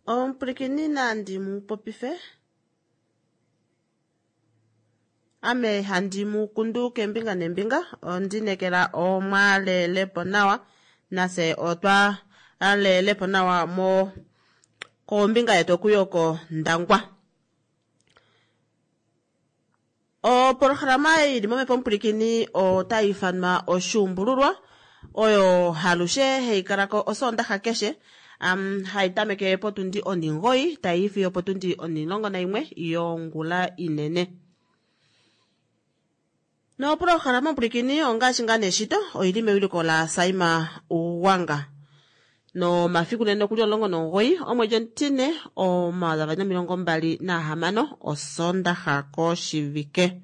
Omupwilikini nandi mu popife ame handi mu kundu keembinga neembinga ondinekela omwalelepo nawa nafye otwa lelepo nawa mo kombinga yetu okuyo kOndangwa. Opolohalama ei ili momhepo omupwilikini otai ifanwa Oshuumbululwa oyo halushe hai kala ko Osoondaxa keshe um, hai tameke potundi onhingoyi tai i fiyo potundi onhilongo naimwe yongula inene. Nopolohalama omupwilikini ongaashi ngaa neshito oili mewiliko la Saima Uwanga. Nomafiku nene okuli 19 omwedi omutine 2026 Osoondaxa koshivike.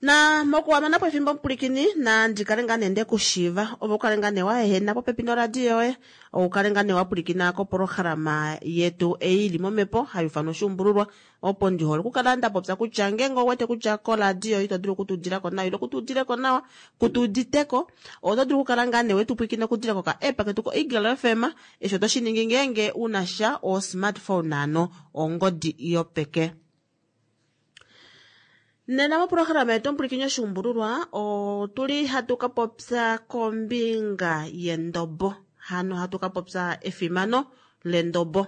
Na mokuhamana po efimbo omupwilikini nandi kale ngaa nee ndekushiiva ove ukale ngaa nee wa ehena popepi noradio yoye ukale ngaa nee wa pwilikina kopolohalama yetu ei ili momhepo hai ufanwa oshuumbululwa opo ndi hole okukala nda popya kutya ngeenge ouwete kutya koradio ito dulu okutudila ko nawa ile kutuudile ko nawa kutuudite ko oto dulu okukala ngaa nee wetu pwilikina okudila koka app ketu ko Eagle FM eshi oto shi ningi ngeenge una sha o smartphone ano ongodi yopeke. Nena mopolohalama yetu omupwilikini oshuumbululwa otuli hatu ka popya kombinga yendobo hano hatu ka popya efimano lendobo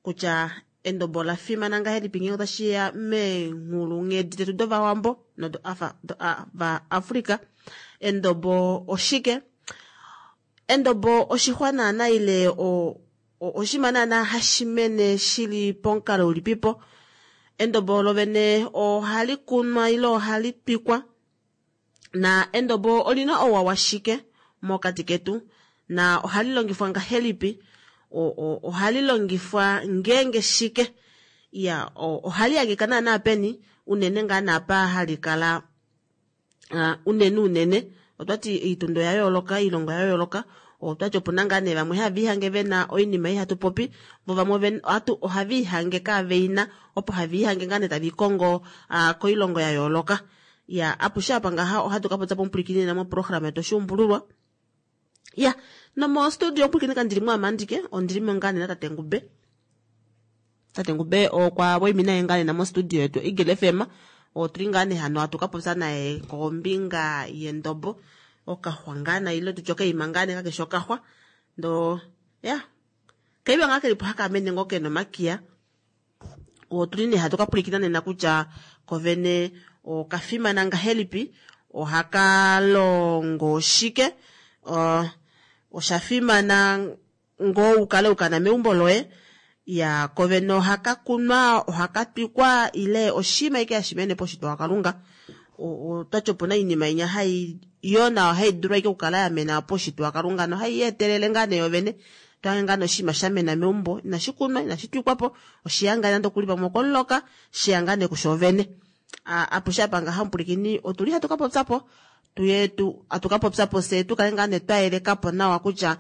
kutya endobo ola fimana ngahelipi ngeenge otashi ya meenghulunghedi detu dOvawambo nodovaAfrika. Endobo oshike? Endobo oshixwa naana ile oshinima naana hashi mene shili pomukalo ulipipo. Endobo lovene ohali kunwa ile ohali twikwa na endobo olina ouwa washike mokati ketu na ohali longifwa ngahelipi ohali longifwa ngeenge shike ya ohali hangika naana peni unene ngaa naapa hali kala unene unene otwati oitundo ya yooloka oilongo ya yooloka otwati opuna ngaa nee vamwe have ihange vena oinima ei hatu popi vo vamwe ohava ihange kaveina opo have ihange ngaa nee tave ikongo koilongo ya yooloka ya apushe apa ngaha ohatu ka popya pomupwilikini nena moprograma yetu oshuumbululwa ya nomo studio omupwilikini kandili mo amandike ondili mo ngaa nee natate Ngube. Tate Ngube okwa waimina ye ngaa nena mostudio yetu Eagle FM otuli ngaa nee hano hatu ka popya naye kombinga yendobo okaxwa ngaa na ile tutye okaima ngaa nee kakeshi okaxwa ndo ya kaiwa ngaa kelipo haka mene ngoo kena omakiya otuli nee hatu ka pwilikina nena kutya kovene okafimana ngahelipi ohaka longo shike osha fimana ngoo ukale ukana meumbo loye ya kovene ohaka kunwa ohaka twikwa ile oshinima ike hashi mene poshitwa waKalunga otwati opuna oinima inya hai yo nayo hai dulu ashike okukala ya mena poshitwa waKalunga nohai yeetelele ngaa nee yovene twange ngaa nee oshinima sha mena meumbo inashi kunwa inashi twikwapo oshiya ngaa nande okuli pamwe okomuloka shiya ngaa nee kushoovene apushe apa ngaha omupwilikini otuli hatu ka popyapo tuye tu atu ka popyapo fye tukale ngaa nee twayelekapo nawa kutya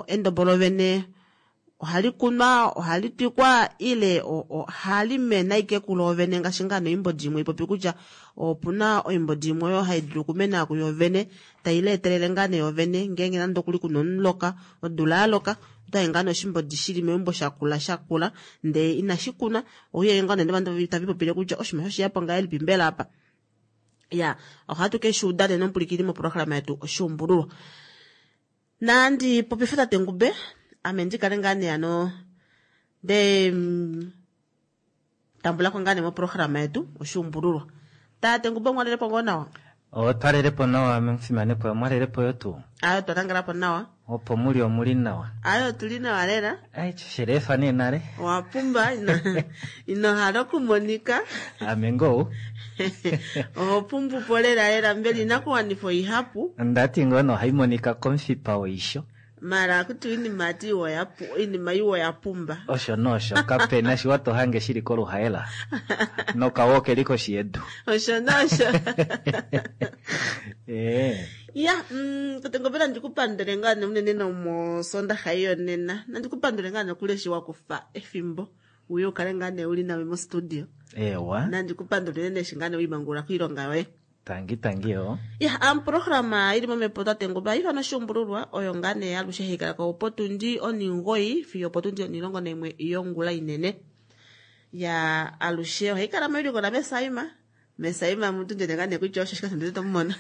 endobo lovene ohali kunwa ohali twikwa ile ohali mene ashike kuloovene ngaashi ngaa noimbodi imwe ipopi kutya opuna oimbodi imwe oyo hai dulu okumena kuyovene tai leetelele ngaa nee yovene ngeenge nande okuli kuna omuloka odula yaloka otayi ngaa nee oshimbodi shili meumbo shakula shakula ndee inashi kunwa ouyele ngaa nee ovanhu tava ipopile kutya oshinima oshiyapo ngahelipi mbela apa ya ohatu ke shi uda nena omupwilikini moprograma yetu oshuumbululwa. Nandi popife tate Ngube ame ndi kale ngaa nee ano nde tambula ko ngaa nee moprograma yetu oshuumbululwa. Tate Ngube omwalelepo ngoo nawa? Otwalelepo nawa omufimanekwa, omwalelepo yo tuu? Ayo twa nangala po nawa. Opo muli omuli nawa. Ayo otuli nawa lela. Ai shelefa nee nale. Owa pumba ino hala okumonika. Ame ngoo. Oho pumbu po lela lela mbela inakuwanifwa ihapu. Ndati ngoo no ohai monika komufipa woisho. Mara akuti oinima ati iwa oinima iwa oya pumba. Osho nosho, kapena shiwa to hange shili koluhaela nokawo keli koshi yedu. Osho nosho. Ya, tate Ngobela nandi ku pandule ngaa nee unene nomosondaxa ei yonena. Nandi ku pandule ngaa nokuli eshi wa kufa efimbo uye u kale ngaa nee uli name mostudio. Ewa. Nandi ku pandule unene eshi ngaa nee wiimangulula koilonga yoye. Tangi tangi yo. Ya, oprograma ili momhepo tate Ngobela ifana oshuumbululwa oyo ngaa nee alushe hai kala ko potundi onimugoi fiyo opotundi onilongo naimwe yongula inene. Ya, alushe ohai kala moiliko la Mesaima. Mesaima mutu ndele ngaa nee kutya osho shika ndele to mona.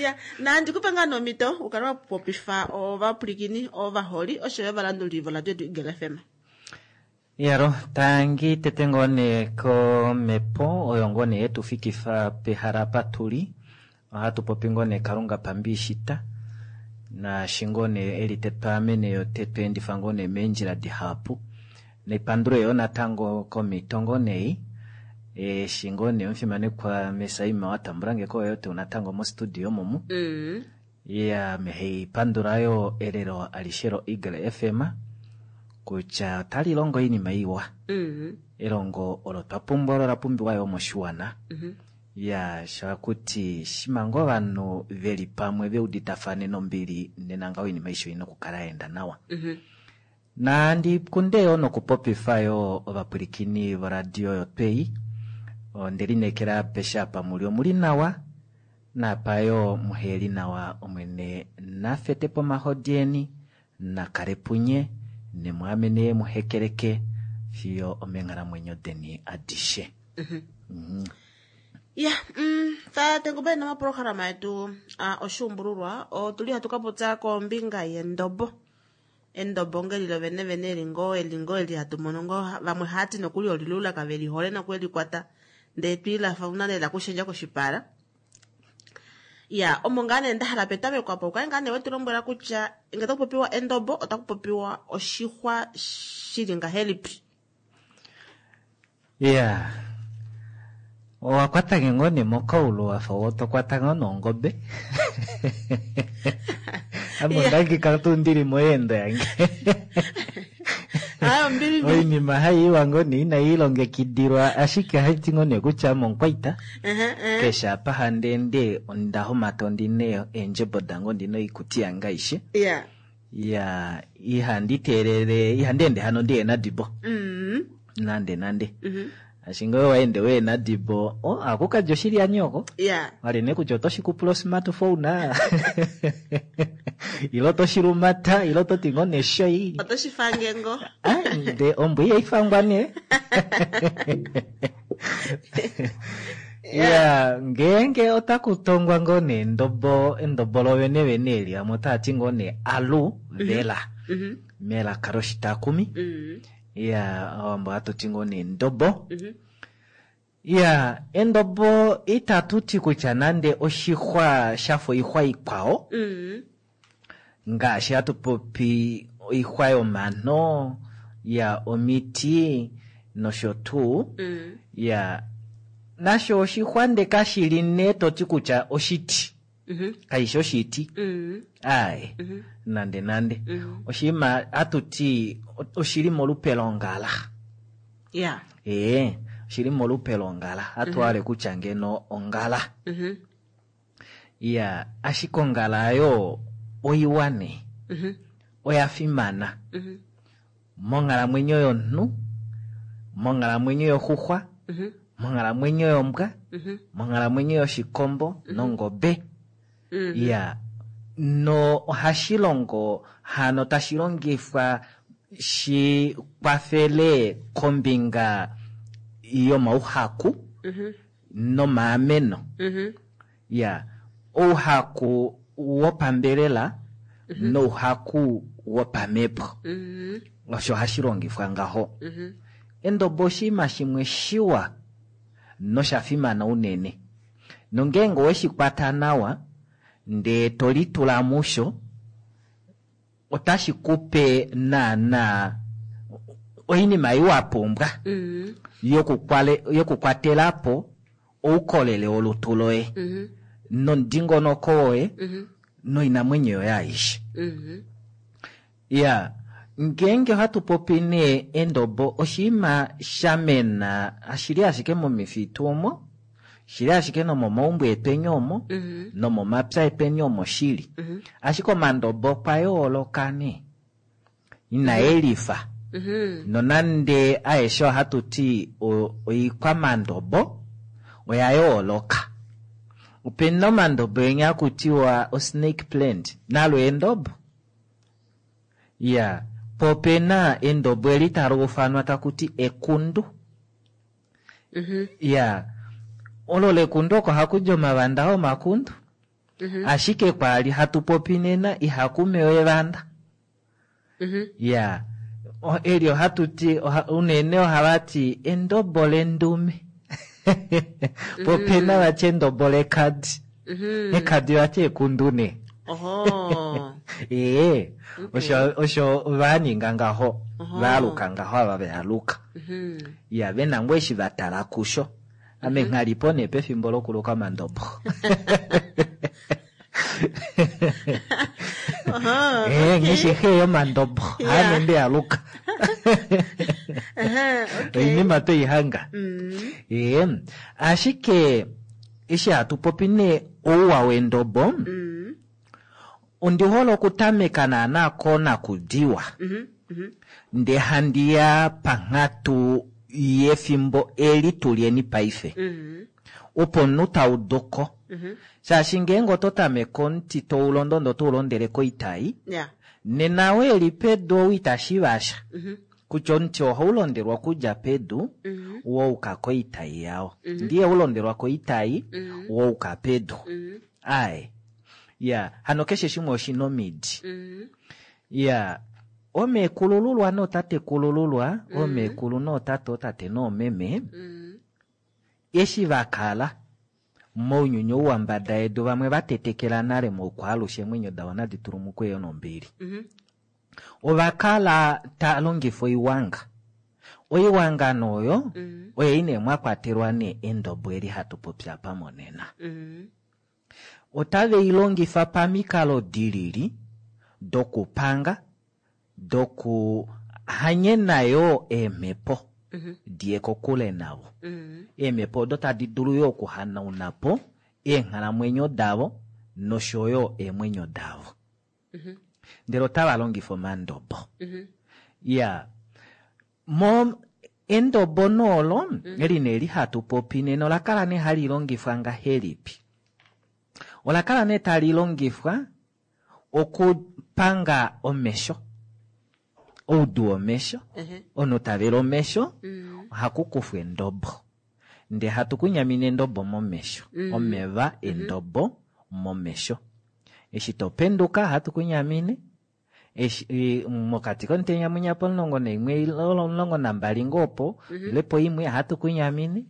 Ya, nandi kupe ngaa nomhito u kale wa popifa ovapwilikini, ovaholi osho yo ovalanduli voradio yetu Eagle FM. Yalo, tangi tete ngoo nee komhepo oyo ngoo nee yetu fikifa pehala apa tuli. Ohatu popi ngoo nee Kalunga pambiishita. Naashi ngoo nee eli tetwaamene yo tetweendifa ngoo nee meendjila dihapu. Nepandulo yo natango komhito ngoo nee eshi ngoo nee omufimanekwa Mesaima wa tambulange ko yo tuu natango mostudio momu. Ya, meheipandula yo elelo alishe lo Eagle FM kutya otali longo oinima iwa. Elongo olo twa pumbwa olo la pumbiwa yo moshiwana. Ya, shakuti shimanga ovanhu veli pamwe veuditafane nombili nena ngaho oinima aishe oina okukala ya enda nawa. Nandi kunde yo nokupopifa yo ovapwilikini voradio yotwei. Onde lineekela apeshe apa muli omuli nawa. Napa yo muheli nawa omwene nafete pomahodi eni, nakale punye, nemwaamene muhekeleke fiyo omenghalamwenyo deni adishe. Ya, tate Ngobela nomaprograma yetu oshuumbululwa otuli hatu ka popya kombinga yendobo. Endobo ngeli lo vene vene eli ngoo eli ngoo eli hatu mono ngoo vamwe hati nokuli olilula kave lihole noku eli kwata ndee twiilafa una lela kushendja koshipala. Ya, omo ngaa nee nda hala petameko apa ukale ngaa nee wetu lombwela kutya ngee taku popiwa endobo otaku popiwa oshixwa shili ngahelipi. Ya, owa kwata nge ngoo nee mokaulu wafa to kwata ngoo nongobe. Ame ondangika tuu ndili moyeendo yange. Ayo, mbili mbili. Oinima haiiwa ngoo nee inai ilongekidilwa ashike ohaiti ngoo nee kutya ame omukwaita. Keshe apa handi ende onda homata ondina eendjebo dange ondina oikuti yange aishe. Ya, ihandi teelele, ihandi ende hano ndihena dibo. Nande nande. Ashike ngee waende wehena dibo, ohaku kadja oshili yanyoko. Wali nee kutya otoshi kupula osmartphone, ilo otoshi lumata, ilo ototi ngoo neshoi. Otoshi fange ngoo. Nde ombwa ihaifangwa nee. Ya, ngeenge otaku tongwa ngoo nee endobo, endobo lovene vene eli vamwe otava ti ngoo nee alu vela. Melaka loshitakumi. Ya, owambo ohatu ti ngoo nee endobo. Ya, endobo itatu ti kutya nande oshixwa shafa oixwa ikwao. Ngaashi hatu popi oixwa yomano, ya omiti nosho tuu. Ya, nasho oshixwa nde kashili nee toti kutya oshiti. Kaishi oshiti. Aye, nande nande. Oshinima hatu ti oshili molupe longala. Oshili molupe longala. Hatu hale kutya ngeno ongala. Ya, ashike ongala ayo oiwa nee. Oya fimana. Monghalamwenyo yomunhu, monghalamwenyo yoxuxwa, monghalamwenyo yombwa, monghalamwenyo yoshikombo nongobe. Ya, no ohashi longo hano tashi longifwa shi kwafele kombinga yomauhaku nomaameno. Ya, ouhaku wopambelela nouhaku wopamhepo. Osho hashi longifwa ngaho. Endobo oshinima shimwe shiwa nosha fimana unene. Nongeenge oweshi kwata nawa ndee to litula musho, otashi kupe naana oinima ei wa pumbwa yokukwatela po oukolele wolutu loye. Nomudingonoko woye noinamwenyo yoye aishe. Iya, ngeenge ohatu popi nee endobo oshinima shamena shili ashike momifitu omo, shili ashike nomomaumbo etweni omo, nomomapya etweni omo shili. Ashike omandobo okwa yooloka nee, inaelifa. Nonande aeshe ohatu ti oikwamandobo oya yooloka. Opena omandobo enya hakutiwa osnake plant, nalo endobo. Iya, po opena endobo eli tali ufanwa takuti ekundu. Iya, olo lekundu oko hakudi omavanda omakundu. Ashike kwali hatu popi nena ihaku mewa evanda. Iya, eli ohatu ti unene ohava ti endobo lendume. Po opena vati endobo lekadi. Ekadi vati ekundu nee. Oho. Ee, osho vaninga ngaho, valuka ngaho ava vealuka. Iya, vena ngoo eshi vatala kusho. Ame nghalipo nee pefimbo lokuluka omandobo. Oho, Ngeshi xe yomandobo, ame ndealuka. Oinima toihanga. Ashike eshi hatu popi nee ouwa wendobo, ondi hole okutameka naana konakudiwa. Ndee handi ya panghatu yefimbo eli tulyeni paife. Opo omunhu tauduko. Shaashi ngeenge oto tameke omuti toulondo ndee oto ulondele koitai, nena ou eli pedu ou itashiiva sha. Kutya omuti ohaulondelwa okudja pedu, wa yuka koitai yao. Ndee ihaulondelwa koitai, wa yuka pedu. Ae. Ya, hano keshe shimwe oshina omidi. Ya, omeekulululwa nootatekulululwa, omeekulu nootate, ootate noomeme, eshi vakala mounyuni ou wambada yedu vamwe vatetekela nale moukwaalushe eemwenyo davo nadi tulumukwe yo nombili. Ovakala ta longifa oiwanga. Oiwanga nooyo oyo ine mwa kwatelwa nee endobo eli hatu popi apa monena. Otave i longifa pamikalo dilili dokupanga, doku hanyena yoo eemhepo diye kokule navo. Eemhepo odo tadi dulu yoo okuhanauna po eenghalamwenyo davo nosho yo eemwenyo davo. Ndele otava longifa omandobo. Ya, mo endobo noolo, eli nee li hatu popi nena, ola kala nee hali longifwa ngahelipi? Ola kala nee tali longifwa okupanga omesho, oudu womesho, omunhu tavela omesho, ohaku kufwa endobo. Ndee hatu kunyamine endobo momesho, omeva endobo momesho. Eshi topenduka ohatu kunyamine, eshi mokati komutenya mwinya pomulongo naimwe ile 12 ngoo opo, ile poimwe ohatu kunyamine,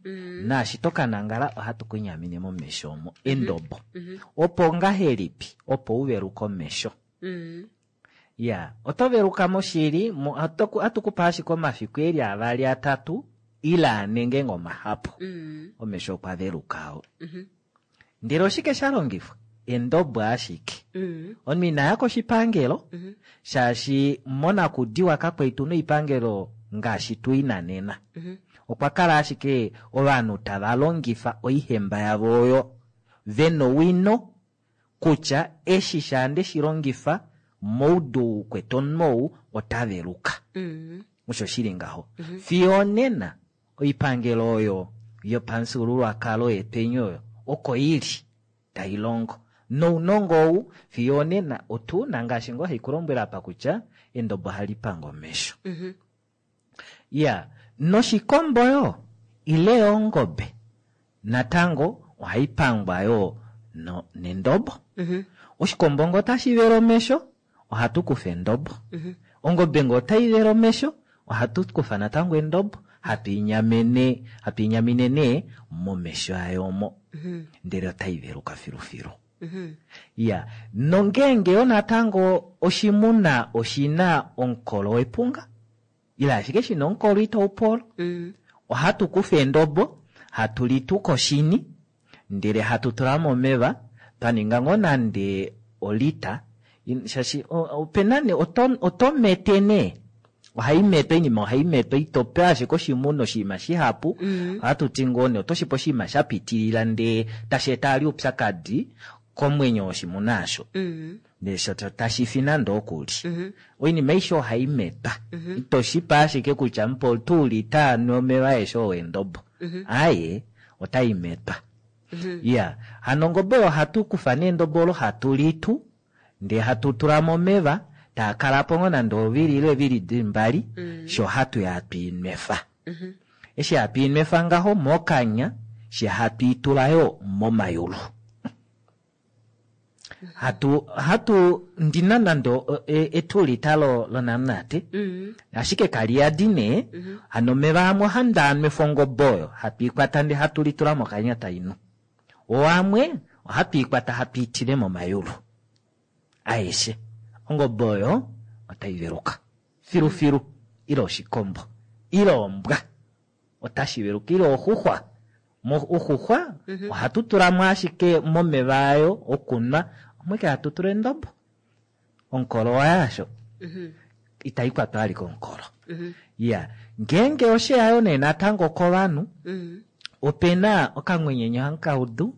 naashi tokanangala ohatu kunyamine momesho omo endobo. Opo ngahelipi? Opo uveluke omesho. Ya, oto veluka moshili, ohatu kupa ashike omafiku eli 2 3 ile 4 ngeenge omahapu. Omesho okwa veluka oo. Ndele oshike sha longifwa? Endobo ashike. Omunhu inaya koshipangelo, shaashi monakudiwa kakwa tuna oipangelo ngaashi tuina nena. Okwa kala ashike ovanhu tava longifa oihemba yavo oyo vena owino kutya eshi shaande shi longifa moudu kwete omunhu ou ota veluka. Osho shili ngaho. Fiyo onena oipangelo oyo yopamufyuululwakalo yetweni oyo oko ili tai longo. Nounongo ou fiyo onena otuna ngaashi ngoo haikulombwela apa kutya endobo ohali panga omesho. Ya, noshikombo yo ile ongobe natango ohai pangwa yo nendobo. Oshikombo ngo otashi vele omesho, ohatu kufa endobo. Ongobe ngo otai vele omesho, ohatu kufa natango endobo, hatu inyamine nee momesho ayo omo. Ndele otai veluka filufilu. Ya, nongeenge yo natango oshimuna oshina omukolo wepunga, ile ashike shina omukolo itau polo, ohatu kufa endobo, hatu li tu koshini, ndele hatu tula momeva, Twa ninga ngoo nande olita, shaashi opena nee oto mete nee. Ohai metwa oinima ohai metwa ito pe ashike oshimuna oshinima shihapu. Ohatu ti ngoo nee oto shipe oshinima sha pitilila ndee tashi eta ali oupyakadi komwenyo woshimuna aasho. Ndee sho tashi fi nande okuli. Oinima aishe ohai metwa. Ito shipe ashike kutya mupe tuulita anwe omeva aeshe oo endobo. Aaye, otai metwa. Iya, hano ongobe oyo ohatu kufa nee endobo olo hatu litu, ndee hatu tula momeva, taa kalapo ngoo nande ovili ile eevili dili mbali, sho hatu ya hatu inwefa. Eshi hatu inwefa ngaho mokanya, she hatu itula yoo momayulu. Hatu ndina nande etulita lonamunate, ashike kali yadi nee, hano omeva amwe ohandi anwefa ongobe oyo, hatu ikwata ndee hatu litula mokanya tainu. Oo amwe ohatu ikwata hatu itile momayulu aeshe. Ongobe oyo otai veluka filufilu, ile oshikombo, ile ombwa otashi veluka, ile oxuxwa. Oxuxwa ohatu tulamo ashike momeva ayo okunwa, omweke hatu tula endobo. Omukolo waye asho. Itai kwatwa ali komukolo. Ya, ngeenge oshe yayo nee natango kovanhu, opena okamwenyenyo hankaudu.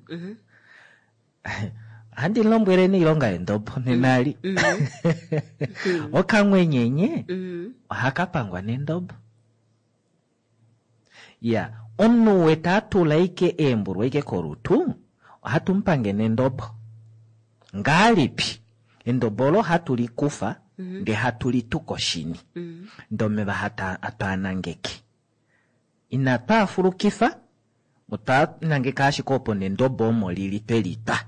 Ohandi lombwele neilonga yendobo nenali. Okamwenyenye ohaka pangwa nendobo. Ya, omunhu wete atula ike eembulwa ike kolutu, ohatu mupange nendobo. Ngalipi? Endobo olo hatu likufa, ndee hatu litu koshini. Ndee omeva hatwaanangeke. Inatu afulukifa, otwa nangeka ashike opo nendobo omo lili twe litwa.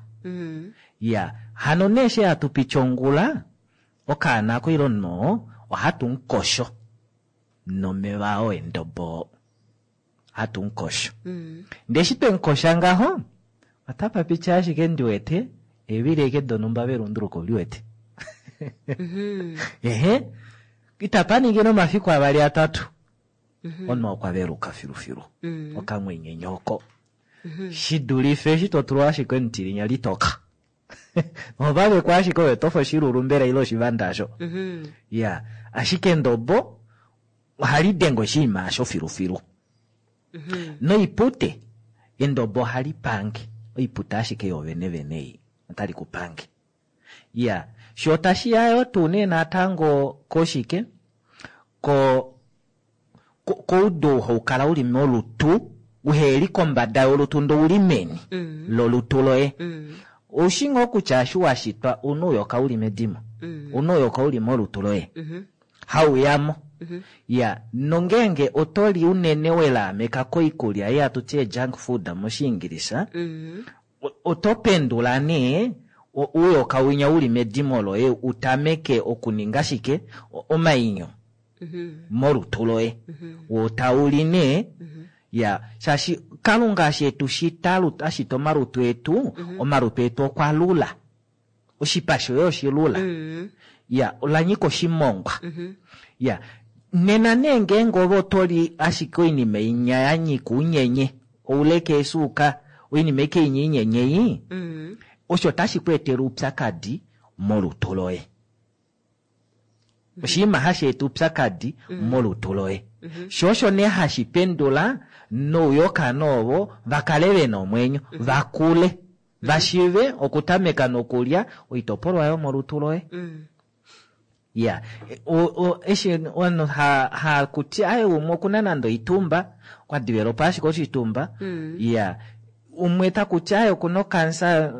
Ya, hano nee she hatu piti ongula, okaana ako ile omunhu oo, ohatu mukosho nomeva oo endobo. Hatu mukosho. Ndee eshi twe mukosha ngaho, otapa piti ashike ndi wete, eevili eke donhumba velunduluko li wete. Ehe, itapa ningi nomafiku avali atatu. Omunhu okwa veluka filufilu. Okamwenyenyo oko. Shi dulife eshi to tulwa ashike omutilinya litoka. Ova vekwa ashike oyo tofa oshilulu mbela ile oshivanda asho. Ya, ashike endobo ohali denge oshinima asho filufilu. Noipute, endobo ohali pange. Oipute ashike yoovene vene ei, otali ku pange. Ya, sho tashi ya yo tuu nee natango koshike, koudu hau kala uli molutu, uheli kombada yolutu ndo uli meni lolutu loye. Oushi ngoo kutya eshi wa shitwa una ouyoka uli medimo, una ouyoka uli molutu loye, hauyamo. Ya, nongeenge oto li unene welaameka koikulya ei hatu ti junk food moshiingilisa, oto pendula nee ouyoka winya uli medimo loye utameke okuninga shike omainyo molutu loye. Wo tauli nee, ya, shaashi Kalunga eshi etu shita, a shita omalutu etu, omalutu etu okwa lula. Oshipa shoye oshilula. Ya, ola nyika oshimongwa. Ya, nena nee ngeenge ove oto li ashike oinima inya ya nyika unyenye, ouleke esuuka, oinima ike inya inyenye ei, osho tashi ku etele oupyakadi molutu loye. Oshinima hashi eta oupyakadi molutu loye. Sho osho nee hashi pendula nouyoka noovo va kale vena omwenyo, va kule, va shive okutameka nokulya oitopolwa yomolutu loye. Ya, eshi ovanhu ha kuti aye umwe okuna nande oitumba, okwa developa ashike oshitumba. Ya, umwe takuti aye okuna okansa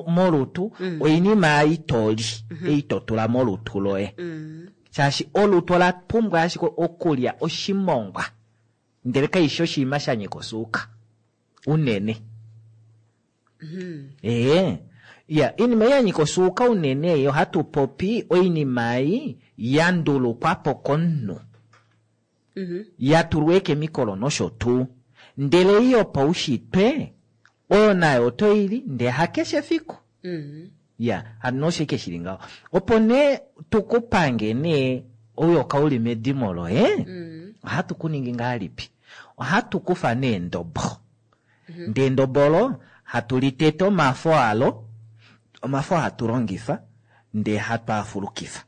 molutu, oinima ei toli, ei to tula molutu loye. Shaashi olutu ola pumbwa ashike okulya oshimongwa, ndele kaishi oshinima sha nyika osuuka unene. Ya, oinima ei ya nyika osuuka unene ei ohatu popi oinima ei ya ndulukwa po komunhu. Ya tulwa eekemikolo nosho tuu. Ndele ei yopaushitwe, oyo nayo oto i li, ndele hakeshe efiku. Ya, hano osho ike shili ngaho. Opo nee tukupange nee ouyoka uli medimo loye, ohatu ku ningi ngahelipi? Ohatu kufa nee endobo. Ndee endobo olo, hatu litete omafo alo. Omafo hatu longifa ndee hatu a fulukifa.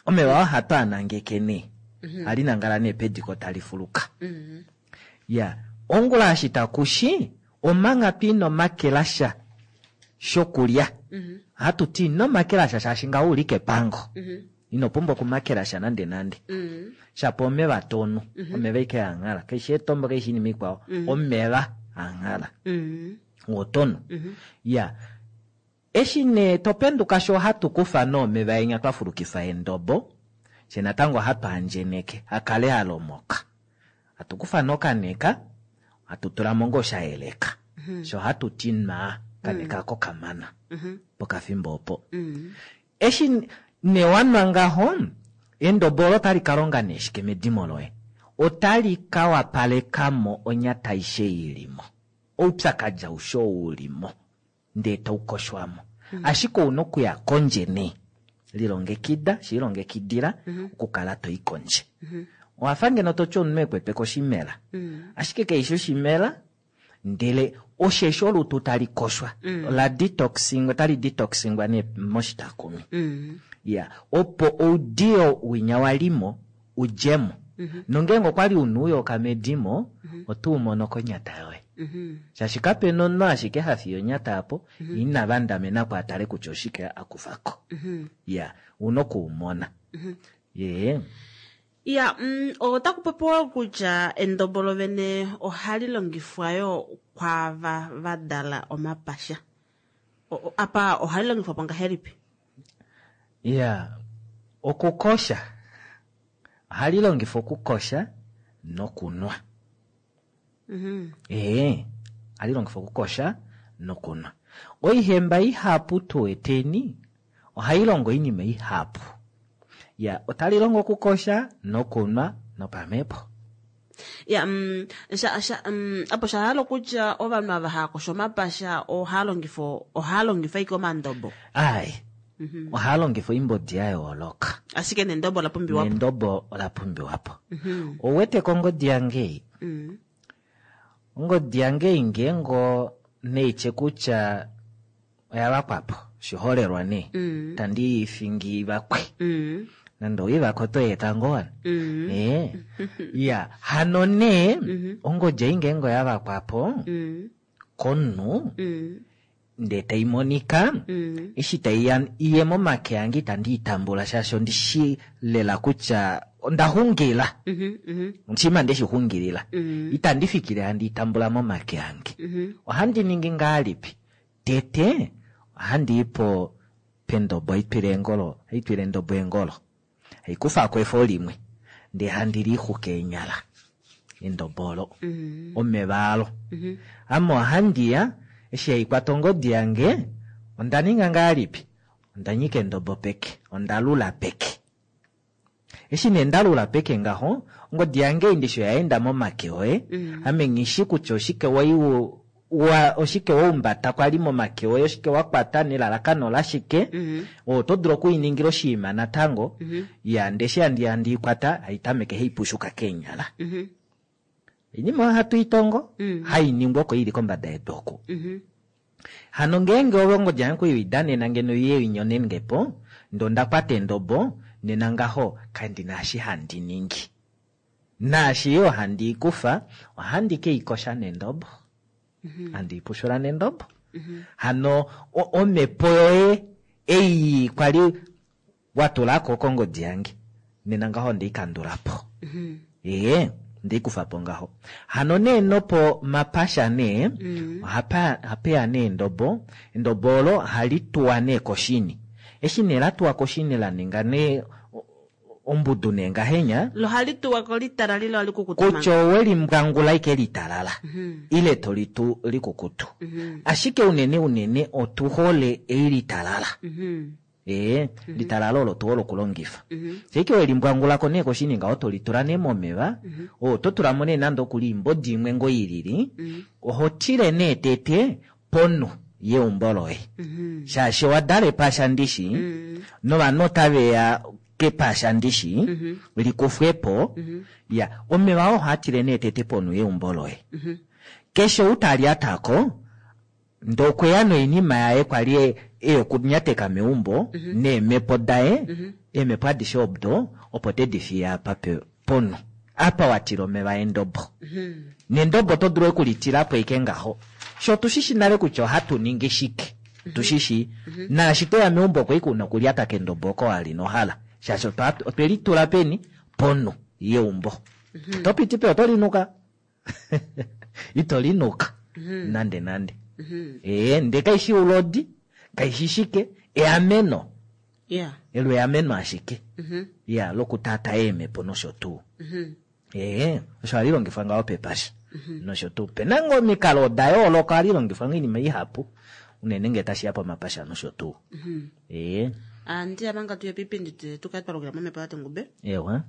Omeva oo ohatu a nangeke nee. Ohali nangala nee pediko tali fuluka. Ya, ongula eshi takushi, omanga twa ino makela sha shokulya, ohatu ti ino makela sha shaashi ngaho ouli kepango. Ino pumbwa okumakela sha nande nande. Shapo omeva tonu, omeva ashike anghal, kaishi eetombo kaishi oinima ikwao, omeva anghal. Oo tonu. Ya, eshi nee topenduka sho ohatu kufa nee omeva enya twa fulukifa endobo, fye natango ohatu andjeneke akale alomoka. Hatu kufa nee okaneka, hatu tulamo ngoo shayeleka. Sho ohatu ti nwaa, okaneka ako kamana pokafimbo opo. Eshi nee wanwa ngaho, endobo olo otali ka longa nee shike medimo loye? Otali ka wapalekamo onyata aishe ilimo. Oupyakadi aushe ou ulimo ndee taukoshwamo. Ashike ouna okuya kondje nee. Lilongekida, shiilongekidila okukala toi kondje. Owafa ngeno toti omunhu ekwetwe koshimela. Ashike kaishi oshimela, ndele osheshi olutu tali koshwa. La detoxing, otali detoxingwa nee moshitakumi. Ya, opo oudiyo winya walimo udjemo. Nongeenge okwali una ouyoka medimo, oto umono konyata yoye. Shaashi kapena omunhu ashike hafiye onyata aapo, ina vandamenako atale kutya oshike akufako. Ya, ouna okuumona. Yee. Ya, otaku popiwa kutya endobo lovene ohali longifwa yoo kwaava va dala omapasha. Apa ohali longifwa po ngahelipi? Ya, okukosha. Ohali longifwa okukosha nokunwa. Ee, ohali longifwa okukosha nokunwa. Oihemba ihapu tuweteni, ohai longo oinima ihapu. Ya, otali longo okukosha nokunwa nopamhepo. Ya, apo sha hala okutya ovanhu ava hava kosho omapasha ohaa longifa ashike omandobo. Ai, ohaa longifa oimbodi ya yooloka. Ashike nendobo ola pumbiwapo. Nendobo ola pumbiwapo. Ouwete kongodi yange? Ongodi yange ngeenge neitye kutya oya vakwapo, oshiholelwa nee. Tandi ifingi vakwe. Nande oivako oto eta ngoo wana. Ya, hano nee, ongodi ei ngeenge oya vakwapo, komunhu, ndee tai monika, eshi tai ya iye momake ange itandi i tambula shaashi ondi shi lela kutya onda xungila. Oshima nde shi xungilila. Itandi fikile handi i tambula momake ange. Ohandi ningi ngahelipi? Tete, ohandi i po pendobo, haitwile eengolo, haitwile endobo eengolo. Haikufako efo limwe, ndee handi lixuke eenyala. Endobo olo. Omeva alo. Ame ohandi ya, eshi haikwata ongodi yange, onda ninga ngahelipi? Onda nyika endobo peke, onda lula peke. Eshi nee nda lula peke ngaho, ongodi yange ndishi oya enda momake oye. Ame nghishi kutya oshike wai wa, oshike waumbata kwali momake oye, oshike wa kwata nelalakano lashike. Oto dulu okuiningila oshinima natango. Ya, ndee eshi handi i kwata, haitameke haipushuka keenyala. Oinima oyo hatu itongo, hainingwa oko ili kombada yedu oku. Hano ngeenge ove ongodi yange kuidanena ngeno iye inyonenge po, ndee onda kwata endobo, nena ngaho kandina eshi handi ningi. Naashi yo handi ikufa, ohandi keikosha nendobo. Handi ipushula nendobo. Hano omhepo yoye ei kwali watulako kongodi yange, nena ngaho ndeikandulapo. Ee, ndeikufapo ngaho. Hano nee nopo mapasha nee, ohapeya nee endobo. Endobo olo ohali tuwa nee koshini. Eshi nee la tuwa koshini la ninga nee ombudu nee ngahenya. Lo hali tuwa ko litalala ile hali kukutu Kutya owe limbwangula ike litalala. Ile to litu likukutu. Ashike unene unene otu hole ei litalala. Ee, litalala olo tu hole okulongifa. Sheke we limbwangula ko nee koshini ngaho to litula nee momeva. Oto tulamo nee nande okuli imbodi imwe ngo ilili. Oho tile nee tete ponhu yeumbo loye. Shaashi owa dala epasha ndishi, novanhu otave ya kepasha ndishi, likufwepo. Ya, omeva oo ohaa tile nee tete ponhu yeumbo loye. Keshe ou ta lyatako, Ndee okweya noinima yaye kwali e okunyateka meumbo neemhepo daye, eemhepo adishe odo opo tedi fiye apa ponhu apa wa tila omeva endobo. Nendobo oto dulu oku li tilapo ashike ngaho shoo otushishi nale kutya ohatu ningi shike, otushishi. Naashi toya meumbo oko ashike una okulyata kendobo oko wa li inohala shaashi otwe li tula peni, ponhu yeumbo. Oto piti pe oto linuka? Ito linuka nande nande. Ee, ndee kaishi oulodi, kaishi shike, eameno. Elo eameno ashike. Iya, lokutaataa eemhepo nosho tuu. Ee, osho hali longifwa ngaho pepasha nosho tuu. Opena ngoo omikalo oda yooloka, ohali longifwa ngoo oinima ihapu unene ngee tashiya pomapasha nosho tuu. Ee. Andiya manga tuye piipindi tukale twa lukila momhepo yaTengube. Ewa.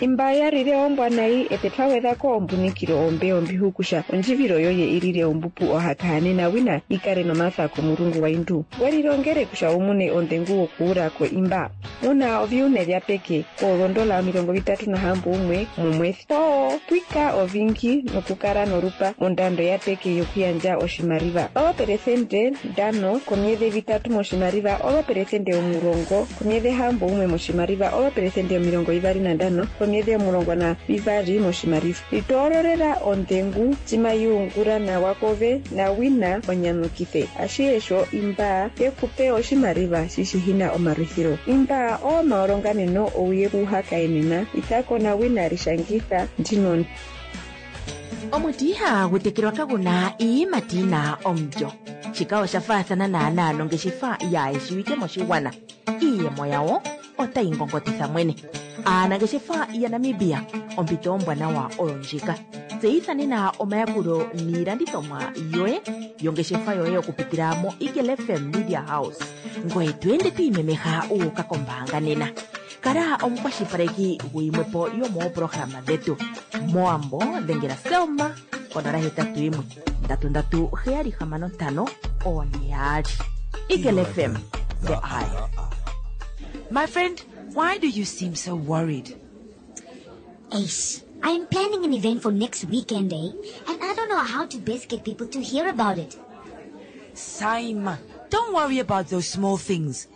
Imba ya lile ombwa nayi ete twagwedha ko ombunikilo ombe ombihukusha ondjivilo yoye ilile ombupu ohakahanena wina ikale nomatha komulungu waindu welilongele kusha umune ondengu wokuula ko imba muna oviune vya peke koolondola 36 mumwethi oo pwika ovingi nokukala nolupa mondando ya peke yokuyandja oshimaliwa 5% komyedhi 3 moshimaliwa 10% komyedhi 61 moshimaliwa 25% komyedhi 12 moshimaliwa. Litoololela ondengu tima yuungula nawa kove nawina onyamukithe ashihe sho imba yekupe oshimaliwa shishihina omalwithilo. Imba oomaolonganeno ouye kuhakaenena itako nawina lishangitha ndino. Omuti ihagu tekelwa kagu na iiyimati yi na omulyo. Shika osha faathana naanaa nongeshefa yaa shiwike moshigwana. Iiyemo yawo otayi ngongotitha mwene. Aanangeshefa yaNamibia, ompito ombwanawa oyo ndjika. Tseyitha nena omayakulo niilandithomwa yoye yongeshefa yoye okupitila moEagle FM Media House. Ngoye to ende to imemeha wu uka kombaanga nena. Kala omukwashilipaleki guyimwe po yomoopolohalama dhetu. Mowambo dhengela Selma konola hetatu yimwe ndatu ndatu heyali hamano ntano one yaali. Eagle FM, the eye. My friend, why do you seem so worried? Ace, I am planning an event for next weekend, eh? And I don't know how to best get people to hear about it. Saima, don't worry about those small things.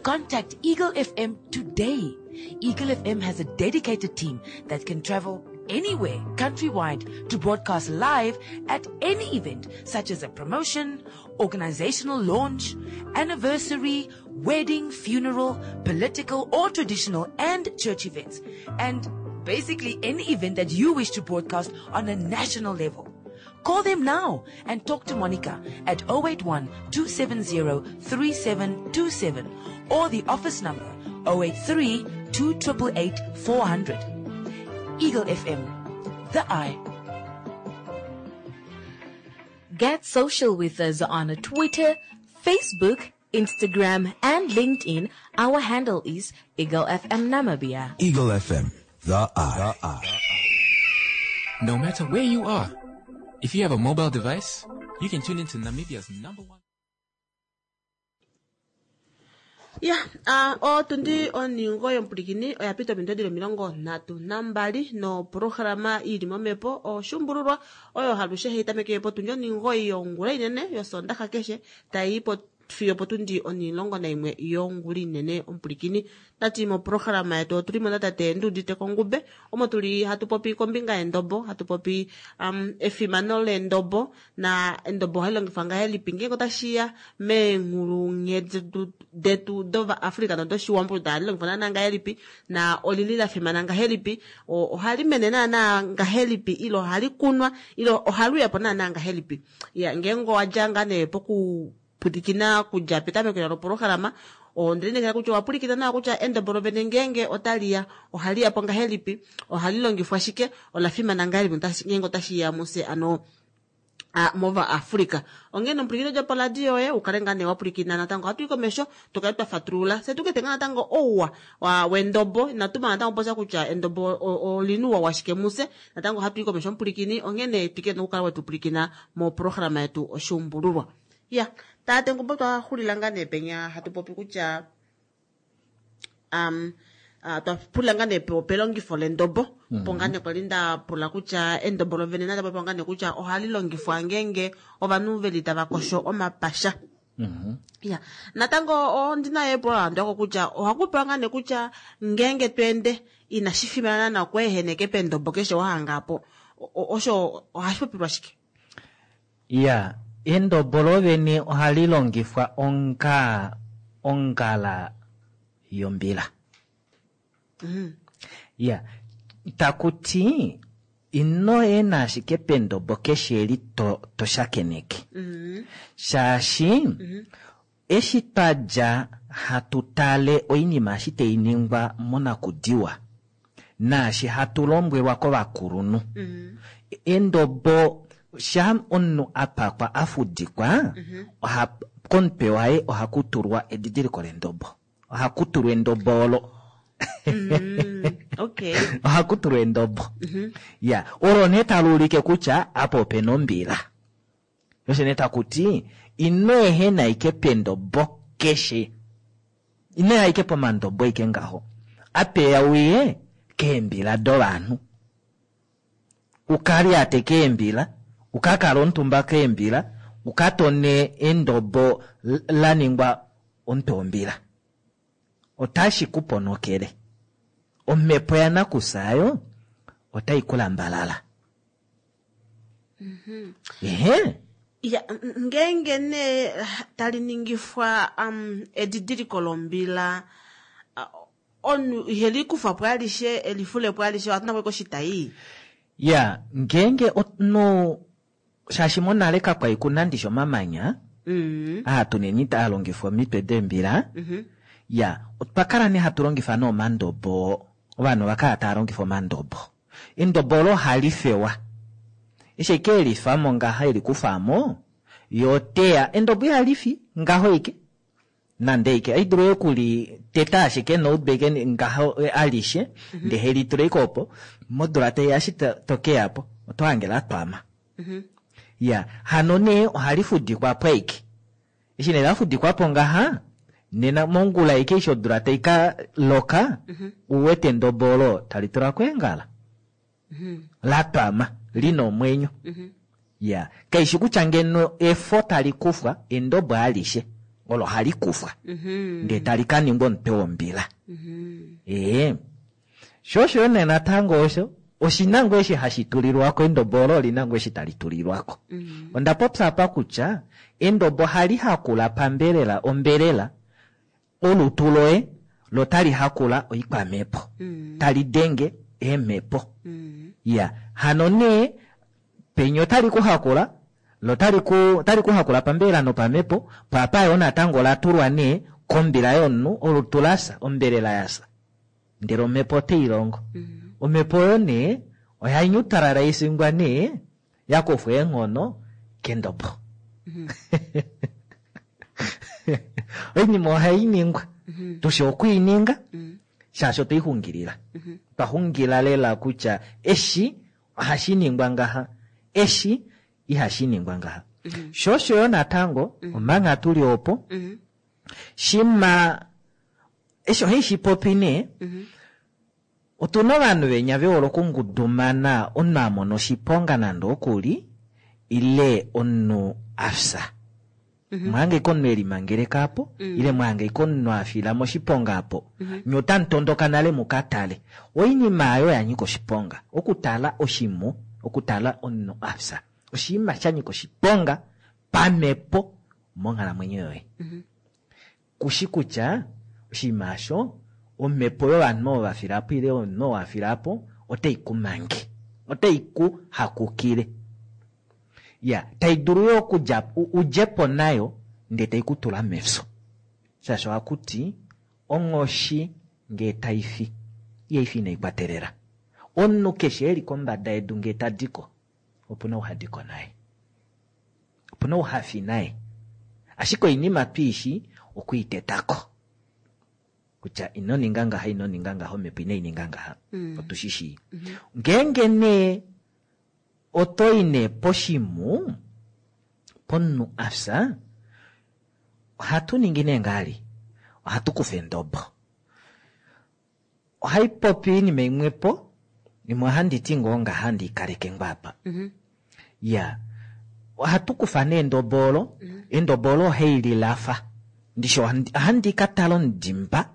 Contact Eagle FM today. Eagle FM has a dedicated team that can travel anywhere countrywide to broadcast live at any event such as a promotion, organizational launch, anniversary, wedding, funeral, political or traditional and church events, and basically any event that you wish to broadcast on a national level. Call them now and talk to Monica at 081 270 3727 or the office number 083 288 400. Eagle FM, the eye. Get social with us on Twitter, Facebook, Instagram, and LinkedIn. Our handle is Eagle FM Namibia. Eagle FM, the eye. No matter where you are, if you have a mobile device, you can tune into Namibia's number one. Ya, otundi oningo yomupulikini oya pita ominute dhili 32 nopolohalama ili momhepo oshumbululwa oyo halushe hayi tameke potundi oningoyi yongula inene yosondaxa keshe tayi po fiyo potundi 11 yongula inene omupulikini. Tati mopolohalama yetu otuli mo natate Nduudite Kongube omo tuli hatu popi kombinga yendobo, hatu popi efimano lendobo na endobo ohali longifwa ngahelipi ngeenge otashiya meenghulunghedi detu dOvaafrika nodoshiwambo ohali longifwa naana ngahelipi na olili la fimana ngahelipi, ohali mene naana ngahelipi ile ohali kunwa ile ohali uya po naana ngahelipi. Ya, ngeenge owadja ngaa nee poku pwilikina kudja petameko lopolohalama, onde kutya owa pwilikina nawa kutya endobo lovene ngeenge otali ya ohali ya po ngahelipi, ohali longifwa shike, ola fimana ngahelipi ngeenge otashi ya muse ano mova Afrika. Onghee nomupwilikini dja poradio yoye ukale ngaa nee wa pwilikina natango ohatu i komesho tukale twa fatulula fye tukete ngaa natango ouwa wendobo. Inatu mana natango popya kutya endobo olina ouwa washike muse, natango ohatu i komesho omupwilikini, onghee nee twikile nokukala wetu pwilikina mopolohalama yetu oshuumbululwa. Ya, tate Ngumbo twa xulila ngaa nee penya hatu popi kutya Twa pula ngaa nee pelongifo lendobo, opo ngaa nee kwali nda pula kutya endobo lovene nali popiwa ngaa nee kutya ohali longifwa ngeenge ovanhu veli tava kosho omapasha. Ya, natango ondina epulo la landulako kutya ohaku pewa ngaa nee kutya ngeenge to ende inashi fimana naana okweeheneke pendobo keshe wa hanga po, osho ohashi popilwa shike? Ya, endobo lovene ohali longifwa onga ongala yombila. Ya, taku ti ino ena ashike pendobo keshe eli to, to shakeneke. Shaashi eshi twa dja hatu tale oinima eshi tai ningwa monakudiwa naashi hatu lombwelwa kovakulunhu, endobo sha omunhu a pakwa a fudikwa, oha, komutwe waye ohaku tulwa edidiliko lendobo. Ohaku tulwa endobo olo. Okay. Ohaku tulwa endobo. Ya, olo nee tali ulike kutya apa opena ombila. Osho nee taku ti ino ehena ike pendobo keshe. Ino ya ike pomandobo ike ngaho. Apeya uye keembila dovanhu. Uka lyate keembila, uka kale omutumba keembila, uka tone endobo la ningwa omutwe wombila. Otashi ku ponokele. Omhepo yanakufya ayo otai ku lambalala. Ehe. Ya, ngeenge nee tali ningifwa edidiliko lombila, omunhu ihe li kufa po alishe, e li fule po alishe, ohatu nako koshitai. Ya, ngeenge omunhu, shaashi monale kakwa li ku na ndishi omamanya, aa tuneni taa longifwa omitwe deembila, ya, otwa kala nee hatu longifa nee omandobo, ovanhu ova kala tava longifa omandobo. Endobo olo ohali fewa. Eshi eke e lifa mo ngaha, e li kufa mo, ye oteya, endobo ihali fi ngaho ike, nande ike. Ohai dulu oku li teta ashike noutwe ike ngaho alishe, ndele he li tula ike opo, modula taiya eshi to ke ya po, oto hange la twama. Ya, hano nee ohali fudikwa po ike. Eshi nee la fudikwa po ngaha, nena mongula ike eshi odula tai ka loka, u wete endobo olo tali tula ko eengala. La twama, li na omwenyo. Ya, kaishi kutya ngeno efo tali kufwa, endobo alishe olo hali kufwa, ndee tali ka ningwa omutwe wombila. Ee. Sho osho yo nee natango osho, oshi na ngoo eshi hashi tulilwa ko, endobo olo oli na ngoo eshi tali tulilwa ko. Onda popya apa kutya endobo ohali hakula pambelela ombelela, olutu loye lo tali hakula oikwamhepo, tali denge eemhepo. Ya, hano nee penya otali ku hakula, lo tali ku, otali ku hakula pambelela nopamhepo, po apa yoo natango ola tulwa nee kombila yomunhu, olutu la fya, ombelela ya fya. Ndele omhepo otai longo. Omhepo oyo nee oya nyutalala isingwa nee ya kufwa eenghono kendobo. Oinima ohai ningwa. Tushi okuininga, shaashi otwai xungilila. Otwa xungila lela kutya eshi ohashi ningwa ngaha, eshi ihashi ningwa ngaha. Sho osho yo natango, omanga tu li opo, shima eshi ohai shi popi nee, otuna ovanhu venya ve hole okungudumana omunhu a mona oshiponga nande oku li, ile omunhu a fya. Mwahange omunhu e limangeleka apo, ile mwahange omunhu a fila moshiponga apo, nye otamu tondoka nale mu ka tale. Oinima oyo ya nyika oshiponga, okutala oshimhu, okutala omunhu a fya, oshinima sha nyika oshiponga pamhepo monghalamwenyo yoye. Kushi kutya oshinima osho omhepo yovanhu ovo va fila po ile omunhu oo a fila po otai ku mange, otai ku hakukile. Ya, tai dulu yo okudja, u dje po nayo ndee tai ku tula mefyo. Shaashi ohaku ti onghoshi ngee tai fi, ihai fi inai kwatelela. Omunhu keshe e li kombada yedu ngee ta di ko, opu na ou ha di ko naye. Opu na ou ha fi naye. Ashike oinima twi shi okwi teta ko. Kutya ino ninga ngaha, ino ninga ngaha, omhepo inai ninga ngaha. Otu shi shii. Ngeenge nee oto i nee poshimhu, pomunhu a fya, ohatu ningi nee ngaali, ohatu kufa endobo. Ohai popi oinima imwepo, imwe ohandi ti ngoo ngaha handi ikaleke ngoo apa. Ya, ohatu kufa nee endobo olo, endobo olo ohai lilafa. Ndishi ohandi ka tala omudimba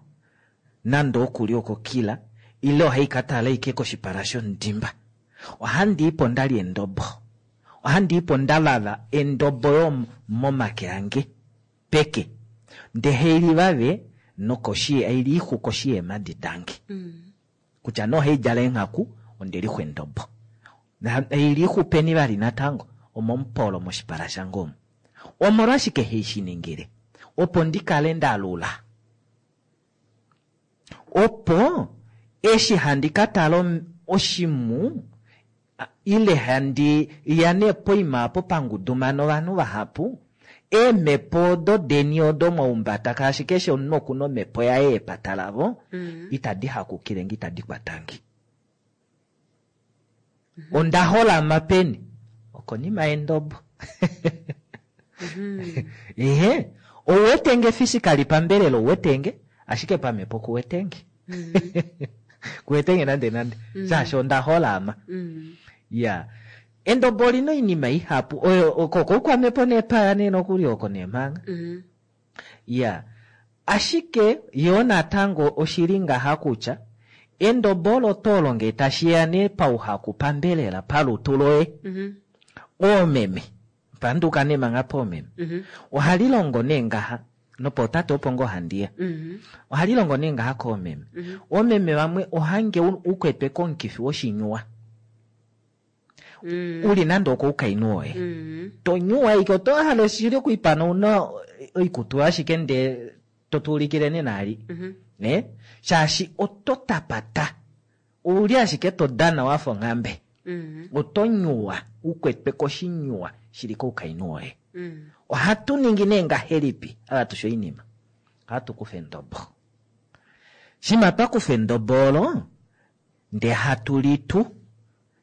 nande okuli okokila ile ohai ka tala ashike koshipala shomudimba. Ohandi ipo ndalya endobo. Ohandi ipo ndavava endobo yo momake ange peke. Ndee hailivave nokoshi hailiixu koshi yeemadi dange. Kutya nee ohaidjala eenghaku ondelixwa endobo. Hailiixu peni vali natango omomupolo moshipala shange omu. Omolwashike haishiningile? Opo ndikale ndalula. Opo eshi handi ka tala oshimhu ile handi ya nee poima apo pangudumana ovanhu vahapu, eemhepo odo deni odo mwaumbata kaashi keshe omunhu okuna omhepo yaye yepata lavo, itadi hakukile nge, itadi kwatange. Onda holama peni? Okonima yendobo. Ehe, ouwetenge physically pambelela ouwetenge, ashike pamhepo kuwetenge. Kuwetenge nande nande. Shaashi onda holama. Ya. Endobo olina oinima ihapu oyo okoukwamhepo neepaya nee nokuli oko neemhanga. Ya. Ashike yoo natango oshili ngaha kutya endobo olo oto longe tashi ya nee pauhaku pambelela palutu loye. Oomeme panduka nee manga poomeme. Ohali longo nee ngaha nopootate opo ngoo handiya. Ohali longo nee ngaha koomeme. Oomeme vamwe ohange ukwetwe komukifi woshinyuwa. Uli nande okoukainhu woye. Tonyuwa ike oto hala shili okuipana una oikutu ashike ndee totuulikile nenali. Ne? Shaashi oto tapata. Ouli ashike to dana wafa onghambe. Oto nyuwa ukwetwe koshinyuwa shili koukainhu woye. Ohatu ningi nee ngahelipi ava tushe oinima? Ohatu kufa endobo. Shima twa kufa endobo olo, ndee hatu litu,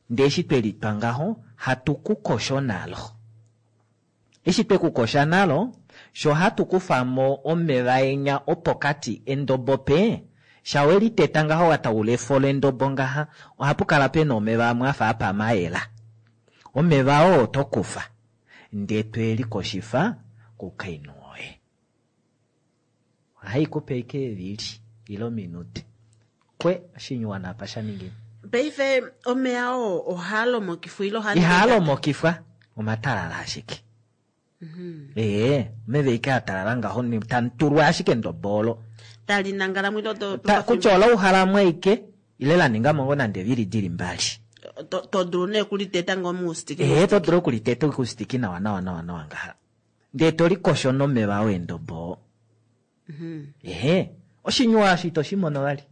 ndee eshi twe litwa ngaho, hatu kukosho nalo. Eshi twe kukosha nalo, sho hatu kufamo omeva enya opokati endobo pe, shawe liteta ngaho wataula efo lendobo ngaha, ohapu kala pena omeva amwe afa apama ayela. Omeva oo oto kufa, ndee twe likoshifa koukainhu woye. Ohai kupe ike evili ile ominute. Kwe oshinyuwa napa sha ningine. Paife omeya oo ohaa lomokifwa ile ohaa Ihaa lomokifwa, omatalala ashike. Ee, omeva ike atalala ngaho tamutulwa ashike endobo olo. Tali nangala mwile oto kutya ola uhalamwe aike ile la ninga mo nande evili dili mbali. To dulu nee okuliteta ngoo muustiki. Ee, to dulu okuliteta kuustiki nawa nawa nawa nawa ngaha. Ndee to likosho nomeva oo endobo. Ehe, oshinyuwa osho ito shi mono vali.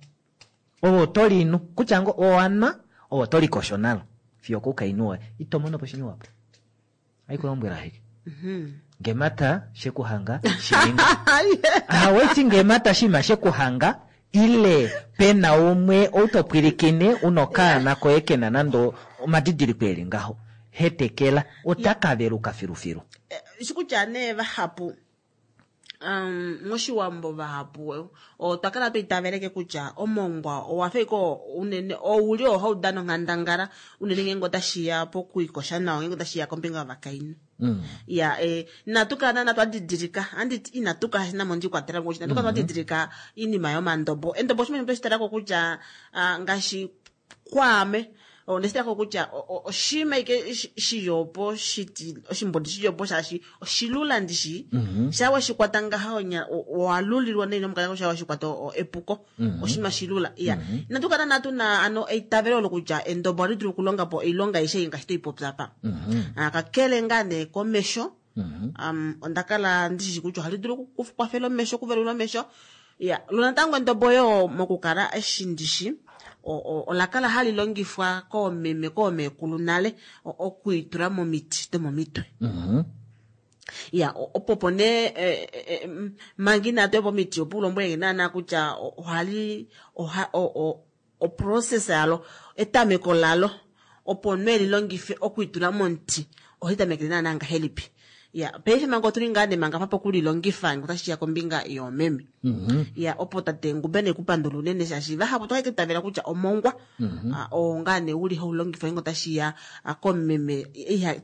Ove oto linu, kutya ngoo owanwa, ove oto likosho nalo fiyo okoukainhu woye. Ito mono po oshinyuwa po. Haikulombwela ashike. Ngemata shekuhanga shininga. Aweti ngemata shima shekuhanga ile pena umwe outopwilikine unokaana koye kena nando omadidiliko eli ngaho. Hetekela otaka veluka filufilu. Shikutya nee vahapu moshiwambo vahapu otwa kala twa kutya omongwa owa fa ike unene ouli oo hau dana onghandangala unene ngeenge otashiya pokuikosha nawa ngeenge otashiya kombinga yovakainhu. Ya inatu kala naana twa didilika anditi inatu kala namo ndikwatela mo inatu kala twa didilika iinima yomandobo. Endobo oshinima shimwe tweshi talako kutya ngaashi kwaame ondeshi talako kutya oshinima ike shiyopo shiti oshimbodi shiyopo shaashi oshilula ndishi. Sha weshikwata ngaha onya owalulilwa nei nomukala sha weshikwata epuko. Oshinima shilula. Ya. Inatu kala naana tuna ano eitavelo olo kutya endobo ohali dulu okulonga po oilonga aishe ngaashi toipopya apa. Kakele ngaa nee komesho, onda kala ndishishi kutya ohali dulu okukwafela omesho, okuvelula omesho. Ya, lo natango endobo yo mokukala eshi ndishi, ola kala hali longifwa koomeme, koomeekulu nale, okuitula momiti domomitwe. Ya, opo po nee manga inatu ya pomiti, opo ulombwele nge naana kutya ohali, oha, oprocess yalo, etameko lalo, opo omunhu eli longife okuitula momuti, ohali tamekele naana ngahelipi. Ya, paife manga otuli ngaa nee manga apa pokulilongifa ngee otashi ya kombinga yoomeme. Ya, opo tate Ngube ne ku pandula unene shaashi vahapu otwa itavela kutya omongwa oo ngaa nee uli haulongifwa ngee otashi ya komumeme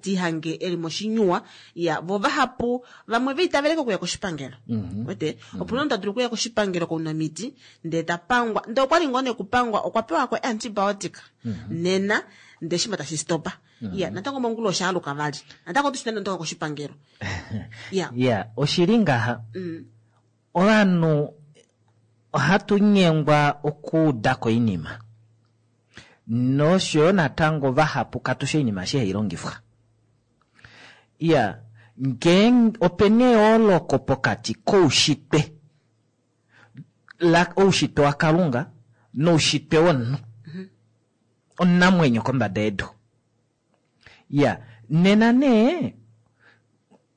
tiihange eli moshinyuwa. Ya, vo vahapu vamwe vaitaveleke okuya koshipangelo. Wete? Opuna omunhu ta dulu okuya koshipangelo kounamiti ndee ta pangwa, ndee okwali ngoo nee kupangwa okwa pewa ko antibiotic nena ndee shima tashi stopa. Ya, natango mongula osha aluka vali. Natango otu shi nande otoka koshipangelo. Ya. Ya, oshili ngaha. Ovanhu ohatu nyengwa okuudako oinima. Nosho yo natango vahapu katushi oinima eshi hai longifwa. Ya, ngeenge opena eyooloko pokati koushitwe oushitwe waKalunga noushitwe womunhu. Omunamwenyo kombada yedu. Ya, nena nee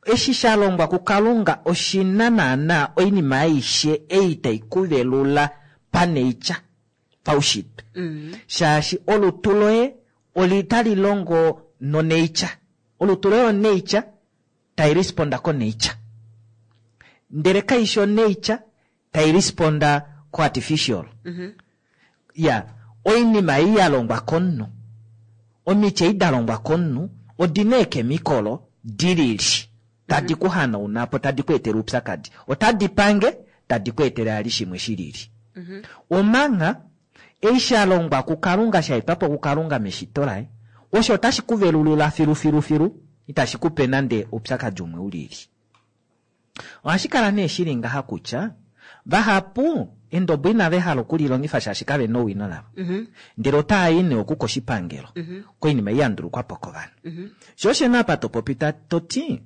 eshi sha longwa kuKalunga oshina naana oinima aishe ei tai kuvelula paneitya paushitwe. Shaashi olutu loye tali longo noneitya. Olutu loye oneitya tai responda koneitya. Ndele kaishi oneitya tai responda ko artificial. Ya, oinima ei ya longwa komunhu, omiti ei da longwa komunhu odina eekemikolo dilili tadi ku hanauna po, tadi ku etele oupyakadi. Otadi pange, tadi ku etele ali shimwe shilili. Omangha ei sha longwa kuKalunga, sha etwa po kuKalunga meshito laye, osho otashi ku velulula filu filu filu, itashi ku pe nande oupyakadi umwe ulili. Ohashi kala nee shili ngaha kutya vahapu endobo inave hala okulilongifa shaashi kave na owino lavo. Ndele otaa i nee oku koshipangelo koinima ei ya ndulukwa po kovanhu. Sho osho nee apa to popi to ti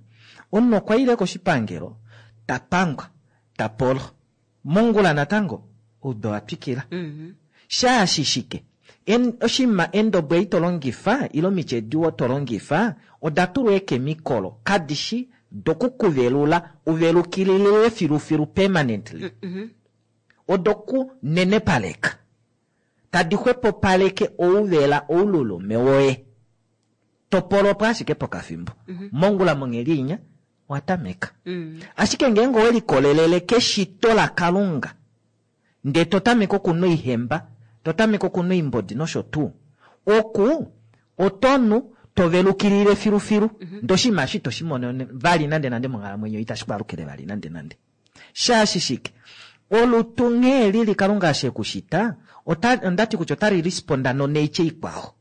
omunhu okwa ile koshipangelo ta pangwa, ta polo. Mongula natango oudu owa twikila. Shaashi shike? Oshinima endobo ei to longifa ile omiti edi to longifa oda tulwa eekemikolo kadi shi dokukuvelula uvelukililile filufilu permanently. Odoku nenepaleka tadi xwepopaleke ouvela oululume woye. Topolopo ashike pokafimbo. Mongula monghedi inya owa tameka. Ashike ngeenge owe likolelele keshito laKalunga ndee to tameke okunwa oihemba, to tameke okunwa oimbodi nosho tuu, oku oto nu to velukilile filufilu. Ndee oshinima eshi ito shi mono vali nande nande monghalamwenyo, itashi ku alukile vali nande nande. Shaashi shike? Olutu nghee lili Kalunga eshi e ku shita, ondati kutya otali responda nonature ikwao.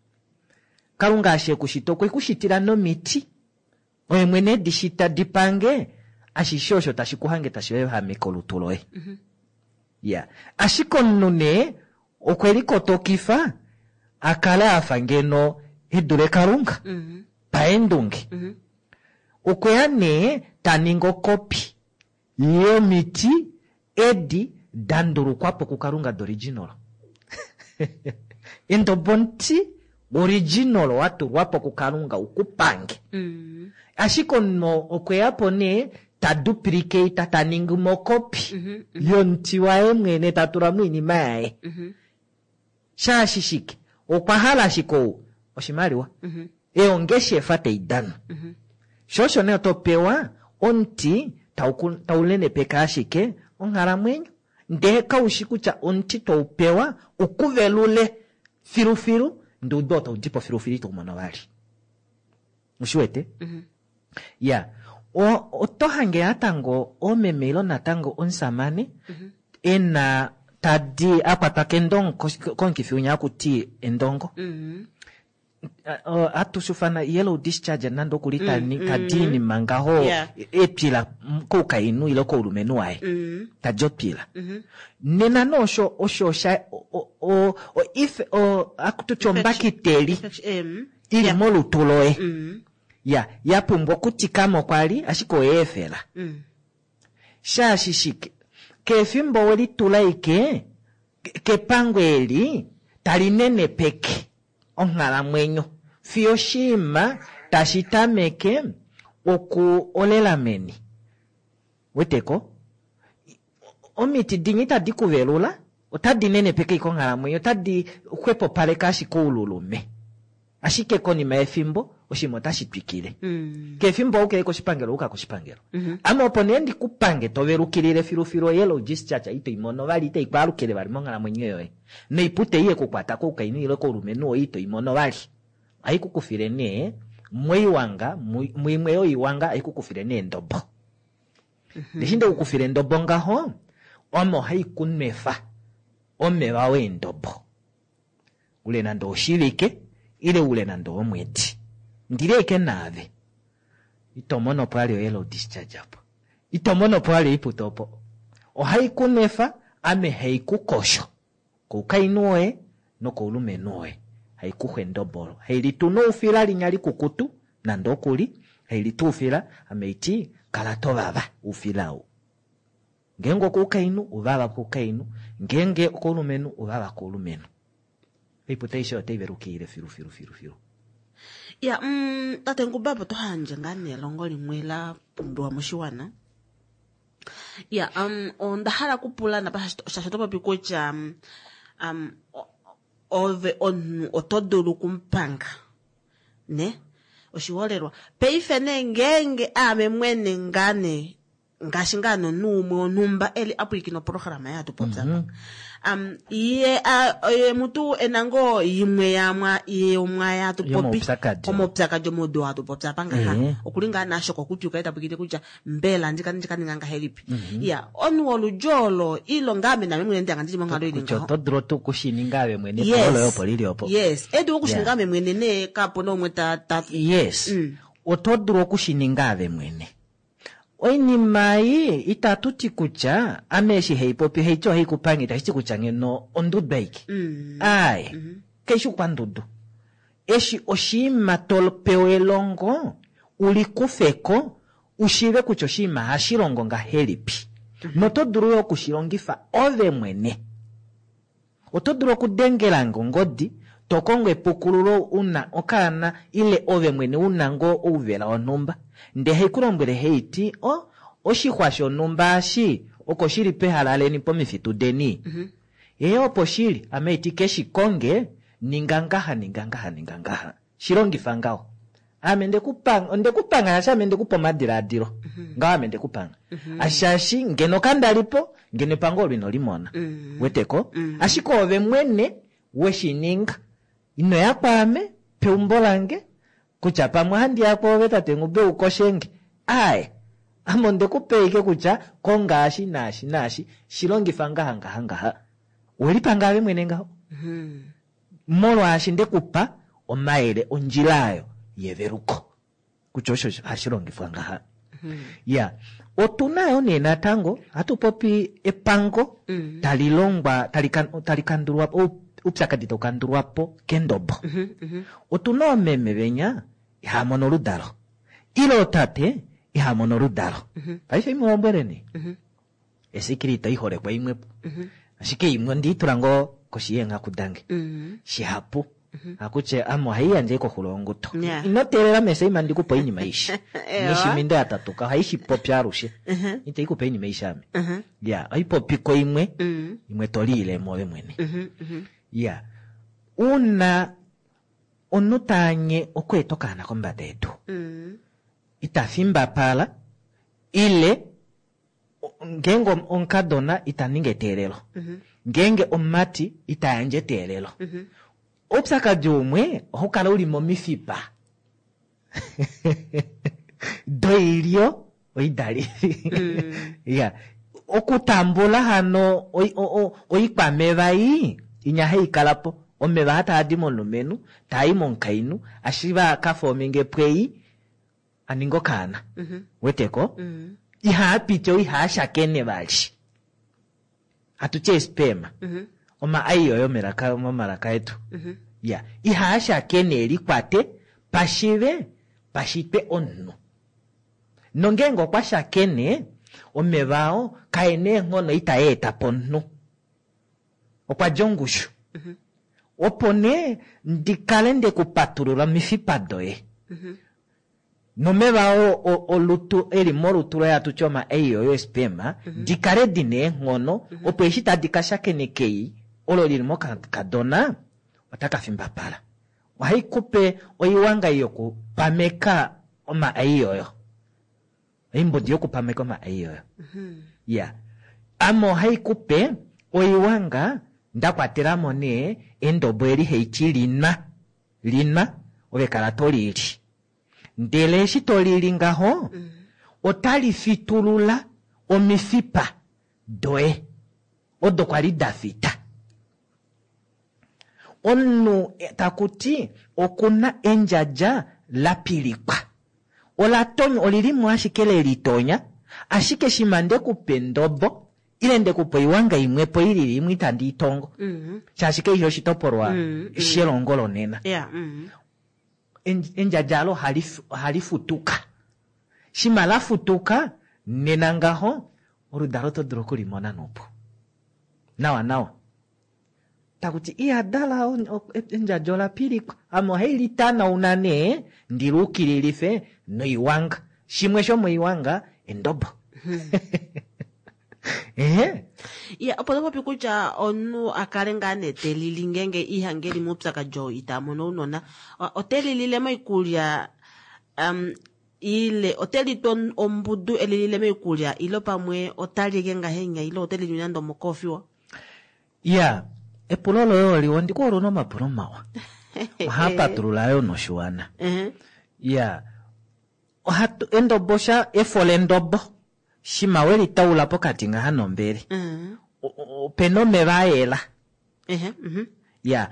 Kalunga eshi e ku shita okwe ku shitila nomiti. Oye mwene edi shita di pange ashishe osho tashi ku hange tashi ehameke olutu loye. Ya, ashike omunhu nee okwe likotokifa a kale a fa ngeno e dule Kalunga paendunge. Okwe ya nee ta ningi okopi yomiti edi da ndulukwa po kuKalunga doriginal. Endobo omuti original wa tulwa po kuKalunga u ku pange. Ashike omunhu okwe ya po nee ta duplicate, ta ningi mo okopi yomuti waye mwene, ta tula mo oinima yaye. Shaashi shike? Okwa hala ashike ou oshimaliwa. Eongeshefa tai danwa. Sho osho nee oto pewa omuti tau nenepeke ashike onghalamwenyo. Ndee kaushi kutya omuti tou pewa ukuvelule filufilu, ndee udo tau dipo filufilu ito mono vali. Ushi wete? Ya, oto hange natango omeme ilo natango omusamane ena tadi akwatwa kendongo komukifi winya hakuti endongo. Hatu shufana yellow discharge nande okuli tadi inima ngaho epila koukainhu ile koulumenhu waye. Tadi opila. Nena no osho, osho sha, o, o, o, if, o, akututi ombakiteli ili molutu loye. Ya, ya pumbwa okutikama okwa li, ashike oye efela. Shaashi shike? Kefimbo we litula ike, kepango eli, tali nenepeke onghalamwenyo. Fiyo oshinima tashi tameke oku olela meni. Weteko? Omiti dinyi tadi kuvelula, otadi nenepeke ike onghalamwenyo, otadi xwepopaleke ashike oululume. Ashike konima yefimbo, Oshinima otashi twikile. Kefimbo ouke koshipangelo uka koshipangelo. Ame opo nee ndikupange to velukilile filufilu oyellow discharge ito i mono vali itai kwaalukile vali monghalamwenyo yoye. Noipute ei yekukwata koukainhu ile koulumenhu woye ito i mono vali. Ohai ku kufile nee moiwanga, muimwe yoiwanga ohai ku kufile nee endobo. Eshi nde ku kufile endobo ngaho, ome ohai ku nwefa omeva weendobo. Ule nande oshivike ile ule nande omwedi. Ndili ashike naave. Ito mono po vali oyellow discharge opo. Ito mono po vali oipute opo. Ohai ku nwefa, ame hai ku kosho. Koukainhu woye nokoulumenhu woye. Hai kuxwa endobo olo. Hai litu noufila linya likukutu, nande okuli, hai litu oufila, ame haiti, kala to vava oufila ou. Ngeenge okoukainhu, uvava koukainhu, ngeenge okoulumenhu, uvava koulumenhu. Oipute aishe otai velukilile filu filu filu filu. Ya, tate Nguba, opo to handje ngaa nelongo limwe la pumbiwa moshiwana. Ya, onda hala okupula napa shaashi oto popi kutya um, ove omunhu oto dulu okumupanga ne oshiholelwa paife nee ngeenge aame mwene ngaa nee ngaashi ngaa nomunhu umwe wonhumba e li a pwilikina oprograma yatu popya mm -hmm. um, ye ye mutu e na ngoo yimwe yamwa yomwa yatu popi omaupyakadi omaudu hatu popya apa ngaha mm -hmm. okuli ngaa naasho kokutwi kaye ta pwilikine kutya mbela ndika ndika ninga ngahelipi mm -hmm. ya omunhu woludji olo ilo ngaame naame mwene ndanga ndili monghalo ili ngaho oto dulu tuu kushininga ave mwene yes. olo opo lili opo yes e dulu okushininga ame mwene nee kapu na umwe ta, ta yes mm. oto dulu okushininga ave mwene Oinima ei itatu ti kutya ame eshi hei popi haiti ohai ku pange itashi ti kutya ngeno ondudu aike. Aaye, kai shi okwandudu. Eshi oshinima to pewa elongo u li kufe ko u shiive kutya oshinima ohashi longo ngahelipi. Noto dulu yo oku shi longifa ove mwene. Oto dulu okudengela nge ongodi to kongo epukululo u na okaana ile ove mwene u na ngoo ouvela wonhumba. Ndee hai ku lombwele hai ti, O, oshixwa shonhumba eshi oko shi li pehala leni pomifitu deni. Ee, opo shi li. Ame haiti ke shi konge, ninga ngaha, ninga ngaha, ninga ngaha. Shi longifa ngaho. Ame nde ku panga, onde ku panga shaashi ame nde ku pa omadilaadilo. Ngaho ame nde ku panga. Shaashi ngeno kanda li po, ngeno epango olo ino li mona. Weteko? Ashike ove mwene we shi ninga. Ino ya kwaame, peumbo lange, kutya pamwe ohandi ya kwoove tate Nghube u koshe nge. Aaye. Ame onde ku pa ashike kutya konga eshi naashi naashi, shi longifa ngaha ngaha ngaha. Owe lipanga ove mwene ngaho. Molwaashi nde ku pa omayele ondjila ayo yeveluko kutya osho hashi longifwa ngaha. Ya, otu na yo nee natango hatu popi epango tali longwa tali kandulwa po, oupyakadi tau kandulwa po kendobo. Otu na oomeme venya ihaa mono oludalo ile ootate ihaa mono oludalo. Paife imu lombweleni. Esikili ito i holekwa imwe po. Ashike imwe ondi i tula ngoo koshi yeenghaku dange. Shihapu. Hakutya ame ohai yandje koxulo yonguto. Yeah. Ino teelela meseima ndi ku pe oinima aishe. Ewa. Nishimindo ya tatuka ohai shi popi alushe. Ite i ku pe oinima aishe ame. Ya, ohai popi ko imwe, imwe to liile mo ove mwene. Ya. Uuna omunhu ta anye okweeta okaana kombada yedu, ita fimbapala ile ngeenge omukadona ita ningi eteelelo ngeenge omumati ita yandje eteelelo oupyakadi umwe ohau kala uli momifipa doilyo oidalifi ya okutambula hano oikwameva ei inya hai kala po omeva hataa di momulumenhu taa i momukainhu ashiva ka fominge pwei a ninga okaana. Weteko? Ihaa piti ou ihaa shakene vali. Hatu ti eesperma. Oma ai oyo melaka momalaka etu. Ya, ihaa shakene e likwate pashive pashitwe omunhu. Nongeenge okwa shakene, omeva oo kae na eenghono itaa eta po omunhu. Okwa dja ongushu. Opo nee ndi kale nde ku patulula omifipa doye. Nomeva oo olutu e li molutu loye hatu ti oma ei oyo espema, di kale di na eenghono, opo eshi tadi ka shakeneka ei olo li li mokakadona, otaka fimbapala. Ohai kupe oiwanga yokupameka omaai oyo. Oimbodi yokupameka omaai oyo. Ya. Ame ohai kupe oiwanga nda kwatela mo nee endobo eli haiti linwa. Linwa, ove kala to lili. Ndele eshi to lili ngaho, otali fitulula omifipa doye odo kwali da fita. Omunhu taku ti okuna endjadja la pilikwa. Ola tonywa, olili mo ashike le litonya, ashike shima nde ku pa endobo, ile nde ku pa oiwanga imwepo ilili imwe itandi i tongo. Shaashi kaifi oshitopolwa shelongo lonena. Endjadja alo ohali futuka. Shima la futuka, nena ngaho, oludalo oto dulu okulimona noupu. Nawa nawa. Takuti iyadala endjadja ola pilikwa. Ame ohai litanauna nee ndi luukililife noiwanga. Shimwe shomoiwanga endobo. Ehe. Ya, opo topopi kutya omunhu a kale ngaa nee te lili ngeenge ihange eli moupyakadi oo ita mono ounona. Ote lilile moikulya, ile ote litwa ombudu e lilile moikulya, ile pamwe ota li eke ngahenya, ile ote li nande omokofiwa? Ya, epulo loye oliwa, ondi ku hole una omapulo mawa. Ohaa patulula yo noshiwana. Ya, ohatu, endobo sha, efo lendobo, shima we litaula pokati ngaha nombele, opena omeva a yela. Ya,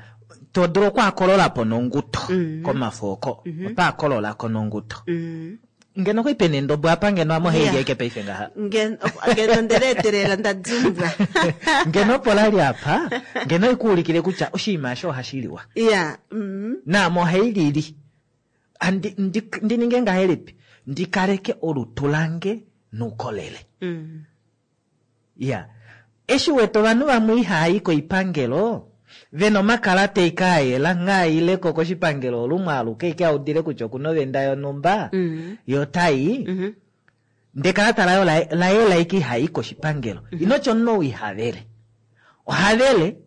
to dulu okwaakolola po nonguto komafo oko. Oto a kolola ko nonguto. Ngeno okwa pena endobo apa, ngeno ame ohai li aike paife ngaha. Ngeno ndele etelela nda dimbwa. Ngeno opo la li apa, ngeno ikuulikile kutya oshinima osho ohashi liwa. Ya. Naame ohai lili. Andi, ndi, ndi ninge ngahelipi? Ndi kaleke olutu lange noukolele. Ya. Eshi wete ovanhu vamwe ihava i koipangelo, ve na omakalata eke a yela, nghaa ile ko koshipangelo olumwe aluke eke a udile kutya okuna ovenda yonhumba, ye ota i, ndee ekalata laye la yela eke iha i koshipangelo. Ino tya omunhu ou iha vele. Oha vele,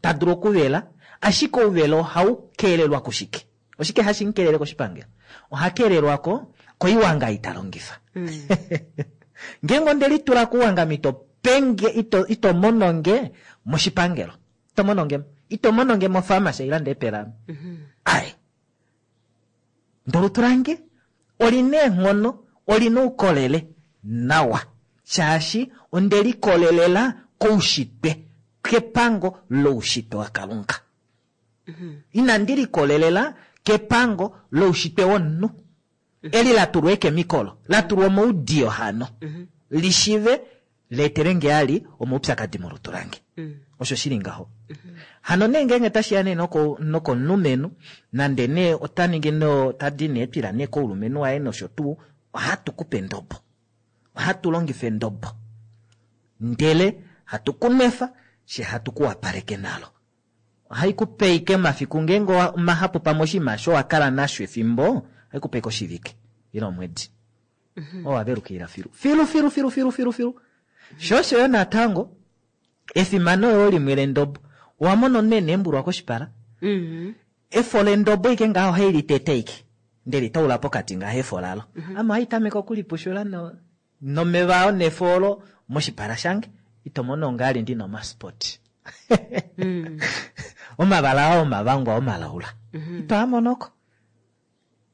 ta dulu okuvela, ashike ouvela ohau keelelwa kushike? Oshike hashi mu keelele koshipangelo? Oha keelelwa ko koiwanga ei ta longifa. Ngeenge onde litula kuwanga ito penge, ito, ito mono nge moshipangelo. Ito mono nge, ito mono nge mopharmacy ila nde pela. Ai. Ndolutu lange oli na eenghono, oli na oukolele nawa. Shaashi onde likolelela koushitwe, kepango loushitwe waKalunga. Inandi likolelela kepango loushitwe womunhu. Eli la tulwa ekemikolo, la tulwa omoudiyo hano, lishive leetele nge ali omaupyakadi molutu lange. Osho shi li ngaho. Hano nee ngeenge tashi ya nee nokomulumenhu, nande nee ota ningi no, ta di nee twila nee koulumenhu waye nosho tuu, ohatu kupe endobo. Ohatu longifa endobo. Ndele hatu ku nwefa, she hatu ku wapaleke nalo. Ohai ku pe ike omafiku ngeenge omahapu pamwe oshinima osho wa kala nasho efimbo, ohai ku pe ike oshivike ile omwedi. Owa velukilila filu. Filu, filu, filu, filu, filu, filu. Sho osho yo natango, efimano yo limwe lendobo. Owa mona omunhu e na eembulwa koshipala? Efo lendobo ike ngaho ohai litete ike. Ndele itaula pokati ngaho efo lalo. Ame ohai tameke okulipushula nomeva ao nefo olo moshipala shange. Ito mono ngaa ndi na omaspoti. Omavala ao omavangwa omalaula. Ito a monoko.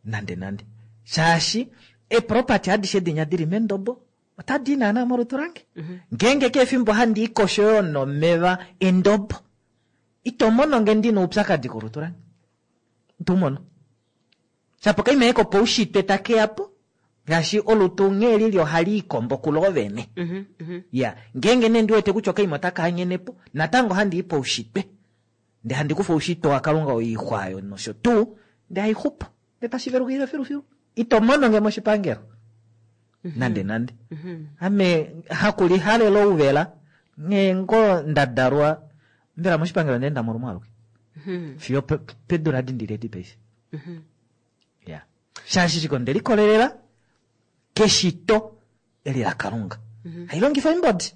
Nande nande. Shaashi eeproperty adishe dinya dili mendobo otadi i naana molutu lange. Ngeenge keshe efimbo handi i kosho yoo nomeva endobo, ito mono nge ndi na oupyakadi kolutu lange. Ito u mono. Shapo kaima eko poushitwe take ya po, ngaashi olutu nghee lili ohali ikombo kulo vene. Ya, ngeenge nee ndi wete kutya okaima otaka anyene po, natango handi i poushitwe. Ndee handi kufa oushitwe waKalunga oixwa ayo nosho tuu, ndee haixupo. Ndee tashi velukilile filufilu. Ito mono nge moshipangelo. Nande nande. Ame hakulihalela ouvela, nghee ngoo nda dalwa, mbela moshipangelo ndee nda molumwe aluke. Fiyo pedula adi ndili edi paife. Ya. Shaashi shike onde likolelela keshito eli laKalunga. Hai longifa oimbodi.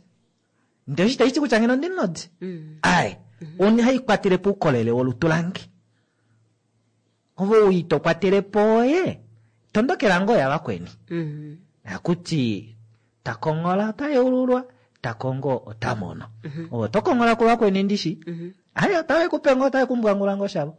Ndele osho itashi ti kutya ngeno ondi nodi. Ai, oni hai kwatele po oukolele wolutu lange. Ove ou ito kwatele po oye, tondokela ngoo yavakweni. Hakuti ta konghola ota yeululwa, ta kongo ota mono. Ove oto konghola kuvakweni ndishi? Aye, otave ku pe ngoo, otave ku mbwangula ngoo shavo.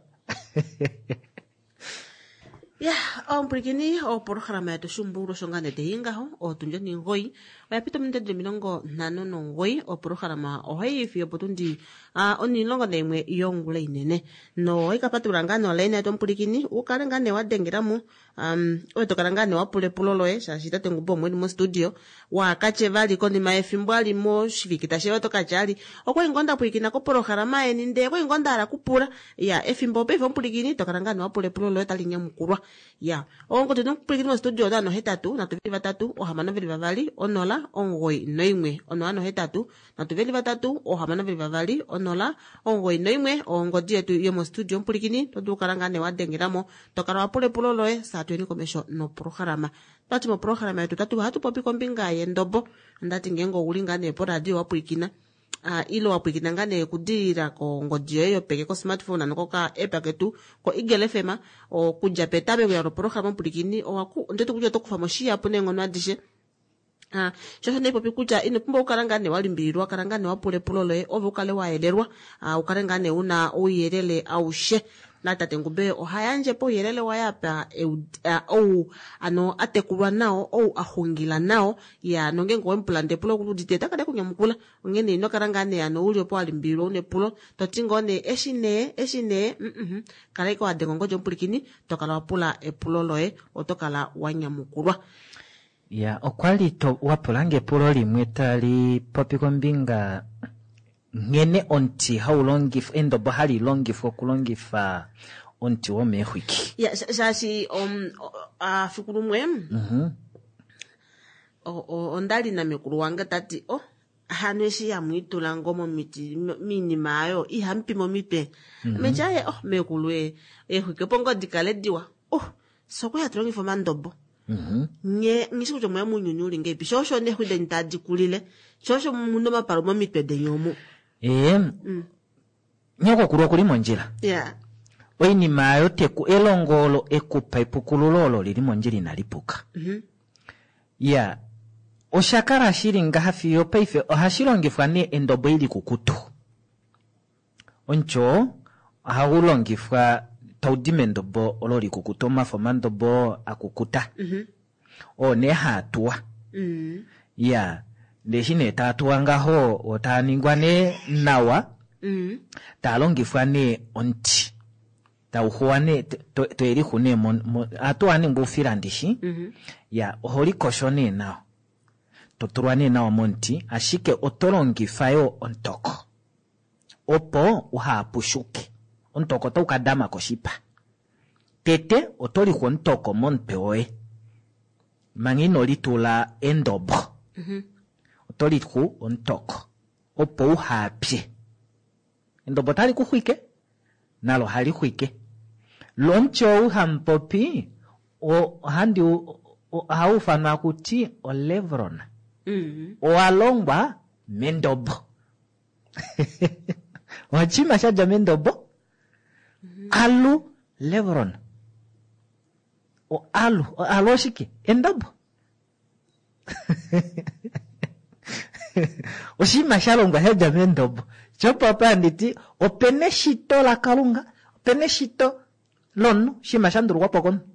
Ya, omupwilikini, opolohalama yetu Shumbululu osho ngaa nee tayi ngaho, otundi onhingoyi oya pita ominute dili 59. Opolohalama ohayi i fiyo opotundi 11 yongula inene. Nohayi ka patulula ngaa nee olaina yetu omupwilikini, u kale ngaa nee wa dengela mo, ove to kala ngaa nee wa pula epulo loye, shaashi tate Ngumbi omo eli mostudio, waa ka tye vali konima yefimbo ali moshivike tashi ya oto ka tya ali okwali ngoo nda pwilikina kopolohalama yeni ndee okwali ngoo nda hala kupula. Ya, efimbo paife omupwilikini to kala ngaa nee wa pula epulo loye otali nyamukulwa. Ya, ongodi nomupwilikini mostudio 083 3 622 0 91 083 3 622 0 91 ongodi yetu yomostudio omupwilikini to dulu kala ngaa nee wa dengela mo, to kala wa pula epulo loye saa tuyeni komesho nopolohalama. Twati mopolohalama yetu tatu ohatu popi kombinga yendobo. Ondati ngeenge ouli ngaa nee poradio wa pwilikina, ile wa pwilikina ngaa nee okudilila kongodi yoye yopeke ko-smartphone ano koka app ketu ko-Eagle FM, okudja petameko lopolohalama omupwilikini ondati kutya oto kufa mo shihapu neenghono adishe. Sho osho ndaipopi kutya ino pumbwa okukala ngaa nee wa limbililwa, kala ngaa nee wa pula epulo loye ove u kale wa yelelwa, u kale ngaa nee una ouyelele aushe. Na tate Ngube oha yandje po ouyelele waye apa ou ano a tekulwa nao, ou a xungila nao, ya nongeenge owe mu pula ndee epulo okuli udite ota kala ekunyamukula. Onghene ino kala ngaa nee ano uli opo wa limbililwa una epulo to ti ngoo nee eshi nee, eshi nee, kala ashike wa denga ongodi omupwilikini to kala wa pula epulo loye, oto kala wa nyamukulwa. Ya, okwa li to wa pula nge epulo limwe tali popi kombinga nghene omuti hau longifwa, endobo hali longifwa okulongifa omuti womeexwiki. Ya, shaashi fiku lumwe, onda li namekulu wange ta ti, oh, hano eshi hamu itula ngoo momiti, miinima ayo, ihamu pi momitwe. Ame tya, aye, oh, mekulu, eexwiki opo ngoo di kale diwa. Oh, fye okwa li hatu longifa omandobo. Nye nghi shi kutya omweya mounyuni uli ngeipi. Sho osho neexwi deni tadi kulile. Sho osho mu na omapalu momitwe deni omu. Ee, nyokokulu okuli mondjila. Oinima ayo teku, elongo olo ekupa epukululo olo lili mondjila inali puka. Ya, osha kala shili ngaha fiyo paife ohashi longifwa nee endobo ili kukutu. Omuti oo ohagu longifwa tau di mendobo olo likukuta, omafo omandobo oo a kukuta. Oo nee haa tuwa. Ya, ndee eshi nee taa tuwa ngaho oo taa ningwa nee nawa, taa longifwa nee omuti. Tau xuwa nee, to elixu nee mo, ohatu a ningwa oufila ndishi. Ya, oho likosho nee nawa. To tulwa nee nawa momuti, ashike oto longifa yoo omutoko. Opo uha pushuke, omutoko otau ka dama koshipa. Tete oto lixwa omutoko momutwe woye manga ino litula endobo. Oto lixu omutoko opo uha pye. Endobo otali ku xwike, nalo ohali xwike. Lo omuti ou hamu popi ohau ufanwa kuti olevron. Owa longwa mendobo. Oshinima sha dja mendobo. Alu levron. O alu, o alu oshike? Endobo. Oshinima sha longwa sha dja mendobo. Shopo apa nditi opena eshito laKalunga, opena eshito lomunhu, oshinima sha ndulukwa po komunhu.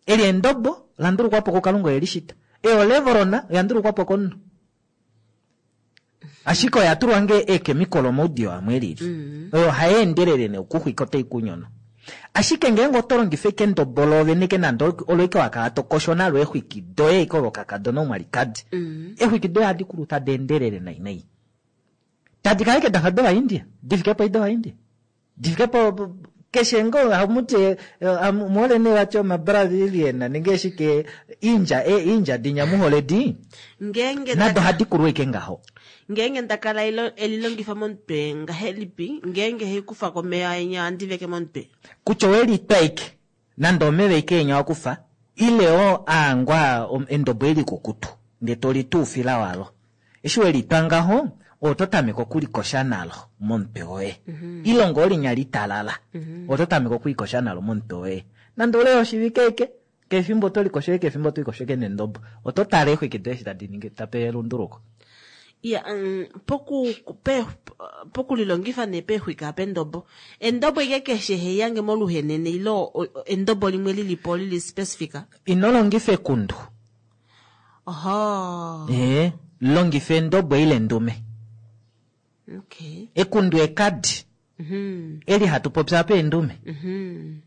Eli endobo la ndulukwa po kuKalunga oye li shita. Eyo levrona oya ndulukwa po komunhu. Ashike oya tulwa nge eekemikolo omaudiyo amwe elili. Oyo hai endelele nee okuxwika otai ku nyono. Ashike ngeenge oto longifa eke endobo loovene ke nande olo eke wa kala to kosho nalo eexwiki doye eke olo kakadona omwalikadi. Eexwiki doye ohadi kulu tadi endelele nai nai. Tadi kala eke dafa dOvaindia, di fike po dOvaindia. Di fike po keshe ngoo hamuti muhole nee vati omaBrazilian nenge shike indja indja dinya muhole di. Ngeenge nado ohadi kulu eke ngaho. Ngeenge nda kala elilongifa momutwe ngahelipi ngeenge hei kufa komeva enya ohandi veke momutwe. Kutya owe litwa eke nande omeva eke enya wa kufa ile oo aangwa endobo elikukutu ndee to li tuufila walo. Eshi we litwa ngaho. Oto tameke okulikosha nalo momutwe woye. Ile ngoo linya litalala. Oto tameke okulikosha nalo momutwe woye. Nande oule woshivike eke, kefimbo oto likosho eke, efimbo oto likosho eke nendobo. Oto tale eexwiki doye eshi tadi ningi tape elunduluko. Ya, poku pe pokulilongifa nee peexwiki apa endobo. Endobo ike keshe heiyange moluhenene ile endobo limwe lilipo lili specific? Ino longifa ekundu. Oho. Ee, longifa endobo ile endume. Okay. Ekundu ekadi. Eli hatu popi apa endume.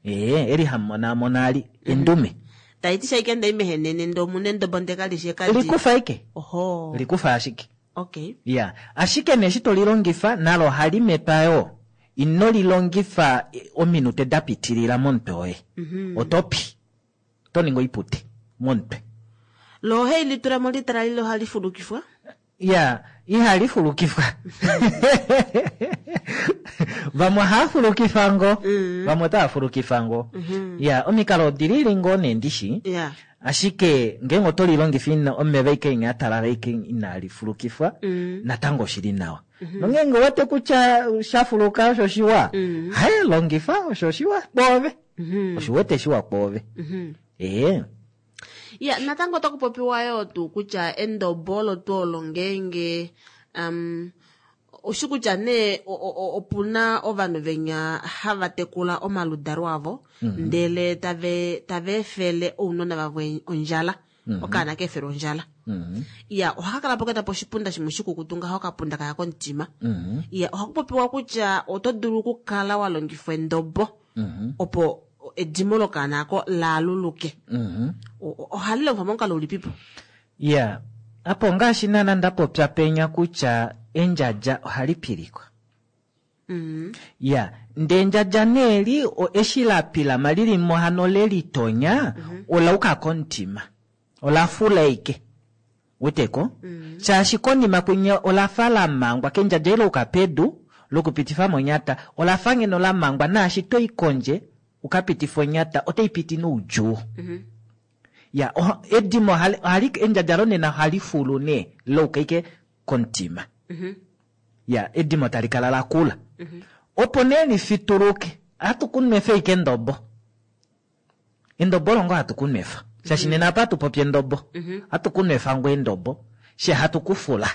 Ee, eli hamumonaamona ali endume. Taiti shaike ndai mehenene ndee omuna endobo ndee kalishi ekadi. Likufa ike. Oho. Likufa ashike. Okay. Ya, ashike nee eshi tolilongifa nalo ohali mepa yoo. Ino lilongifa ominute da pitilila momutwe woye. Oto pi. Oto ningi oipute momutwe. Lo ohai litula mo litalalile ohali fulukifwa? Ya, ihali fulukifwa. Vamwe ohava fulukifa ngoo, vamwe otava fulukifa ngoo. Ya, omikalo odilili ngoo nee ndishi. Ashike ngeenge oto lilongifa ina omeva ike inya atalala ike inali fulukifwa, natango oshili nawa. Nongeenge owete kutya sha fuluka osho shiwa, haye longifa osho shiwa kwoove. Oshiwete shiwa kwoove. Ee. Ya, natango otaku popiwa yoo tuu kutya endobo olo tuu olo ngeenge oshi kutya nee opuna ovanhu venya hava tekula omaludalo avo, ndele tava efele ounona vavo ondjala. Okaana ka efele ondjala. Ya, ohaka kala po kena po oshipunda shimwe shikukutu ngaho okapunda kaya komutima. Ya, ohaku popiwa kutya oto dulu okukala wa longifa endobo opo edimo lokaana ako laaluluke. Ohali longifwa momukalo ulipipo? Ya, apo ngaashi naana nda popya penya kutya endjadja ohali pilikwa. Ya, ndee endjadja nee li, eshi la pilama lili mo hano le litonya, ola uka komutima. Ola fula ike. Weteko? Shaashi konima kwinya ola fa la mangwa, kendjadja ile uka pedu, lokupitifa monyata, ola fa ngeno la mangwa, naashi to i kondje, uka pitifa onyata, otai piti noudjuu. Ya, edimo ohali, endjadja lonena ohali fulu nee, louka ike komutima. Ya, edimo tali kala la kula. Opo nee li fituluke, ohatu ku nwefa ike endobo. Endobo olo ngoo hatu ku nwefa. Shaashi nena apa hatu popi endobo. Ohatu ku nwefa ngoo endobo, she hatu ku fula.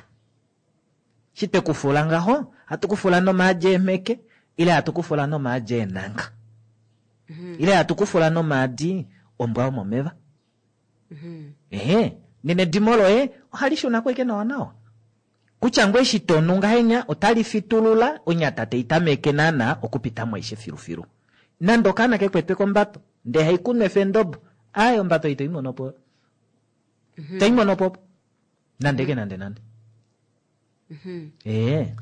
Shi twe ku fula ngaho, hatu ku fula nomaadi eemheke, ile hatu ku fula nomaadi eenanga. Ile hatu ku fula nomaadi ombwa yomomeva. Ehe, nena edimo loye ohali shuna ko ike nawa nawa. Kutya ngoo eshi to nu ngahenya, otali fitulula onyata tai tameke naana okupita mo aishe filufilu. Nande okaana ke kwetwe kombato, ndee hai ku nwefa endobo, aaye ombato ito i mono po. Ito i mono po opo. Nande ke nande nande. Ee.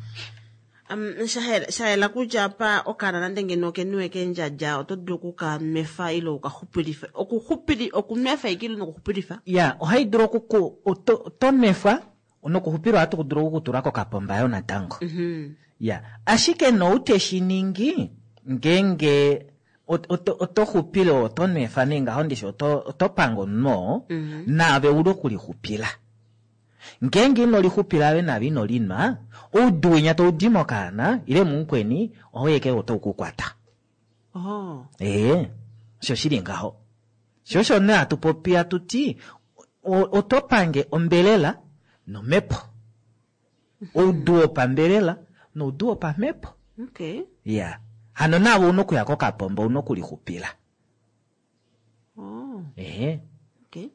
Sha yela kutya apa okaana nande ngeno okenuwe kendjadja, oto dulu oku ka nwefa ile uka xupilife. Okunwefa ike ile nokuxupilifa? Ya, ohai dulu oku ku, oto nwefa, nokuxupila ohatu dulu oku kutula kokapomba yo natango. Ya, ashike nou te shi ningi, ngeenge oto xupile, oto nwefa nee ngaho ndishi, oto panga omunhu oo, naave uli okulixupila. Ngeenge ino lixupila ave naave ino linwa, oudu winya tau di mokaana, ile mumukweni, ohau eke otau ku kwata. Ee, osho shili ngaho. Sho osho nee hatu popi hatu ti, oto pange ombelela nomhepo. Oudu wopambelela noudu wopamhepo. Ya. Hano naave ouna okuya kokapomba, ouna okulixupila. Ehe. Okay.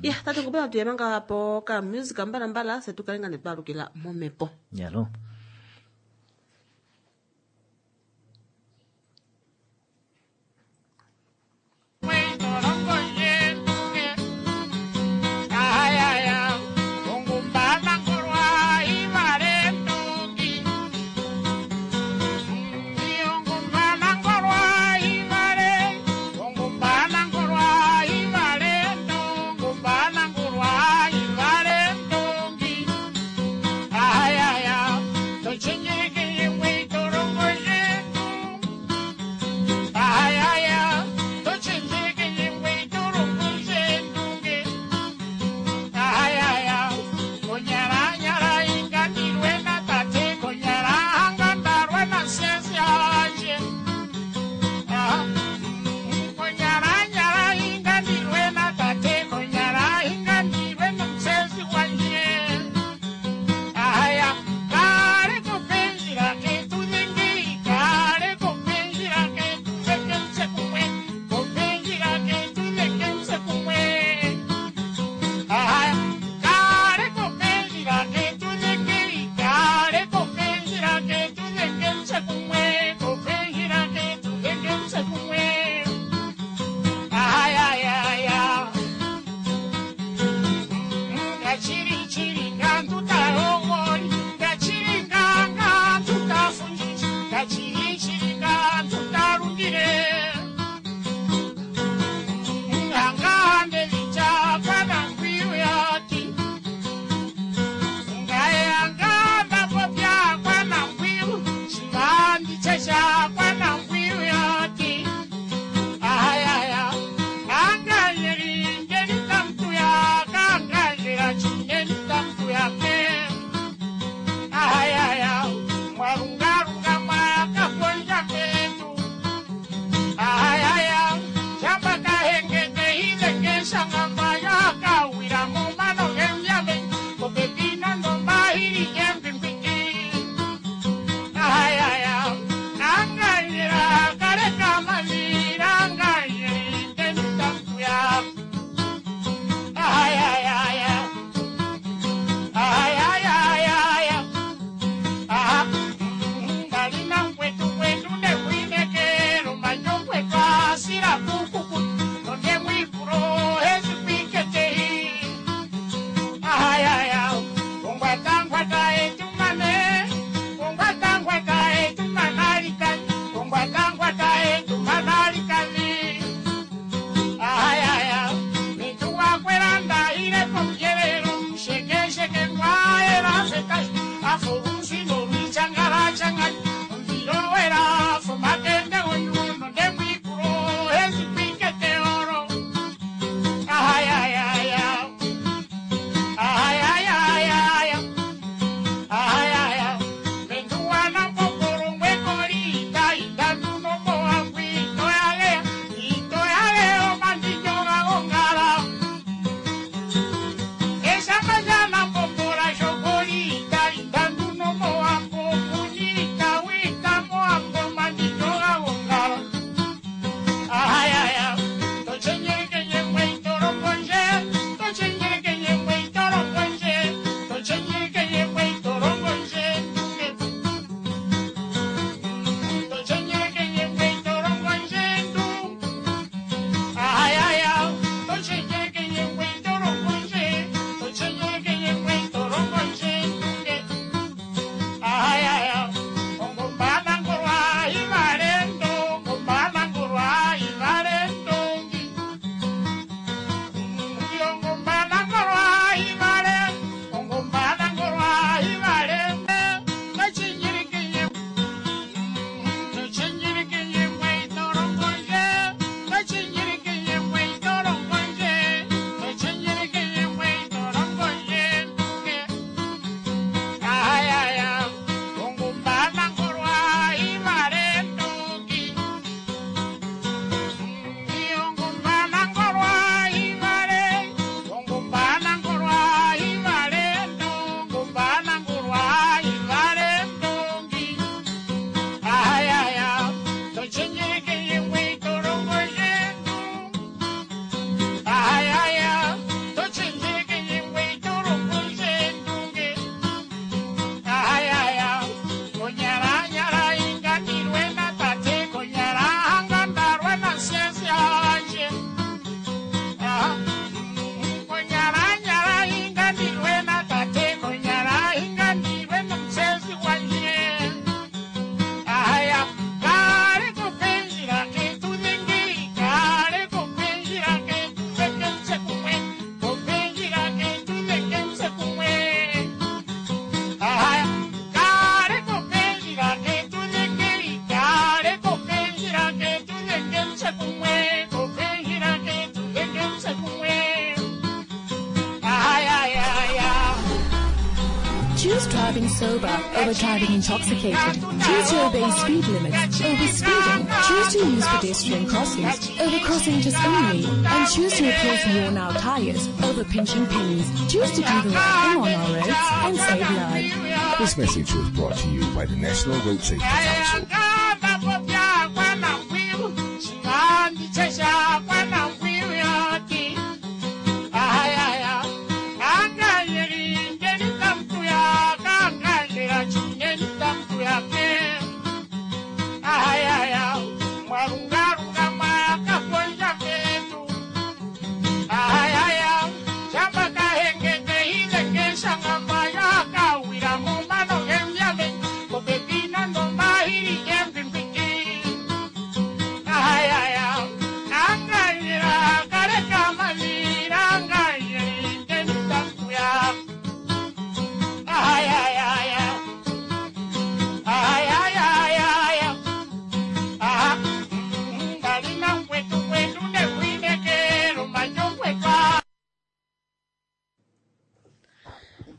Ya, tate ngopena tuye manga po ka music mbala mbala, se tukale nga netwalukila momhepo. Yalo. Choose driving sober over driving intoxicated. Choose to obey speed limits over speeding. Choose to use pedestrian crossings over crossing just only. And choose to replace worn out tires over pinching pennies. Choose to do the right thing on our roads and save lives. This message was brought to you by the National Road Safety Council.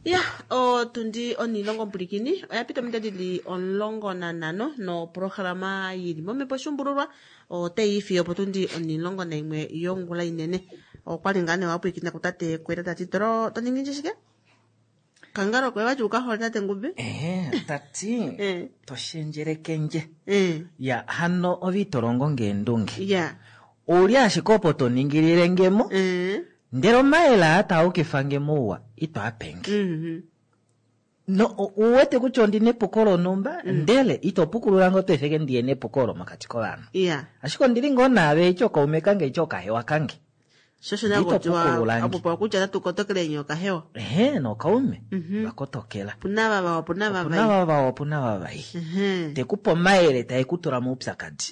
Ya, otundi onilongo mpulikini oya pita ominute dili 15 noprograma yili momhepo shumbululwa otayi ifiyo potundi 11 yongula inene. Okwali ngaa nee wapwilikina kutate Kweta tati tolo toningi nje shike? Kangalo kwe wati ukahole tate Ngube? Ehe, tati toshendjelekenje. Ya, hano ove ito longo ngeendunge. Ouli ashike opo toningilile ngemo. Ndele omayele aa taa ukifa nge mouwa ito a penge. No, uwete kutya ondina epuko lonhumba, ndele ito pukulula nge oto efeke ndiye nepuko olo mokati kovanhu. Ashike ondili ngoo naave eci okaume kange eci okahewa kange. Shosho Ito nakotiwa pukulula nge. apopewa kutya natu kotokele nyoka hewa. Ehe, nokaume vakotokela. Opuna vava opuna Opuna vavai. vava opuna vavai. Tekupe omayele tae ku tula moupyakadi.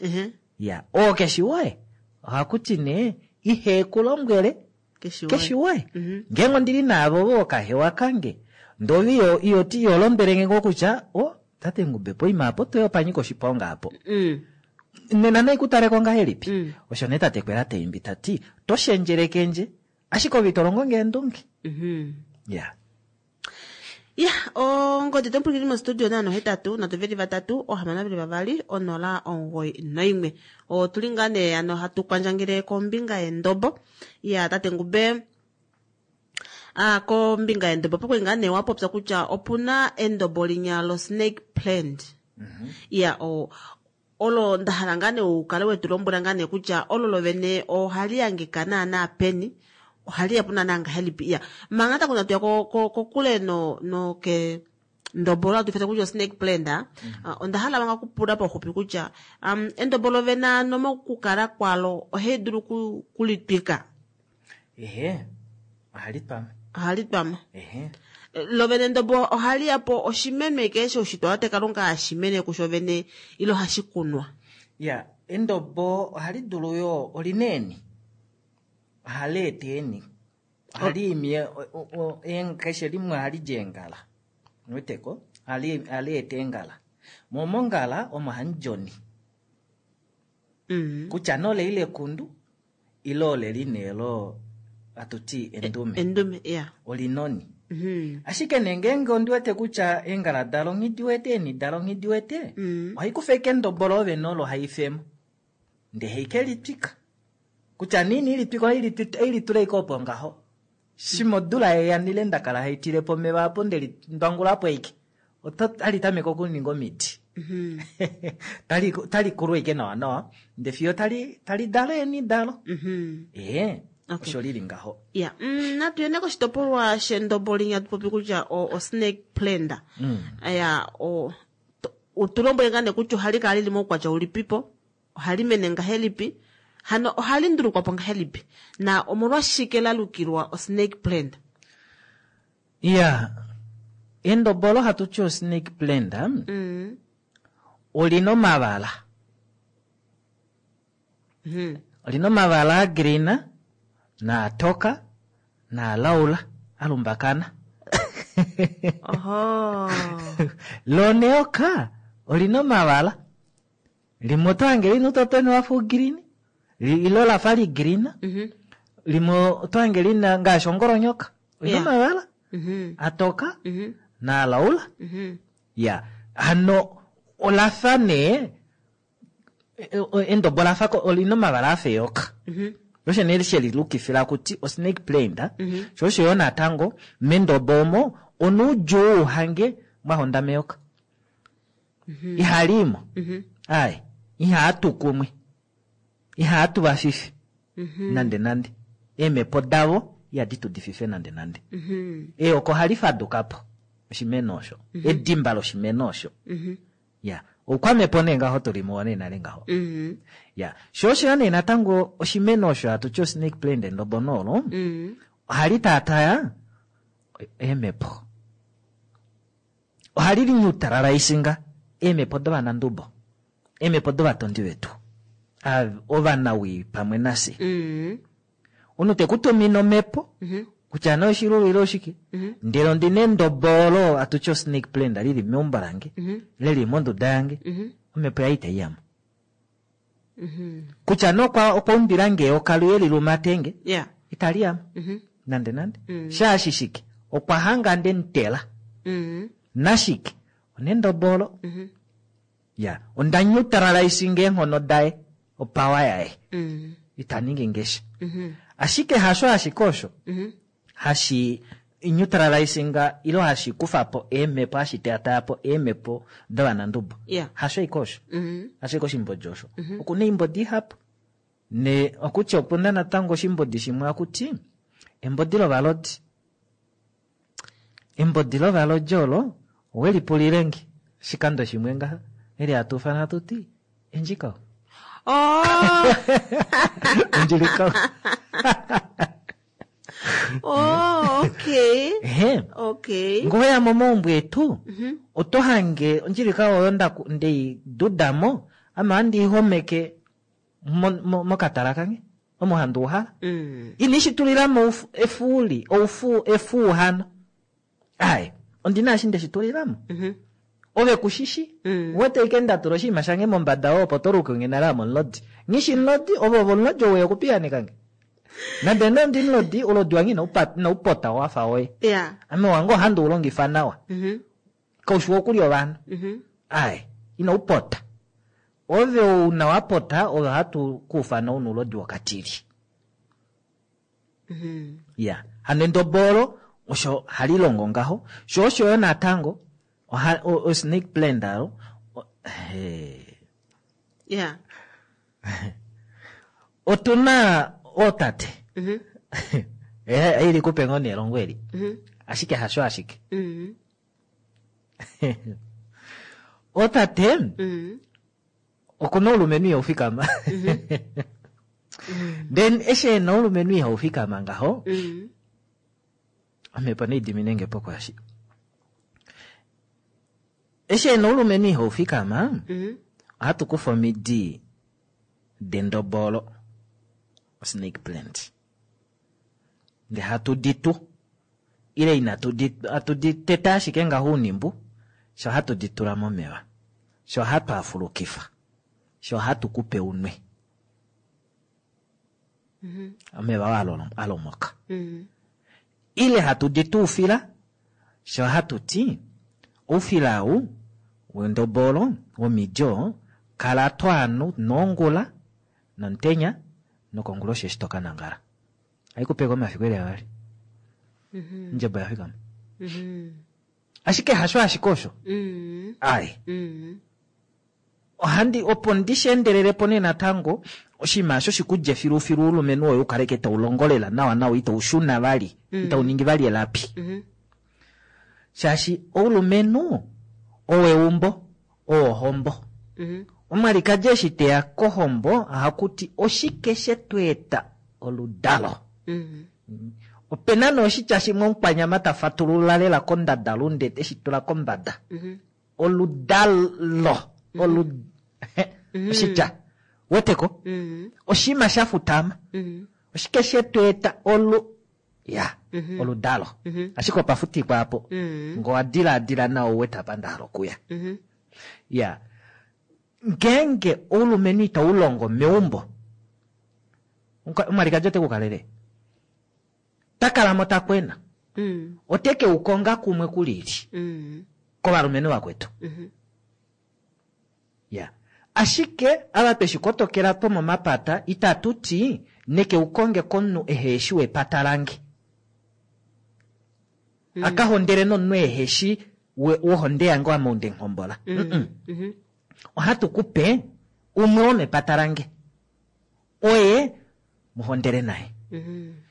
Ya, oo keshi woye. Ohakuti nee ihe ku lombwele keshi woye. Ngeenge ondili naavo vo okahewa kange, ndove iyo ti iyo lombwele nge ngoo kutya o tate Ngube poima apo toya opanyika oshiponga apo. Nena nai kutaleko ngahelipi? Osho nee tate Kwela taimbi tati toshendjelekenje ashike ove ito longo ngeendunge. Ya. Ya, ongodi tompwilikini mostudio naano 8 3 3 6 2 0 91. Otuli ngaa nee ano hatu kwandjangele kombinga yendobo. Ya, tate Ngube, kombinga yendobo pokwali ngaa nee wapopya kutya opuna endobo linya lo snake plant. Ya, olo ndahala ngaa nee ukale wetu lombwela ngaa nee kutya olo lovene ohali hangika naana peni, ohali yapo naana ngahelipi. Ya, manga takuna tuya kokule no ke ndobo olo hatu ifana kutya snake plant, onda hala manga kupula pauxupi kutya endobo lovene ano mokukala kwalo ohali dulu kulitwika. Ehe, ohali twama. Ohali twama. Ehe. Lovene endobo ohali yapo oshimeno eke shoushitwa wate Kalunga hashimene kusho vene ilo hashi kunwa. Ya, endobo ohali dulu yo olina eeni. Ohali eta eeni. Ohali imi keshe limwe ohali di eengala. Uweteko? Ohali eta eengala. Mo mongala omo hamu di oni. Kutya nee oleli lekundu ile oleli nee lo hatuti endume. Endume, ya. Olina oni. Ashike nee ngeenge ondi wete kutya eengala dalo nghi di wete, eeni dalo nghi di wete, ohai kufa ashike endobo loo vene olo haifemo. Ndee haike litwika. Kutya nee ina ilitwika ohai litula ashike opo ngaho. Shima odula yeya nile ndakala haitilepo omeva apo ndeli ndwangulapo ashike. Otali tameke okuninga omiti. Tali kulu ashike nawa nawa, ndee fiyo tali dala eeni dalo. Ee, osho lili ngaho. Ya, natu yene koshitopolwa shendobo linya tupopi kutya o snake plant. Ya, utulombwele ngaa nee kutya ohali kala lili moukwatya ulipipo, ohali mene ngahelipi, hano ohali ndulukwapo ngahelipi, na omolwashike la lukilwa o snake plant? Ya, endobo olo hatu ti o snake plant, olina omavala. Olina omavala a green, naatoka, naalaula, alumbakana. Oho. Loneoka, olina omavala. Limwe oto hange lina utotoni wafa ugreen, ilo lafa li green. Limwe oto hange lina ngaashi ongolonyoka. Olina omavala. Atoka, Naalaula. Ya, hano olafa nee endobo lafa olina omavala afa eyoka. Osho nee shelilukifila kuti osnake plant. Sho osho yo natango mendobo omo onuudjuu uhange mwahonda meyoka. Ihaliimo. Ai, ihaatu kumwe. Ihaatu vafifi. Nande nande. Eemhepo davo ihadi tu difife nande nande. Eyoka ohali faduka po oshimeno osho. Edimba loshimeno osho. Ya, oukwamhepo nee ngaho tuli muwo nee nale ngaho. Ya, sho osho nee natango oshimeno osho hatu ti osnake plant endobo noolo, ohali taataya eemhepo. Ohali linyutalala-isinga eemhepo dovanandubo, eemhepo dovatondi vetu, ovanawii pamwe nafye. Omunhu te ku tumine omhepo, kutya nee oshilulu ile oshike, ndele ondina endobo olo hatu ti osnake plant lili meumbo lange, leli monduda yange, omhepo yaye itai yamo. Kutya nee okwa umbila nge eyoka luye lilumatenge, itali yamo. Nande nande. Shaashi shike? Okwa hanga nde mutela. Nashike? Onendobo olo. Ya, onda nyutalala-isinga eenghono daye, opawa yaye. Ita ningi ngesha. Ashike hasho ashike osho hashi nyutalala-isinga ilo hashi kufa po eemhepo, hashi teataya po eemhepo dovanandubo. Hasho ike osho. Hasho ike oshimbodi osho. Okuna oimbodi ihapu. Ne okutya opuna natango oshimbodi shimwe akuti embodi lovalodi. Embodi lovalodi olo owelipulile nge oshikando shimwe ngaha eli hatu ufana hatu ti endjikao. Oh. Endjilikao. Oh, okay. Ehe. Okay. Ngoya momaumbo etu oto hange ondjilikao oyo ndei dudamo ame ohandi ihomeke mokatala kange omo handi uhala. Ini shi tulilamo efuuli, oufu, efuu hano. Ai, ondina eshi nde shi tulilamo. Ove kushishi, wete ike nda tula oshinima shange mombada opo to luke nge nale ame omulodi. Nghishi mulodi, ove ove omulodi ou okupiyaneka nge. Nande nee ondi mulodi, ulodi wange inaupota wafa woye. Ame wange ohandi u longifa nawa. Kaushi wokulya ovanhu. Ai, inaupota. Ove una wapota, ove ohatu kuufana una ulodi wokatili. Ya, hano endobo olo osho hali longo ngaho. Sho osho yo natango, o snake plant alo, Otuna ootate. Ili kupe ngoo nelongo eli. Ashike hasho ashike. Ootate, okuna oulumenhu ihau fikama. Then eshi ena oulumenhu ihau fikama ngaho, omhepo nei dimine nge po kwaashi. Eshi ena oulumenhu ihau fikama, ohatu kufa omidi dendobolo, snake plant. Nde hatu di tu, ile inatu di, hatu di teta ashike ngaho unimbu, sho hatu di tula momeva, sho hatu afulukifa, sho hatu kupe unwe. Omeva oo alomoka. Ile hatu di tu ufila, sho hatu ti, oufila ou, wendobolo, womidi oo, kala to anu nongula, nomutenya, nokonguloshi eshi to ka nangala. Haikupeka omafiku eli avali. Ondjebo ya fikama. Ashike hasho ashike osho. Ai. Ohandi, opo ndi shi endelele po nee natango, oshinima osho shikulye filufilu oulumenhu woye u kaleke tau longo lela nawa nawa itau shuna vali, itau ningi vali elapi. Shaashi oulumenhu oweumbo, owohombo. Omwalikadi eshi teya kohombo ohaku ti oshike she tu eta oludalo. Opena nee oshitya shimwe omukwanyama ta fatulula lela kondadalunde eshi tula kombada. Oludalo. Oshitya. Weteko? Oshinima sha futama. Oshike she tu eta ya, oludalo. Ashike opa futikwa apo. Ngo wa diladila nawa u wete apa nda hala okuya. Ya. Ngeenge oulumenhu itau longo meumbo, omwalikadi ote ku kalele. Ta kala mo ta kwena. Ote ke u konga kumwe kulili kovalumenhu vakwetu. Ya. Ashike ava tweshi kotokela twomomapata itatu ti neke u konge komunhu eheshi wepata lange. Aka hondele nomunhu eheshi wohonde yange ame ou ndemuhombola. Mm-mm. Ohatu ku pe umwe womepata lange. Oye mu hondele naye.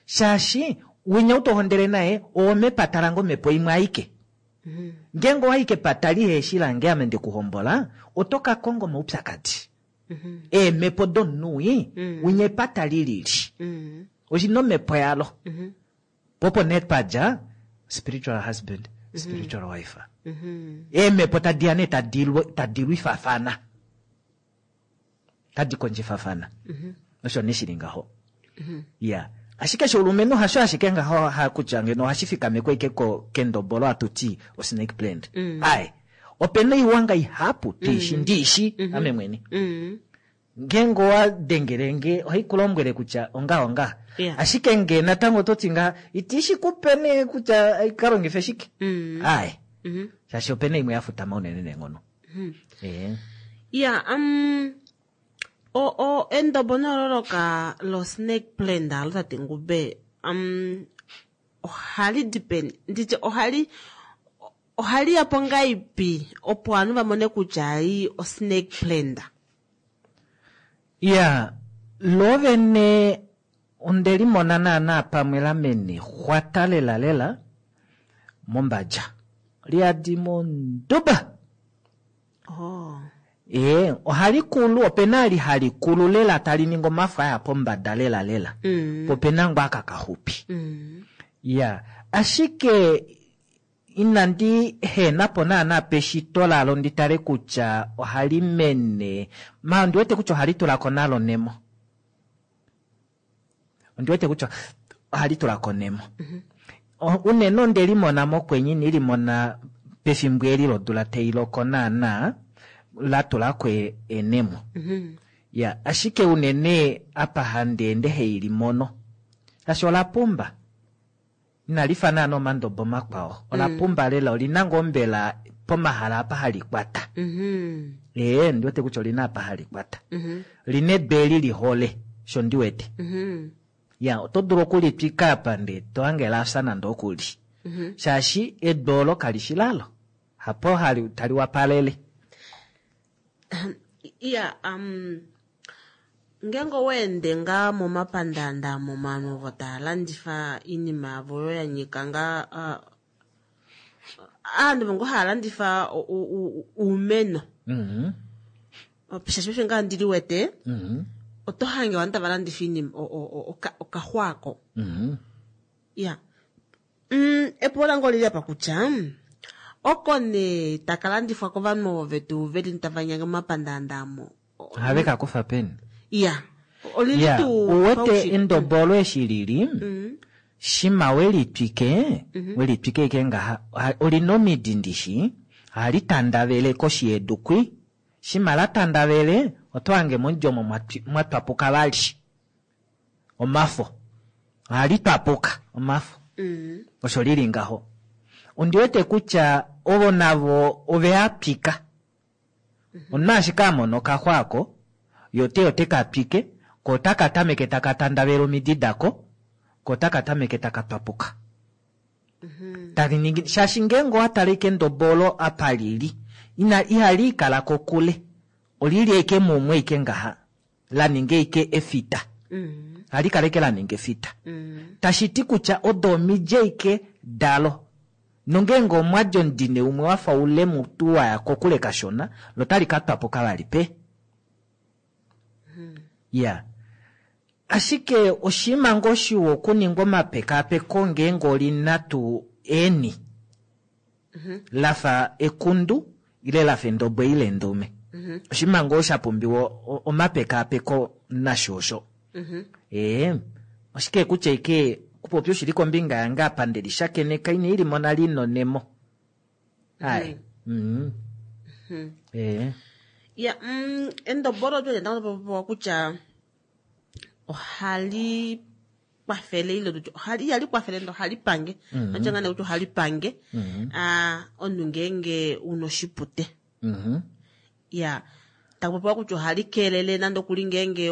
Shaashi winya ou to hondele naye owomepata lange omhepo imwe aike. Ngeenge owa i kepata liheshi lange ame nde ku hombola, oto ka konga omaupyakadi. Eemhepo domunhu wii, winya epata li lili. Oshi na omhepo yalo. Po opo nee twa dja spiritual husband, spiritual wife. Eemhepo tadi ya nee tadi lwifafana. Tadi kondjifafana. Osho nee shi li ngaho. Ya. Ashike shoulumenhu hasho ashike ngaho ha kutya ngeno ohashi fikamekwa ashike kendobo olo hatu ti osnake plant. Ai. Ope na oiwanga ihapu twiishi ndiishi ame mwene. Ngeenge owa dengele nge ohai ku lombwele kutya ongaho ngaha. Ashike nge natango oto ti ngaha iti shi ku pe nee kutya ka longife shike. Ai. Shaashi ope na imwe ya futama unene neenghono. Ya, o, o, endobo nololoka lo snake plant alo tate Ngube, ohali di peni? Nditye ohali, ohali ya po ngaipi opo ovanhu va mone kutya ei o snake plant? Ya, lo vene onde limona naana pamwe la mene xwata lela lela mombadja. Liyadi monduba. Oh. Ee, ohali kulu, opena ali hali kulu lela tali ningi omafo aya pombada lela lela. Po opena ngoo aka kaxupi. Ya, ashike inandi hena po naana peshito lalo ndi tale kutya ohali mene, ma ondi wete kutya ohali tula ko nalo nemo. Ondi wete kutya ohali tula ko nemo. Unene onde limona mokwenye, inandi limona pefimbo eli lodula tai loko naana la tula ko enemo. Ya, ashike unene apa handi ende hei limono, shaashi ola pumba. Inali fa naana omandobo makwao. Ola pumba lela, olina ngoo mbela pomahala apa hali kwata. Ee, ndi wete kutya olina apa hali kwata. Lina edu eli li hole, sho ndi wete. Ya, oto dulu okulitwika apa ndee to hange la fya nande okuli. Shaashi edu olo kali shi lalo. Hapo hali, tali wapalele. Ya, ngeenge owa ende ngaa momapandaanda momanu ovo tava landifa oinima yavo oyo ya nyika ngaa, aantu ovo ngoo hava landifa oumeno. Shaashi paife ngaa ndi liwete, oto hange ovanhu tava landifa oinima, okaxwaako. Ya. Epulo lange olili apa kutya, oko nee taka landifwa kovanhu ovo vetu veli tava nyange momapandaanda amo. Ohave ka kufa peni? Ya. Olili Ya, tuu uwete paushitwe. endobo olo eshi lili, shima we litwike, we litwike ike ngaha, olina omidi ndishi, ohali tandavele koshi yedu kwi. Shima la tandavele, oto hange momudi omo mwa twapuka vali omafo. Ohali twapuka omafo. Osho lili ngaho. Ondi wete kutya ovo navo ove a twika. Omunhu ashike a mona okaxwa ako, ye ote ote ka twike, ko otaka tameke taka tandavele omidi dako, ko otaka tameke taka twapuka. Tali ningi, shaashi ngeenge owa tala ashike endobo olo apa lili, ina, ihali ikala kokule. Olili ashike mumwe ashike ngaha, la ninga ashike efita. Ohali kala ashike la ninga efita. Tashi ti kutya odo omidi ashike dalo. Nongeenge omwa di omudine umwe wa fa ule mutu wa ya kokule kashona, lo otali ka twapuka vali pe. Ya. Ashike oshinima ngoo shiwa okuningwa omapekaapeko ngeenge oli na tuu eeni la fa ekundu ile la fa endobo ile endume. Oshinima ngoo sha pumbiwa omapekaapeko nasho osho. Ee, oshike kutya ike kupopya oshili kombinga yange apa nde lishakeneka ine i limona li nonemo. Ai. Ee. Ya, endobo olo otwa li natango twa popiwa kutya ohali kwafele ile tutye ohali ihali kwafele ndele ohali pange. Notya ngaa nee kutya ohali pange omunhu ngeenge una oshipute. Ya taku popiwa kutya ohali keelele nande okuli ngeenge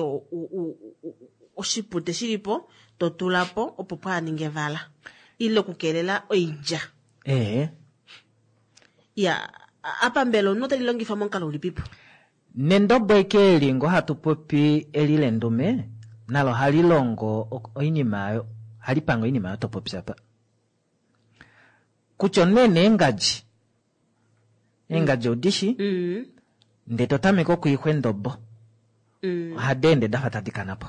oshipute shilipo to tula po opo pwaaninge evala ile okukeelela oilya. Ya apa mbela omunhu oteli longifa momukalo ulipipo? Nendobo eke eli ngoo hatu popi eli lendume nalo ohali longo oinima oyo, ohali pange oinima oyo to popi apa. Kutya omunhu ena eengadji, eengadji odishi, ndee to tameke okwiixwa endobo, ohadi ende dafa tadi kana po.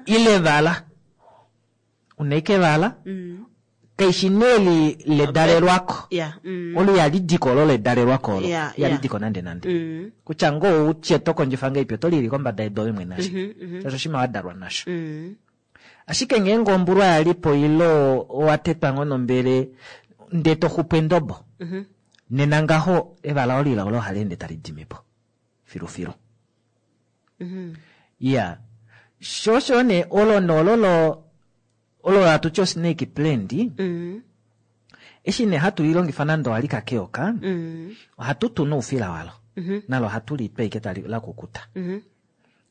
Ile evala, una eke evala, kaishi nee eli ledalelwako. Olo ihali diko olo ledalelwako olo. Ihali diko nande nande. Kutya ngoo utye to kondjifa ngahelipi oto lili kombada yedu ove mwene ashike. Shaashi oshinima wa dalwa nasho. Ashike ngeenge ombulwa yalipo ile owa tetwa ngoo nombele ndee to xupu endobo, nena ngaho evala olo ila olo ohali ende tali dimi po filufilu. Iya, sho osho nee olo noololo olo hatu ti osnake plant, eshi nee hatu lilongifa nande owalika keyoka, ohatu tu noufila walo. Nalo ohatu litwa ashike tali lakukuta.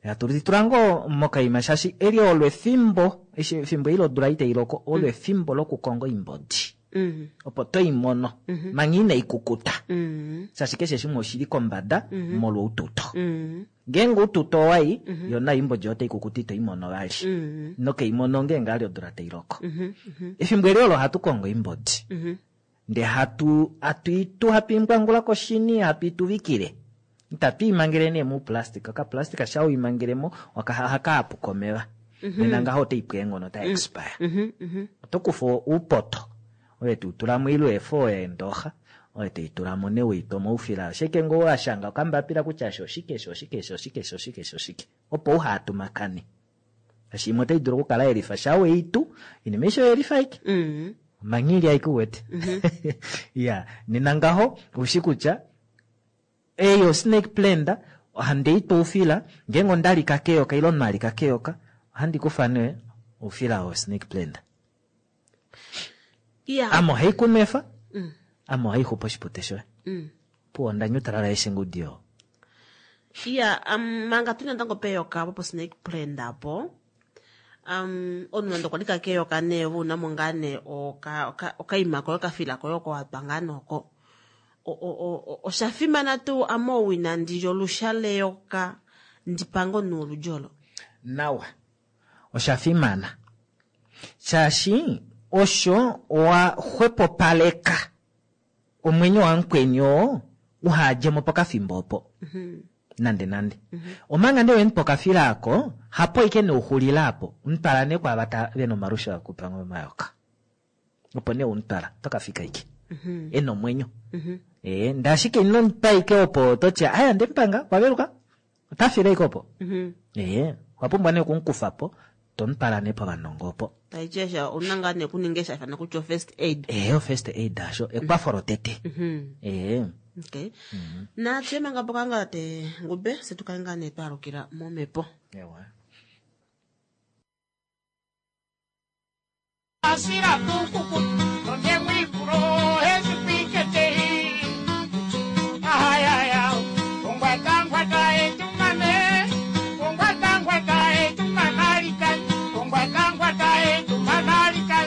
Hatu litula ngoo mokaima shaashi eli olo efimbo, eshi efimbo eli lodula itai loko, olo efimbo lokukonga oimbodi. Opo toimono manga inai kukuta. Shaashi keshe shimwe oshili kombada molwa oututo. Ngeenge oututo owai, yo nayo oimbodi otai kukuta ito imono vali. Nokeimono ngeenge ali odula tai loko. Efimbo eli olo ohatu kongo oimbodi. Ndee hatu itu hatu imbwangula koshini, hatu ituvikile. Itatu imangele nee mouplastic. Okaplastic sha uimangelemo ohaka hapuka omeva. Nena ngaho otai pu eenghono, otai expire. Oto kufa uupoto, ove to utula mo ile eefo eendooxa, ove to itula mo nee weitwa moufila. Ashike ngoo wa shanga okambapila kutya eshi oshike, eshi oshike, eshi oshike, eshi oshike, eshi oshike. Opo uhatumakane. Shaashi imwe otai dulu okukala yelifa sha weitu, inima aishe oyelifa aike. Omanghili aike uwete. Ya, nena ngaho oushi kutya ei o snake plant ohandi itwa oufila, ngeenge ondalika keyoka ile omunhu alika keyoka, ohandi kufa nee oufila wo snake plant. Ame ohai kunwefa, ame ohai xupu oshipute shoye. Puwo onda nyutalala eshi ngudi oo. Iya, manga tuli natango peyoka opo po snake plant apo, omunhu nande okwa lika keyoka nee ove una mo ngaa nee okaima koye okafila koye oko watwa ngaa nee oko. Osha fimana tuu ame ou inandi lya olusha leyoka ndi pange omunhu woludi olo? Nawa, osha fimana shaashi osho owa xwepopaleka omwenyo wamukweni oo uhadjemo pokafimbo opo. Nande nande. Omanga nee wemupa okafila ako, hapo aike nee uxulila apo, umutwala nee kwaava vena omalusha okupanga omayoka. Opo nee umutwala, oto kafika aike. Ena omwenyo. Ndee ashike ino mupa aike opo toti, aya ndemupanga, okwa veluka, ota file aike opo. Owa pumbwa nee okumukufa po, tomutwala nee povanongo opo. Taiti eshi ouna ngaa nee okuninga eshi haifana kutya o first aid. O first aid asho, ekwafo lotete. Okay. Natye manga po kanga te ngube, se tukale ngaa nee twaalukila momhepo. Ewa. Asira kukuku, nonde mwikulo, hezipikete. Ahayaya, ongwata ngwata etumane, ongwata ngwata etumanalika, ongwata ngwata etumanalika.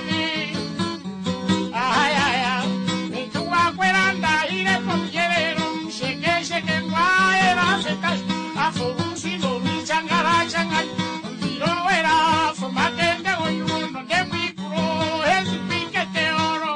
Ahayaya, nituwa kwelanda ile pomjelelo, sheke sheke ngwae la seka, afurusi lori changala changala, ndiro wera fumatende oyuno, nonde mwikulo, hezipikete oro.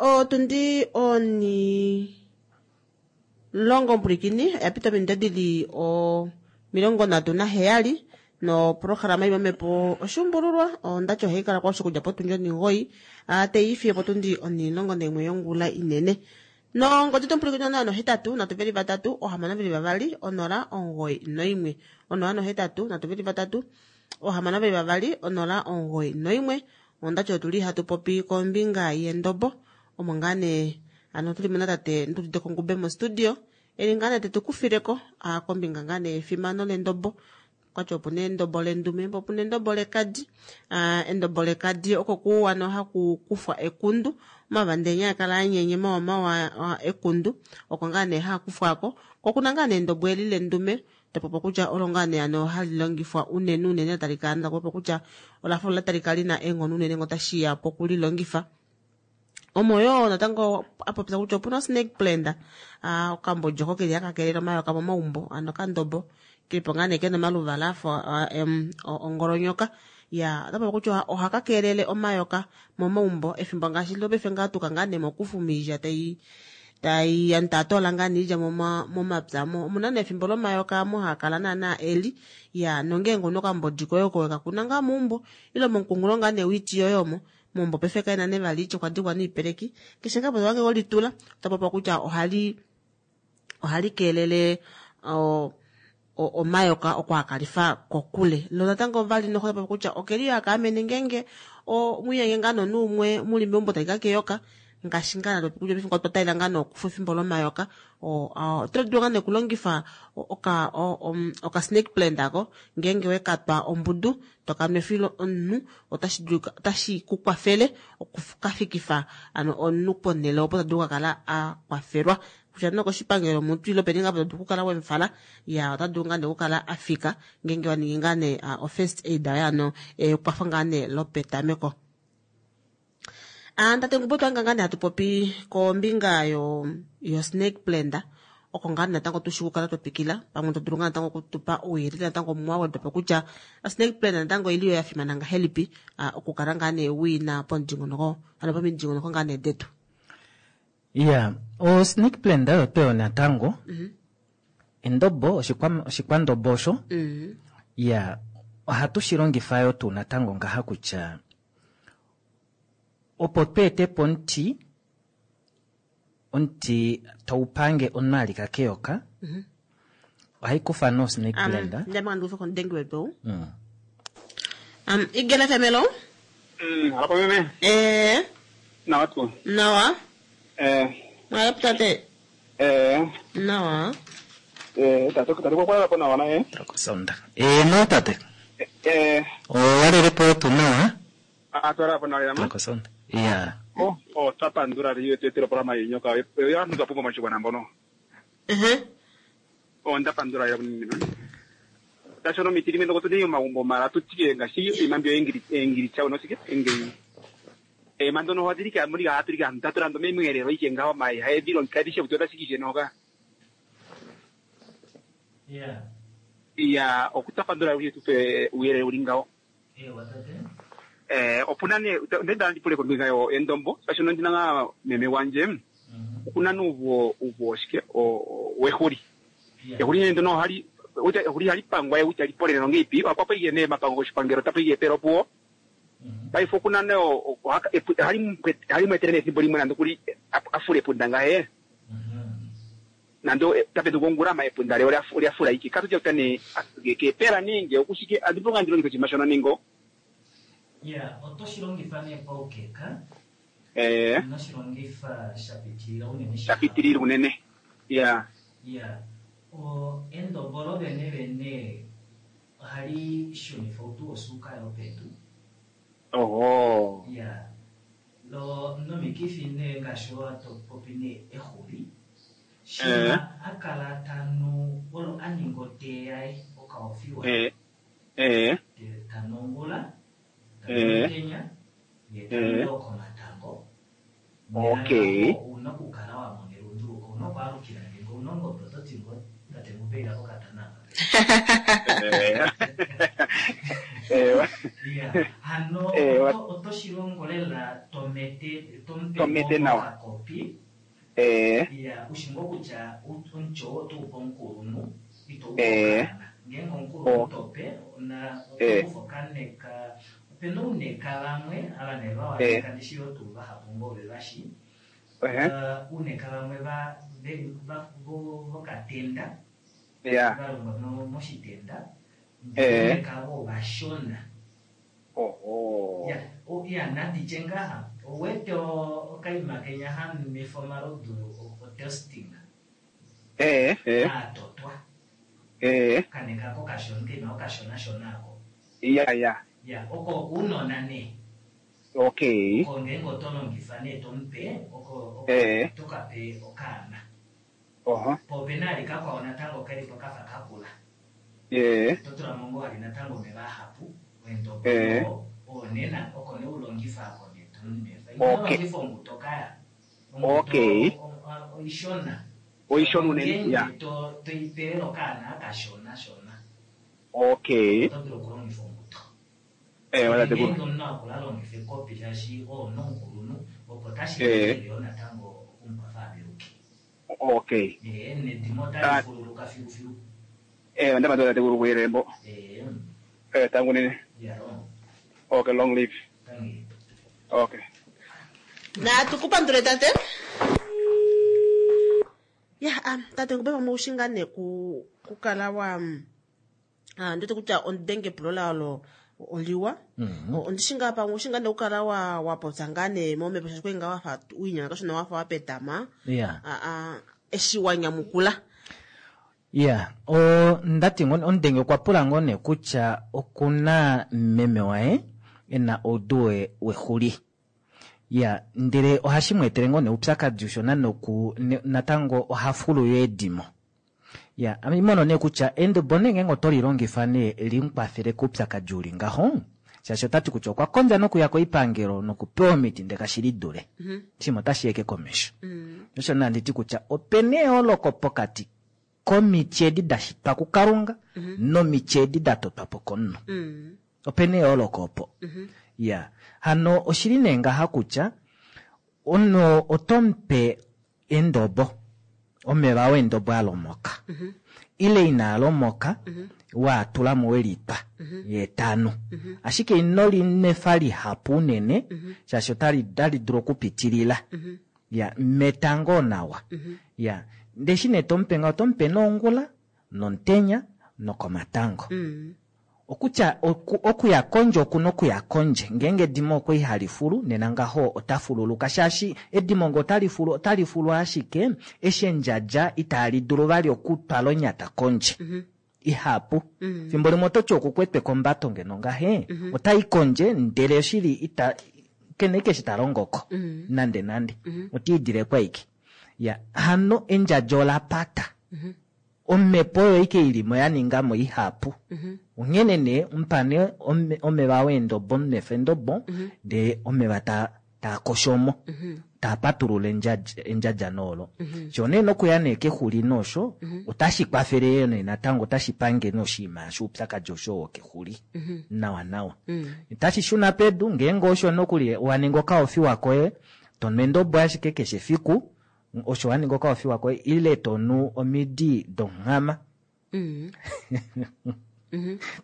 Otundi oni longo omupulikini oya pita ominute dili 37 noprograma imwe mepo oshuumbululwa ondati ohayi kala kwa oshikudja potundi 9 teiifiye potundi 11 yongula inene. Nongodi tomupulikini 083 323 622 091 083 323 622 091. Ondati otuli hatu popi kombinga yendobo omo ngaa nee ano tuli mo natate Ndulide Kongube mostudio eli ngaa nee tetukufileko kombinga ngaa nee yefimano lendobo. Okwati opuna endobo lendume po opuna endobo lekadi. Endobo lekadi oko kuwano haku kufwa ekundu omavandenya akala anyenye mawa mawa ekundu oko ngaa nee haakufwako. Ko okuna ngaa nee endobo eli lendume topopo kutya olo ngaa nee ano hali longifwa unene unene talika ndapopo kutya olafa ola talika lina eenghono unene ngo tashiya pokulilongifa. Omo yoo natango apopya kutya opuna snake plant okambodjo oko keli haka keelele omayoka momaumbo ano okandobo kelipo ngaa nee kena omaluvala afa ongolonyoka. Ya otapopi kutya ohaka keelele omayoka momaumbo efimbo ngaashi lopaife ngaa tuka ngaa nee mokufu iilya tai tai antatoola ngaa niilya momapya mo omuna nee efimbo lomayoka amo haakala naana eli. Ya nongeenge una okambodi koye oko wekakuna ngaa meumbo ile momukungulo ngaa nee wiiti yoye omo meumbo paife kaena nee vali iitya okwa dikwa noipeleki keshe ngaa po welitula otapopiwa kutya ohali keelele omayoka okwaakalifa kokule. Lo natango vali noho tapopi kutya okeli haka amene ngeenge mwiiyenge ngaa nonuumwe muli meumbo talika keyoka ngaashi ngaa natopi kutya paife otwa talela ngaa nokufa efimbo lomayoka oto dulu ngaa nee okulongifa oka snake plant ako ngeenge wekatwa ombudu tokanwefile omunhu otashi ku kwafele okukafikifa ano omunhu ponhele opo tadulu okukala a kwafelwa kutya nokoshipangelo mutu ile openi ngaa tadulu okukala wemufala ya ota dulu ngaa nee okukala afika ngeenge waningi ngaa nee o-first aid yaye ano ekwafo ngaa nee lopetameko. Tate Ngubo twanga ngaa nee hatu popi kombinga yo snake plant oko ngaa natango tushi okukala twatwikila pamwe to dulu ngaa natango okutupa ouyelele natango mwawedwapo kutya snake plant natango oili yo yafimana ngahelipi okukala ngaa nee wina pomudingonoko ano pomidingonoko ngaa nee detu. Ya o snake plant oyo tweyo natango endobo oshikwandobo osho. Ya ohatu shi longifa yo tuu natango ngaha kutya opo tweetepo omuti taupange omunhu alika keyoka ohai kufa no snake plant. Ndamanga ndikufe komudengi wetu. Igela femelo. Hapo meme. Nawa tu. Nawa. Mwalepo tate. Nawa. Tate kwa kwa nawa na Sonda. No tate. Owalelepo tu nawa. Atwala po nawa yama. Sonda. Yeah. Oh, tapandura riyo tetero programa yenyoka. Yo anu kapunga machibwana mbono. Ndapandura ya nini. Tashono mitiri mendo kotuni magumbo mara tutike ngashi imambyo engiri engiri chao no sike engiri. Mando no hadirika muri ga aturika ndaturando memwerero ikenga mai hae biro nkadishe butoda sikije noga. Yeah. Ya okutapandura uye tupe uyere uringao. Watate. Opuna ne ndenda ndipule kombinga yo endombo sashono ndinanga meme wanje okuna nuvo uvo shike o wehuri. Ehuri ndo no hali uta ehuri hali pangwa uta lipolele nonge ipi akwa iye ne mapango shipangero tapo iye pero puo. Paifo kuna ne o hali mwetere ne simbo limwe nando kuli afule punda ngahe. Nando tape tukongura ma epunda leo afula iki katuja utane ke pera ninge okushike adiponga ndilo ndiko chimashono ningo. Yeah, otoshilongifa ne paukeka. Noshilongifa shapitilila unene. Shapitilila unene. Yeah. Yeah. O endombo lo vene vene ohali shunifa outu wosuuka yopedu. Oho. Yeah. Lo nomikifi ne ngaashi watopopi ne exuli. Shima akala tanu olo aninga otee yaye okaofiwa. Tanongula. Kenya ye komatango. Okay. Una kukala wa monero nduluko una kwalukira ngengo unongo prototingo tate mupeira kokatana. Yeah. Hano otoshilongo lela to tomete tomupe To mete nawa. okakopi Eh. ya ushi ngoo kutya omuti oo oto upe omukulunhu ito upe Eh. okaana ngeenge omukulunhu Oh. tope na Eh. otokufa okaneka opena ouneka vamwe ava nee Eh. vawaneka ndishi yoo tuu vahapu ngoo vevashi Ehe. Uuneka vamwe va va vokatenda Ya. va longwa moshitenda Eh. uuneka vo ovashona Oho. ya ya nanditye ngaha owete okaima kenya hanwefa omalodu otesting Eh, eh. atotwa Eh. kaneka ko kashona kaima okashonashona ako Ya, ya. ya oko uunona nee Okay. oko ngeenge oto longifa nee tomupe oko oko Eh. tokape okaana Oho. po opena ali kakwao natango kelipo kafa kakula Eh. totulamo ngoo ali natango omeva ahapu endobo Eh. onena oko ne ulongifa ako ne tomumefa Okay. inolongifa ombuto kaya Okay. oishona Oishona unene, ya. Ngeenge to toipelele okaana akashona shona Okay. oto dulu okulongifa ombuto Eh, wala tekulu. ngeenge omunhu akula alongifa ekopi shaashi oo nomukulunhu opo tashi Eh. kelele yo natango okumukwafa aveluke Okay. Eh, nedimo Ah. otali fululuka filufilu Eh, ndama ndo tekulu kuyerembo. Eh, Eh, tangu nene. yaro Okay, long live. tangi Okay. natukupandule tate ya tate ngube pamwe ushinga ne kukala wa ndete kutya ondenge epulo laolo oliwa ondishinga pamwe ushinga ne kukala wa wapopya ngaa ne momhepo shaashi kwali ngaa wafa wiinyanga kashona wafa wapetama ya eshi wa nyamukula ya ndati omudenge okwa pula ngoo nee kutya okuna meme waye ena oudu wexuli ya ndele ohashi mu etele ngoo nee oupyakadi ushona noku natango oha fulu yo edimo ya ame mono nee kutya endobo nee ngeenge oto lilongifa nee limukwafele koupyakadi uli ngaho shaashi otati kutya okwa kondja nokuya koipangelo nokupewa omiti ndele kashi lidule shimwe otashi yeke komesho osho nee handiti kutya opena eyooloko pokati komiti edi da shitwa kukalunga nomiti edi da totwa po komunhu opena eyooloko opo ya hano oshili nee ngaha kutya omunhu otomupe endobo omeva wendobo alomoka ile inaa lomoka waatulamo welitwa yeetano ashike ino linefa lihapu unene shaashi otali dulu okupitilila ya metango nawa ya ndeshi nee tomupe ngaho otomupe noongula nomutenya nokomatango okutya okuya kondje okuna okuya kondje ngeenge edimo okwa ihali fulu nena ngaho ota fululuka shaashi edimo nge otali fulu otali fulu ashike eshi endjadja itali dulu vali okutwala onyata kondje ihapu fimbo limwe ototi okukwetwe kombato ngeno ngahe otai kondje ndele oshili ita kene ike eshi talongoko nande nande otiidile kwaike ya hano endjadja olapata omhepo oyo ike ilimo yaningamo ihapu onghene nee omupane omeva weendobo omunefa endobo ndee omeva taakoshomo taapatulula endjadja noolo sho nee nokuya nee kexuli noosho otashi kwafele yoo nee natango otashi pange noshinima shoupyakadi osho wokexuli nawa nawa otashi shuna pedu ngeenge osho nokuli waninga okaofiwa koye tonu endobo ashike keshe efiku osho waninga okaofiwa koye ile tonu omidi donghama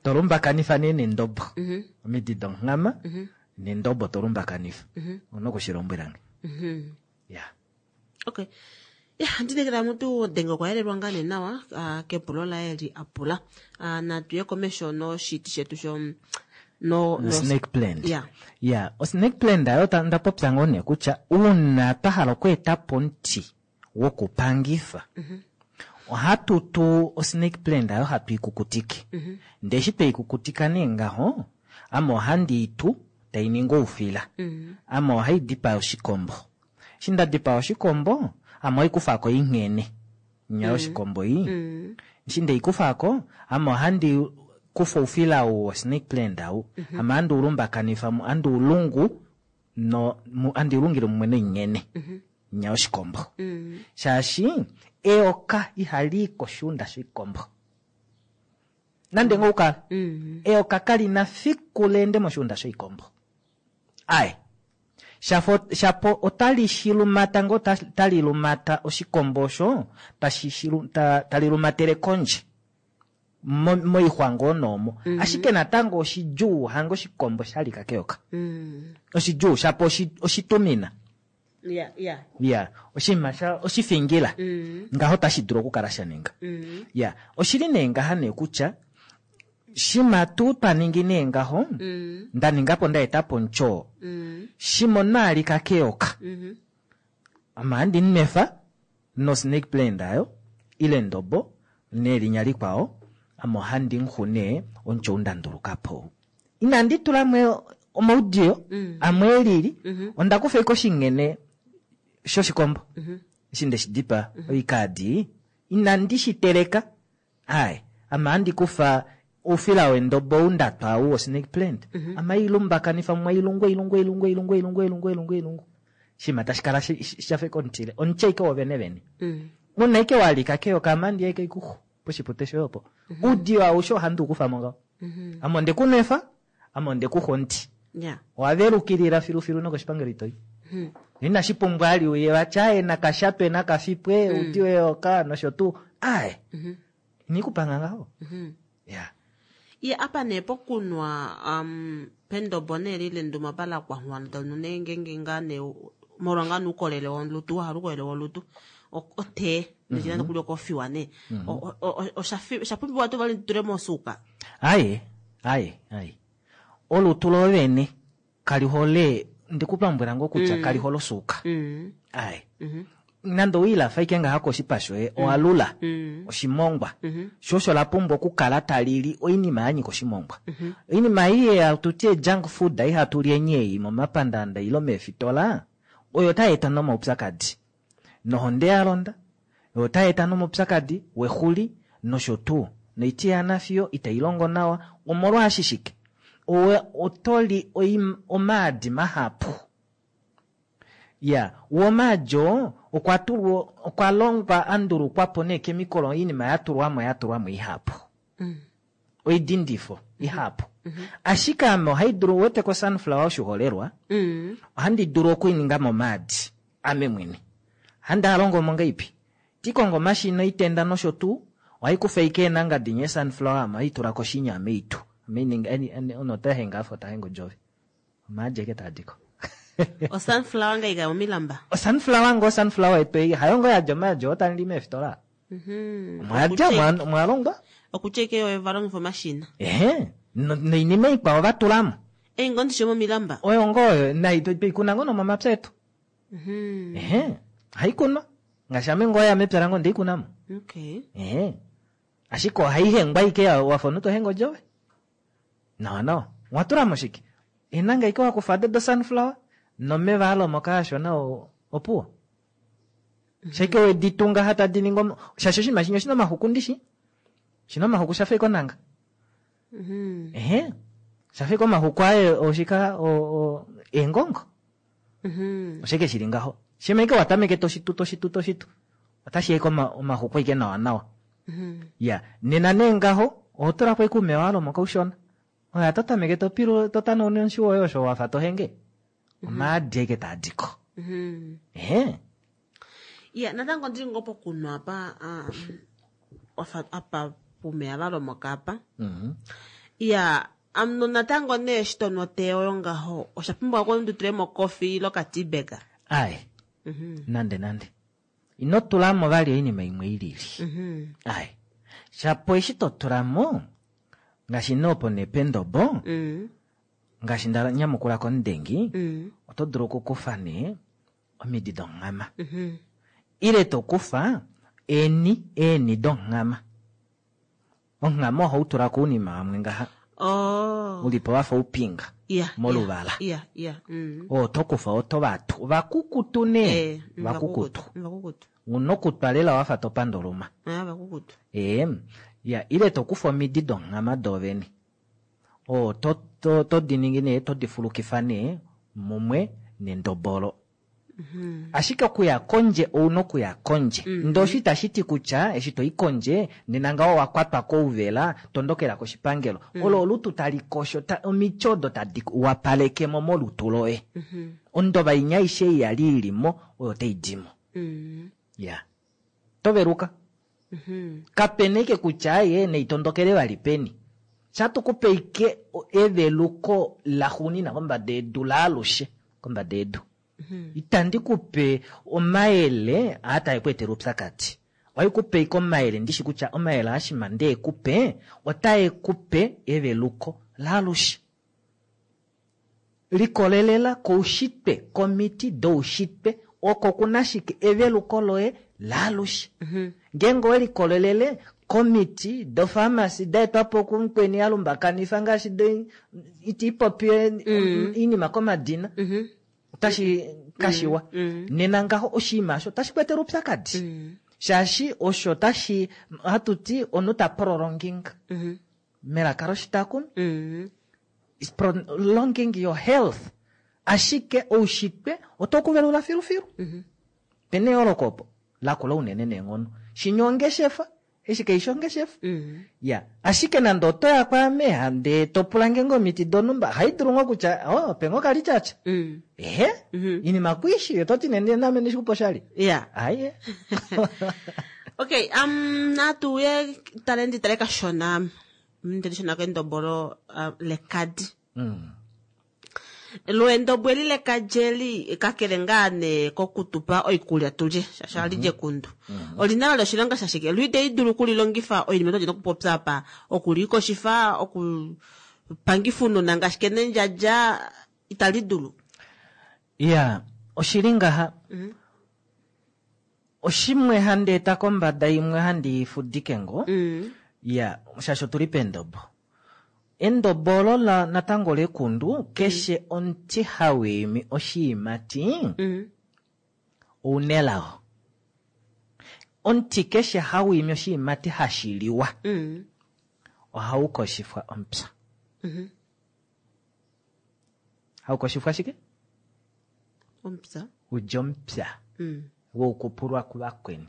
tolumbakanifa nee nendobo omidi donghama nendobo tolumbakanifa una okushilombwelange ya okay ya ndinekela mutu denge okwa yelelwa ngaa nee nawa kepulo laye li apula natuye komesho noshiti shetu sho no snake plant ya ya osnake plant ayo ndapopya ngoo nee kutya uuna twa hala okweetapo omuti wokupangifa ohatu tu osnake plant ayo hatu ikukutike ndee eshi tweikukutika nee ngaho ame ohandi itu tai ningi oufila ame ohai dipaya oshikombo eshi nda dipaya oshikombo ame ohaikufako inghene nya yoshikombo ei eshi ndeikufako ame ohandi kufa oufila ou wo snake plant au ame handi ulumbakanifa handi ulungu no handi ulungile mumwe noinghene nya yoshikombo shaashi eyoka ihali koshiunda shoshikombo nande ngoo ukala eyoka kalina fiku leende moshiunda shoikombo aye. Shafo shapo otali shilumata ngoo tali lumata oshikombo osho tashi shilu, ta, tali lumatele kondje moixwa ngoo noomo. Ashike natango oshidjuu hange oshikombo sha lika keyoka. Oshidjuu shapo oshitumina. Ya, ya. Ya, oshinima sha oshifingila. Ngaho tashi dulu okukala sha ninga. Ya, oshili nee ngaha nee kutya shima tuu twa ningi nee ngaho, nda ninga po nda eta po omutyoo. Shima omunhu a lika keyoka. Ame ohandi nwefa no snake plant ayo ile ndobo nelinya likwao, ame ohandi nhu nee omutyoo nda nduluka po. Inandi tula mo omaudiyo amwe elili, onda kufa ike oshinghene shoshikombo eshi nde shi dipa oikaadi, inandi shi teleka. Ai, ame ohandi kufa oufila wendobo ou nda twa ou wo snake plant, ame hai lumbakanifa mumwe, hailungu, hailungu, hailungu, hailungu, hailungu, hailungu, hailungu, hailungu. Shima tashi kala sha fa omutile, omutye ike wovene vene. Una ike walika keyoka, ame handi ya ike ikuxu poshipute shoye opo. Oudiyo aushe ohandi u kufa mo ngaho. Ame onde ku nwefa, ame onde ku xa omuti. Owa velukilila filufilu nokoshipangelo ito i. Inashi pumbwa ali uye vati aye nakashatwe nakafipwe oudiyo weyoka nosho tuu. Aye. Ini kupanga ngaho. Ya. Ye apa nee pokunwa pendobo nee lile nduma pala kwanghwana tonu nee ngenge ngaa nee molwa ngaa nuukolele wolutu wahala uukolele wolutu otee nechina nokuli okofiwa nee. Osha pumbiwa tuu vali tule mosuuka? Aye, aye, aye. Olutu lovene kali hole, ndikulombwela ngoo kutya kali hole osuuka. Aye. Nande owiilafa ike ngaha koshipa shoye, owa lula oshimongwa. Sho osho la pumbwa okukala tali li oinima ya nyika oshimongwa. Oinima ei hatu ti junk food ei hatu li enye ei momapandaanda ile meefitola, oyo otai eta nomaupyakadi. Nohonde ya londa, oyo otai eta nomaupyakadi wexuli nosho tuu. Noiti yanafiyo itai longo nawa, omolwaashi shike? Owe oto li omaadi mahapu. Ya, womaadi oo okwa tulwa, okwa longwa, a ndulukwa po neekemikolo, oinima ya tulwa mo, ya tulwa mo ihapu. Oidindifo ihapu. Ashike ame ohai dulu, wete ko sunflower oshiholelwa, ohandi dulu okuininga momaadi, ame mwene. Handi a longo mo ngaipi? Tikongo omashina oitenda nosho tuu, ohai kufa ike eenanga dinye sunflower, ame ohai tula koshinya ame itu. Ame ininga, eni, eni, ono ota henga afa ota henga odjove. Omaadi eke taa diko. O sunflower ngai ka omilamba? O sunflower ngo sunflower yetu ei, hayo ngo yadja omaadi oo tandi meefitola. Omwa dja, omwa longwa. Okutya ike yo va longifa omashina. Ehe, noinima ikwao va tulamo. Ei ngo ndishi momilamba. Oyo ngo oyo, nai toi kuna ngo nomomapya etu. Ehe, ohai kunwa. Ngaashi ame ngo ya mepya lange ondei kunamo. Ehe. Ashike ohai hengwa ike wafa omunhu to henge odjove. Nawa nawa. Owa tulamo shike? Eenanga ike wa kufa do sunflower nomeva alomoka ashona opuwo. Shike we ditunga hata di ningi shaashi oshinima shimwe oshina omaxuku ndishi. Oshina omaxuku shafa ike onanga. Ehe. Shafa ike omaxuku aye oshika eengongo. Oshike shili ngaho? Shima ike wa tameke toshitu, toshitu, toshitu. Otashi eke omaxuku ike nawa nawa. Ya, nena nee ngaho, oho tula ko ike uumewa walomoka ushona. Oya to tameke to pilu, to tanauna omushi woye osho wafa to henge. Omaadi eke taa diko. Ehe. Ya, natango ndili ngoo pokunwa apa, wafa apa pumeya valomoka apa. Ya, amuno natango nee eshi to nu otee oyo ngaho, osha pumbwa oku ndi tule mo coffee ile oka tea bag. Aye. Nande nande. Ino tula mo vali oinima imwe i lili. Aye. Shapo eshi to tula mo, ngaashi nee opo nee pendobo, ngaashi nda nyamukula komudengi, oto dulu okukufa nee omidi donghama. Ile to kufa eeni donghama. Onghama ohau tula ko ounima vamwe ngaha. Ulipo wafa oupinga moluvala. Oo to kufa oto vatu. Vakukutu nee. Vakukutu. Una okutwa lela wafa to panda oluma. Vakukutu. Ya, ile to kufa omidi donghama doovene. Oo to di ningi nee, to di fulukifa nee mumwe nendobolo. Ashike okuya kondje ouna okuya kondje. Ndee osho itashi ti kutya eshi toi kondje nena ngaho owa kwatwa kouvela tondokela koshipangelo. Olo olutu tali kosho omiti odo tadi wapalekemo molutu loye. Ondova inya aishe ei yali ilimo oyo tai dimo. Ya toveluka. Kapena ike kutya ye neitondokele vali peni. Shatukupe ike eveluko laxuunina kombada yedu laalushe kombada yedu. Itandi kupe omayele aa tae ku etele oupyakadi. Ohai kupe ike omayele ndishi kutya omayele aashima ndee kupe otae kupe eveluko laalushe. Likolelela koushitwe, komiti doushitwe oko kuna shike eveluko loye laalushe. Ngeenge owe likolelele komiti dofamasi daetwapo kumukweni alumbakanifa ngaashi iti ipopi oinima komadina otashi kashiwa. Nena ngaho oshinima osho otashi ku etele oupyakadi. Shaashi osho tashi hatu ti omunhu ta prolonging melaka loshitakumi. Is prolonging your health. Ashike oushitwe oto kuvelula filufilu. Pena eyooloko opo lakula unene neenghono. Shinya ongeshefa eshi kaishi ongeshefa. Ya ashike nande oto ya kwaame ndee topula nge ngoo omiti donhumba ohaidulu ngoo kutya oh pe ngoo kalityatya. Ehe inima kuishi ototi nee name ndishikupa oshali. Aye. Okay, natuye tale nditale kashona ndilishona kendobo lo lekadi. Lwendobo eli lekadi eli kakele ngaa nee kokutupa oikulya tulye shaashi ohali li ekundu. Olina vali oshilonga shashike? Lo itali dulu okulilongifa oinima tuli nokupopya apa okulikoshifa, okupangifa ounona ngaashi kenendjadja itali dulu. Ya oshili ngaha. Oshimwe handi eta kombada imwe handi fudike ngoo. Ya shaashi otuli pendobo. Endobo olo la natango lekundu keshe omuti hawiimi oshiimati ounelao. Omuti keshe hawiimi oshiimati hashiliwa ohau koshifwa omupya. Haukoshifwa shike? Omupya. Udja omupya. Woukupulwa kuvakweni.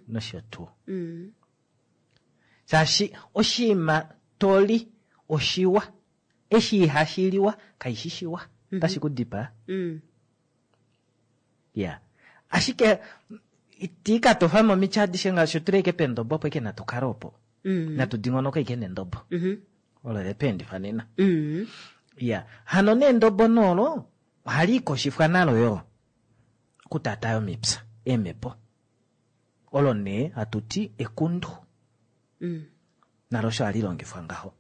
Nosho tuu. Shaashi oshiima toli oshiwa, eshi ihashiliwa kaishi shiwa. Otashi ku dipaa. Ya ashike iti ka tofa momiti adishe ngaashi otuli ashike pendobo opo ike natu kale opo. Natu dingonoke ike nendobo. Olo lepeendifa nena. Ya hano nendobo nolo ohali ikoshifwa nalo yo okutaataya omipya eemhepo. Olo nee hatu ti ekundu. Nalo osho hali longifwa ngaho.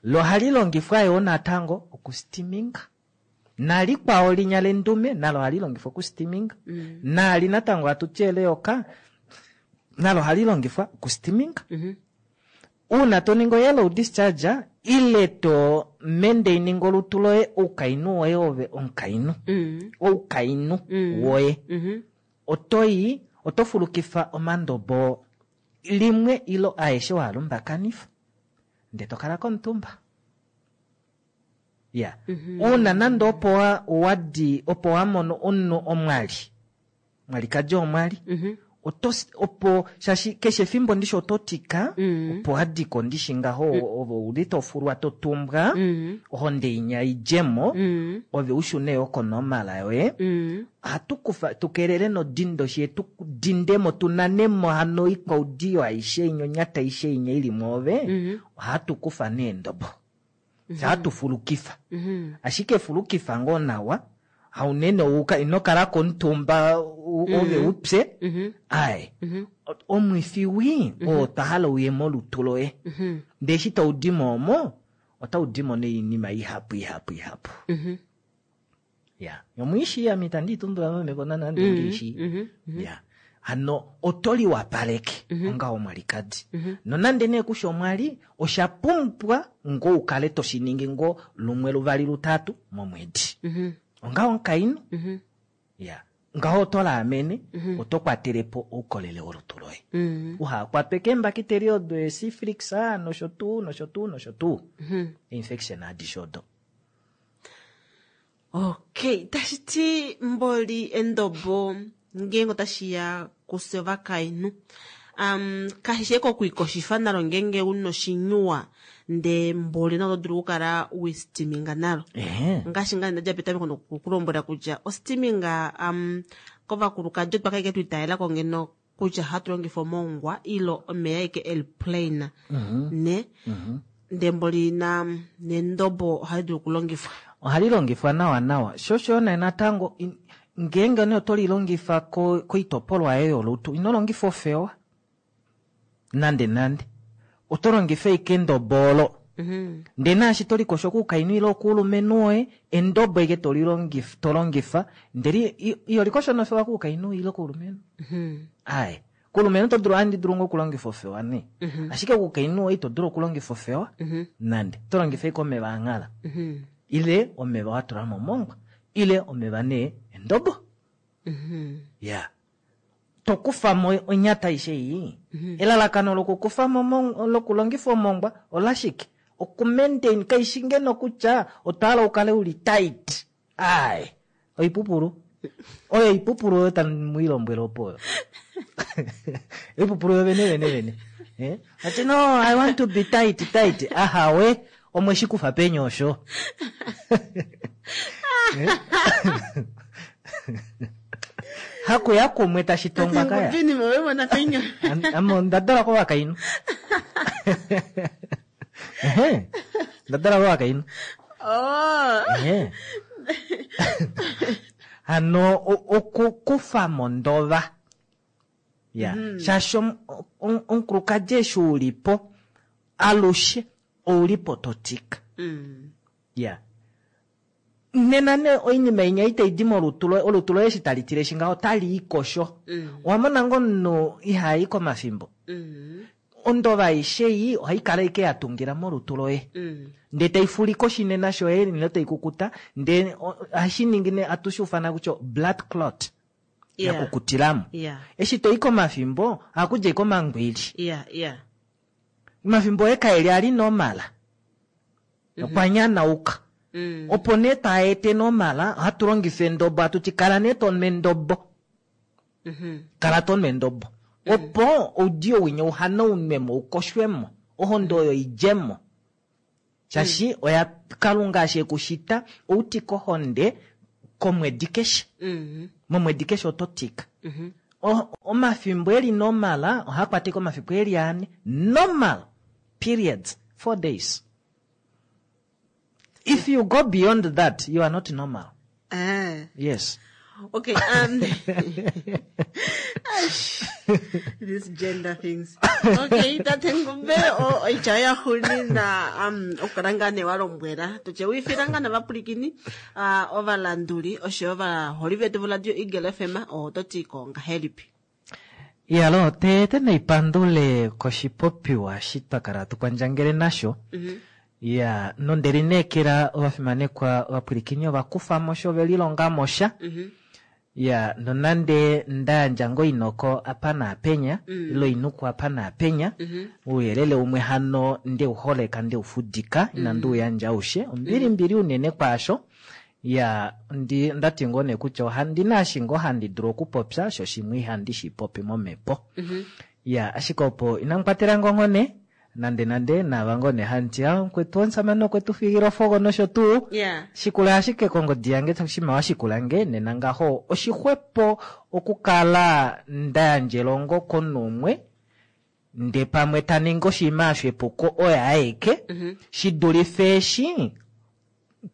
Lo ohali longifwa yoo natango okustiminga. Nalikwao linya lendume nalo ohali longifwa okustiminga. Nali natango hatu ti eleyoka nalo ohali longifwa okustiminga. Uuna to ningi oyellow discharge ile to mendaininga olutu loye oukainhu woye ove omukainhu. Oukainhu woye. Otoi oto fulukifa omandobo limwe ilo aeshe waalumbakanifa ndee tokala komutumba. Ya uuna nande opo wadi opo wamono omunhu omwali mwalikadi omwali oto opo shaashi keshe efimbo ndishi oto tika opo wadiko ndishi ngaho ove uli tofulwa totumbwa ohonde inya idjemo ove ushune yo konomala yoye. Ohatu kufa tukelele nodindo shi tu dindemo tunanemo hano oikwaudiyo aishe inya onyata aishe inya ili mwoove. Ohatu kufa neendobo. Ohatu fulukifa. Ashike fulukifa ngoo nawa haunene ouka ino kala komutumba ove upye. Aye omwifi wii oo twa hala uye molutu loye. Ndee eshi tau dimo omo otau dimo noinima ihapu ihapu ihapu. Ya omwiishi ame itandi itumbula momhepo nande ndiishi. Ya hano oto liwapaleke onga omwalikadi. Nonande nee kusha omwali osha pumbwa ngoo ukale toshiningi ngoo lumwe luvali lutatu momwedi. Onga omukainhu. Ya ngaho oto laamene oto kwatelepo oukolele wolutu loye. Uhakwatwe keembakiteli odo esyphilis nosho tuu nosho tuu nosho tuu. Infection adishe odo. Okay, tashi ti mboli endobo ngeenge otashi ya kufye ovakainhu um, kashi shi okwikoshifa nalo ngeenge una oshinyuwa ndee mboli nalo oto dulu okukala wistiminga nalo ngaashi ngaa ndadja petameko nokukulombwela kutya ostiminga um, kovakulukadi otwa kaike twiitayelako ngeno kutya hatu longifa omongwa ilo omeya aike eli plain ne ndee mboli na nendobo ohali dulu okulongifwa. Ohali longifwa nawa nawa sho osho nee natango ngeenge nee oto lilongifa koitopolwa yoye yolutu ino longifa ofewa nande nande oto longifa ashike endobo olo ndee naashi to likosho koukainhu ile okuulumenhu woye endobo ashike to longifa ndele iho likosho nofewa koukainhu ile koulumenhu aye koulumenhu oto dulu ohandi dulu ngoo okulongifa ofewa nee ashike koukainhu woye ito dulu okulongifa ofewa nande oto longifa ashike omeva anghala ile omeva wa tula momongwa ile omeva nee endobo ya to kufa mo onyata aishe ei. Elalakano lokukufa mo lokulongifa omongwa olashike? Okumaintain kaishi ngeno kutya otwa hala ukale uli tight. Ai, oipupulu. Oyo oipupulu oyo tamu i lombwele opo oyo. Oipupulu yo vene vene vene. Eh? Ati no, I want to be tight, tight. Ahawe, omwe shi kufa peni osho. Hakuya kumwe tashi tongwa kaya. Ame onda dala kovakainhu. Ehe, onda dala kovakainhu. Ehe. Hano okukufa mondova. Ya, shaashi omukulukadi eshi ulipo alushe oulipo to tika. Ya. Nena nee oinima inya itai di molutu loye, olutu loye eshi tali tileshi ngaho otali i kosho. Owa mona ngoo omunhu iha i komafimbo? Ondova aishe ei ohai kala ashike ya tungila molutu loye. Ndee tai fulike oshinena shoye ile tai kukuta, ndee ohashi ningi nee atu shi ufana kutya blood clot. Ya kukutilamo. Eshi to i komafimbo, ohaku dja ashike omangwili. Omafimbo oye kaeli ali normal. Okwa nyanauka. Opo nee taa ete normal, ohatu longifa endobo, hatu ti kala nee to nu endobo. Kala to nu endobo. Opo oudiyo winya uhanaunwe mo, ukoshwe mo, ohonde oyo idje mo. Shaashi oya Kalunga eshi ekushita, outika ohonde komwedi keshe. Momwedi keshe oto tika. Omafimbo eli normal, ohaa kwata ashike omafiku eli ane. Normal periods, 4 days. If you go beyond that, you are not normal. Yes. Okay, these gender things. Okay, tate Ngumbe, oitya ya xunina okukala ngaa nee wa lombwela tutye wiifila ngaa navapulikini ovalanduli oshoyo ovaholi vetu voradio Eagle FM oto ti ko ngahelipi? Iyalo, tete naipandule koshipopiwa eshi twa kala hatu kwandjangele nasho. Ya, nonde lineekela ovafimanekwa ovapwilikini ova kufa mo sha, ove lilonga mo sha. Ya, nonande nda yandja ngoo oinoko apa naapenya, ile oinuku apa naapenya, ouyelele umwe hano nde u holeka, nde u fudika, inandi u yandja aushe. Ombilimbili unene kwaasho. Ya, ndi, onda ti ngoo nee kutya ohandi na eshi ngoo handi dulu okupopya, sho shimwe ihandi shi popi momhepo. Ya, ashike opo inamu kwatela nge onghone, nande nande, naava ngoo nee hamu ti, ah, mukwetu omusamane okwe tu fiila ofogo nosho tuu. Shikula ashike kongodi yange, shima wa shikula nge, nena ngaho oshixwepo okukala nda yandja elongo komunhu umwe, nde pamwe ta ningi oshinima osho epuko oye aeke, shi dulife eshi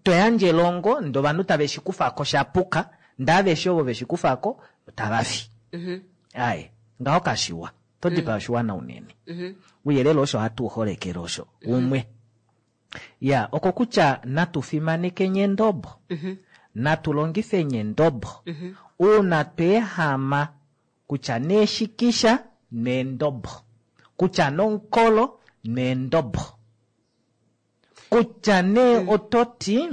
to yandje elongo ndee ovanhu tave shi kufa ko sha puka, ndee aveshe ovo ve shi kufa ko otava fi. Aye, ngaho kashiwa. To dipaa oshiwana unene. Ouyelele osho hatu u holekele osho umwe. Ya, oko kutya natu fimanekeni endobo. Natu longifeni endobo. Uuna tweehama kutya neeshikisha neendobo. Kutya nomukolo neendobo. Kutya nee oto ti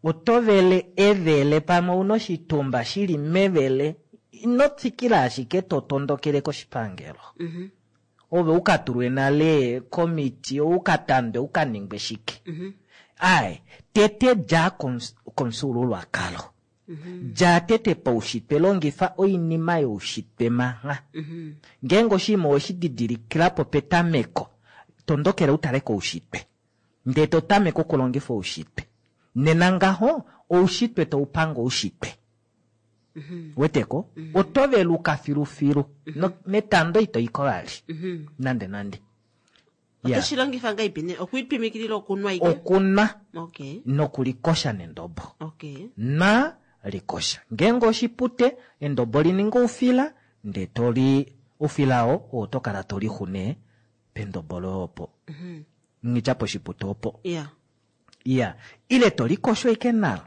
oto vele evele pamwe ouna oshitumba shili mevele, ino tsikila ashike to tondokele koshipangelo. Ove u ka tulwe nale komiti, u ka tandwe, u ka ningwe shike. Ai, tete dja komufyuululwakalo. Dja tete paushitwe, longifa oinima youshitwe mangha. Ngeenge oshinima oweshi didilikila po petameko, tondokela utale koushitwe. Ndee to tameke okulongifa oushitwe. Nena ngaho, oushitwe tau pange oushitwe. Weteko? Oto veluka filufilu. Netando ito iko vali. Nande nande. Oto shi longifa ngahelipi nee? Okwiitwimikilila okunwa ike? Okunwa. Okay. Nokulikosha nendobo. Okay. Nwa, likosha. Ngeenge oshipute, endobo li ninga oufila, ndee to li oufila oo, oo oto kala to lixu nee pendobo loye opo. Ngitya poshipute opo. Yeah. Iya. Ile to likosho ike nalo.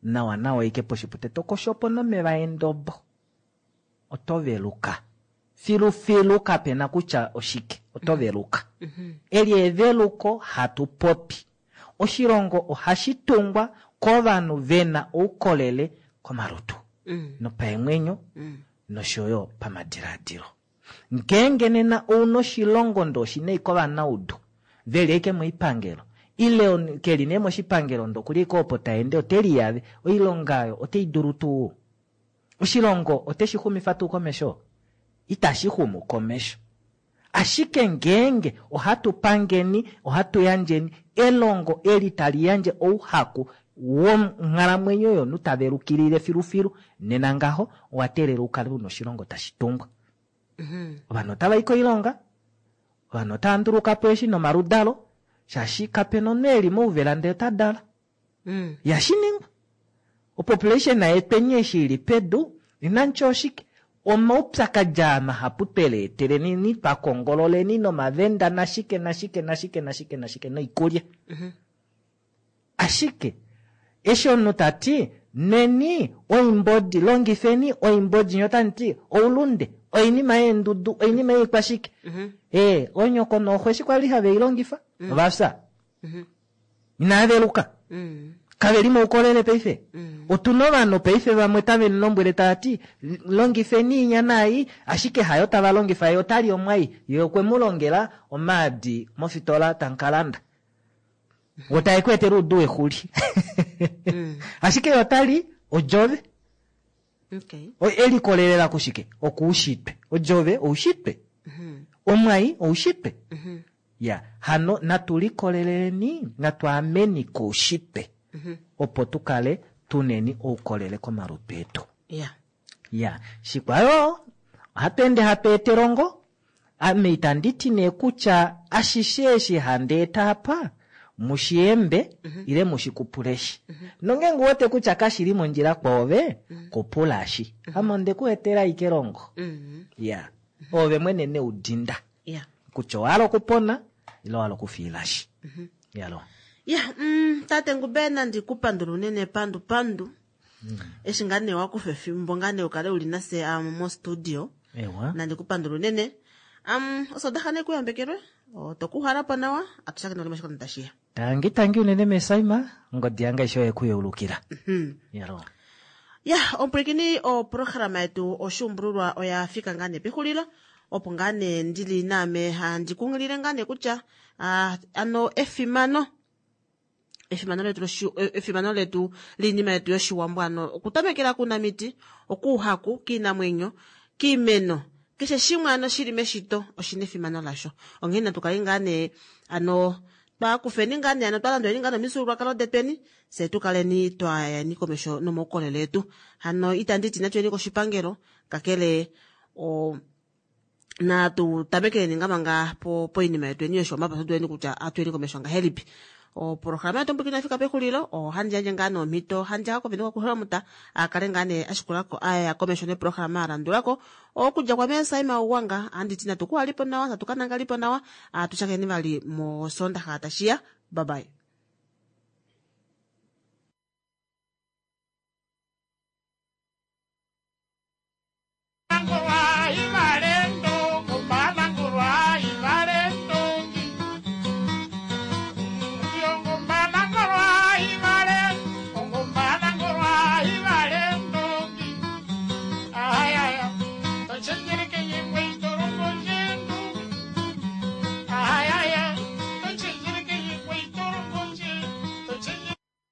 Nawa nawa ike poshipute to kosho po nomeva endobo. Oto veluka. Filufilu kapena kutya oshike. Oto veluka. Eli eveluko hatu popi. Oshilongo ohashi tungwa kovanhu vena oukolele komalutu. Nopaemwenyo nosho yo pamadiladilo. Ngeenge nena ouna oshilongo ndoo oshina ashike ovanaudu veli ashike moipangelo ile keli nee moshipangelo ndoo okuli ashike opo taende ote liyave, oilonga oyo otei dulu tuu? Oshilongo oteshi xumifa tuu komesho? Itashi xumu komesho. Ashike ngeenge ohatu pangeni, ohatu yandjeni elongo eli tali yandje ouhaku wonghalamwenyo yomunhu ta velukilile filufilu, nena ngaho owa teelela ukale una oshilongo tashi tungwa. Ovanhu otava i koilonga, ovanhu otava nduluka po eshi nomaludalo, shaashi kapena omunhu eli mouvela ndee ota dala. Ihashi ningwa. Opopulation yetweni eshi ili pedu, inamutya oshike? Omaupyakadi aa mahapu tweleeteleni, twakongololeni nomavenda nashike nashike nashike nashike nashike noikulya. Ashike eshi omunhu tati nweni oimbodi, longifeni oimbodi, nye otamu ti oulunde, oinima yeendudu, oinima yoikwashike. Onyoko nooxo eshi kwali have i longifa, ovafya. Inava veluka. Kave li moukolele paife. Otuna ovanhu paife vamwe tave mu lombwele tava ti longifeni inya naai, ashike hayo tava longifa, ye otali omwai, ye okwe mu longela omaadi mofitola tamu ka landa. Wo tae ku etele oudu wexuli. Ashike ye otali odjove. E likolelela kushike? Okuushitwe. Odjove oushitwe. Omwai oushitwe. Ya, hano natu likoleleni, natu ameni koushitwe. Opo tu kale tuneni oukolele komalutu etu. Ya, shikwayo, ohatu ende hatu eta elongo. Ame itandi ti nee kutya ashishe eshi handi eta apa, mushiyembe, ile mushikupuleshi. Nongeenge uwete kutya kashili mondjila kwoove, kupulashi. Ame onde ku etela ashike elongo. Ya, oove mwene neudinda. Kutya owa hala okupona, ile owa hala okufiilashi. Yalo. Ya, tate Ngube nandi ku pandula unene pandu pandu. Eshi ngaa nee wakufa efimbo ngaa nee ukale uli nase mo studio. Ewa. Nandi ku pandula unene. Osodaxa ne kuyambekelwe. Oto kuhalapo nawa, atushakene vali moshikondo tashiya. Tangi tangi unene mesaima, ongodi yange aishe oye kuyeulukila. Yalo. Ya, omupwilikini oprograma yetu oshuumbululwa oya fika ngaa nee pexulilo. Opo ngaa nee ndili naame handi kunghilile ngaa nee kutya, ano efimano. Efimano letu loshi-, efimano letu liinima yetu yoshiwambo ano okutamekela kuunamiti, okuuhaku, kiinamwenyo, kiimeno, keshe shimwe ano shili meshito oshina efimano lasho. Onghee natu kale ngaa nee ano twa kufeni ngaa nee ano twa landuleni ngaa nomifyuululwakalo detweni, fye tu kaleni twa yeni komesho nomaukolele etu. Hano itandi ti natu yeni koshipangelo, kakele o natu tamekeleni ngaa manga poinima yetu eni yoshiwambo apa tuduleni kutya atuyeni komesho ngahelipi. Oprograma yetu mbwikina fika pexulilo, ohandi yandje ngaa nomhito, handi ya kovenduka kuHelmut, a kale ngaa nee a shikulako, a ya komesho neprograma a landulako. Okudja kwa mee Saima Ugwanga, handi ti natu kuhalipo nawa, natu ka nangalipo nawa, atu shakeni vali mosondaxa tashiya. Bye bye.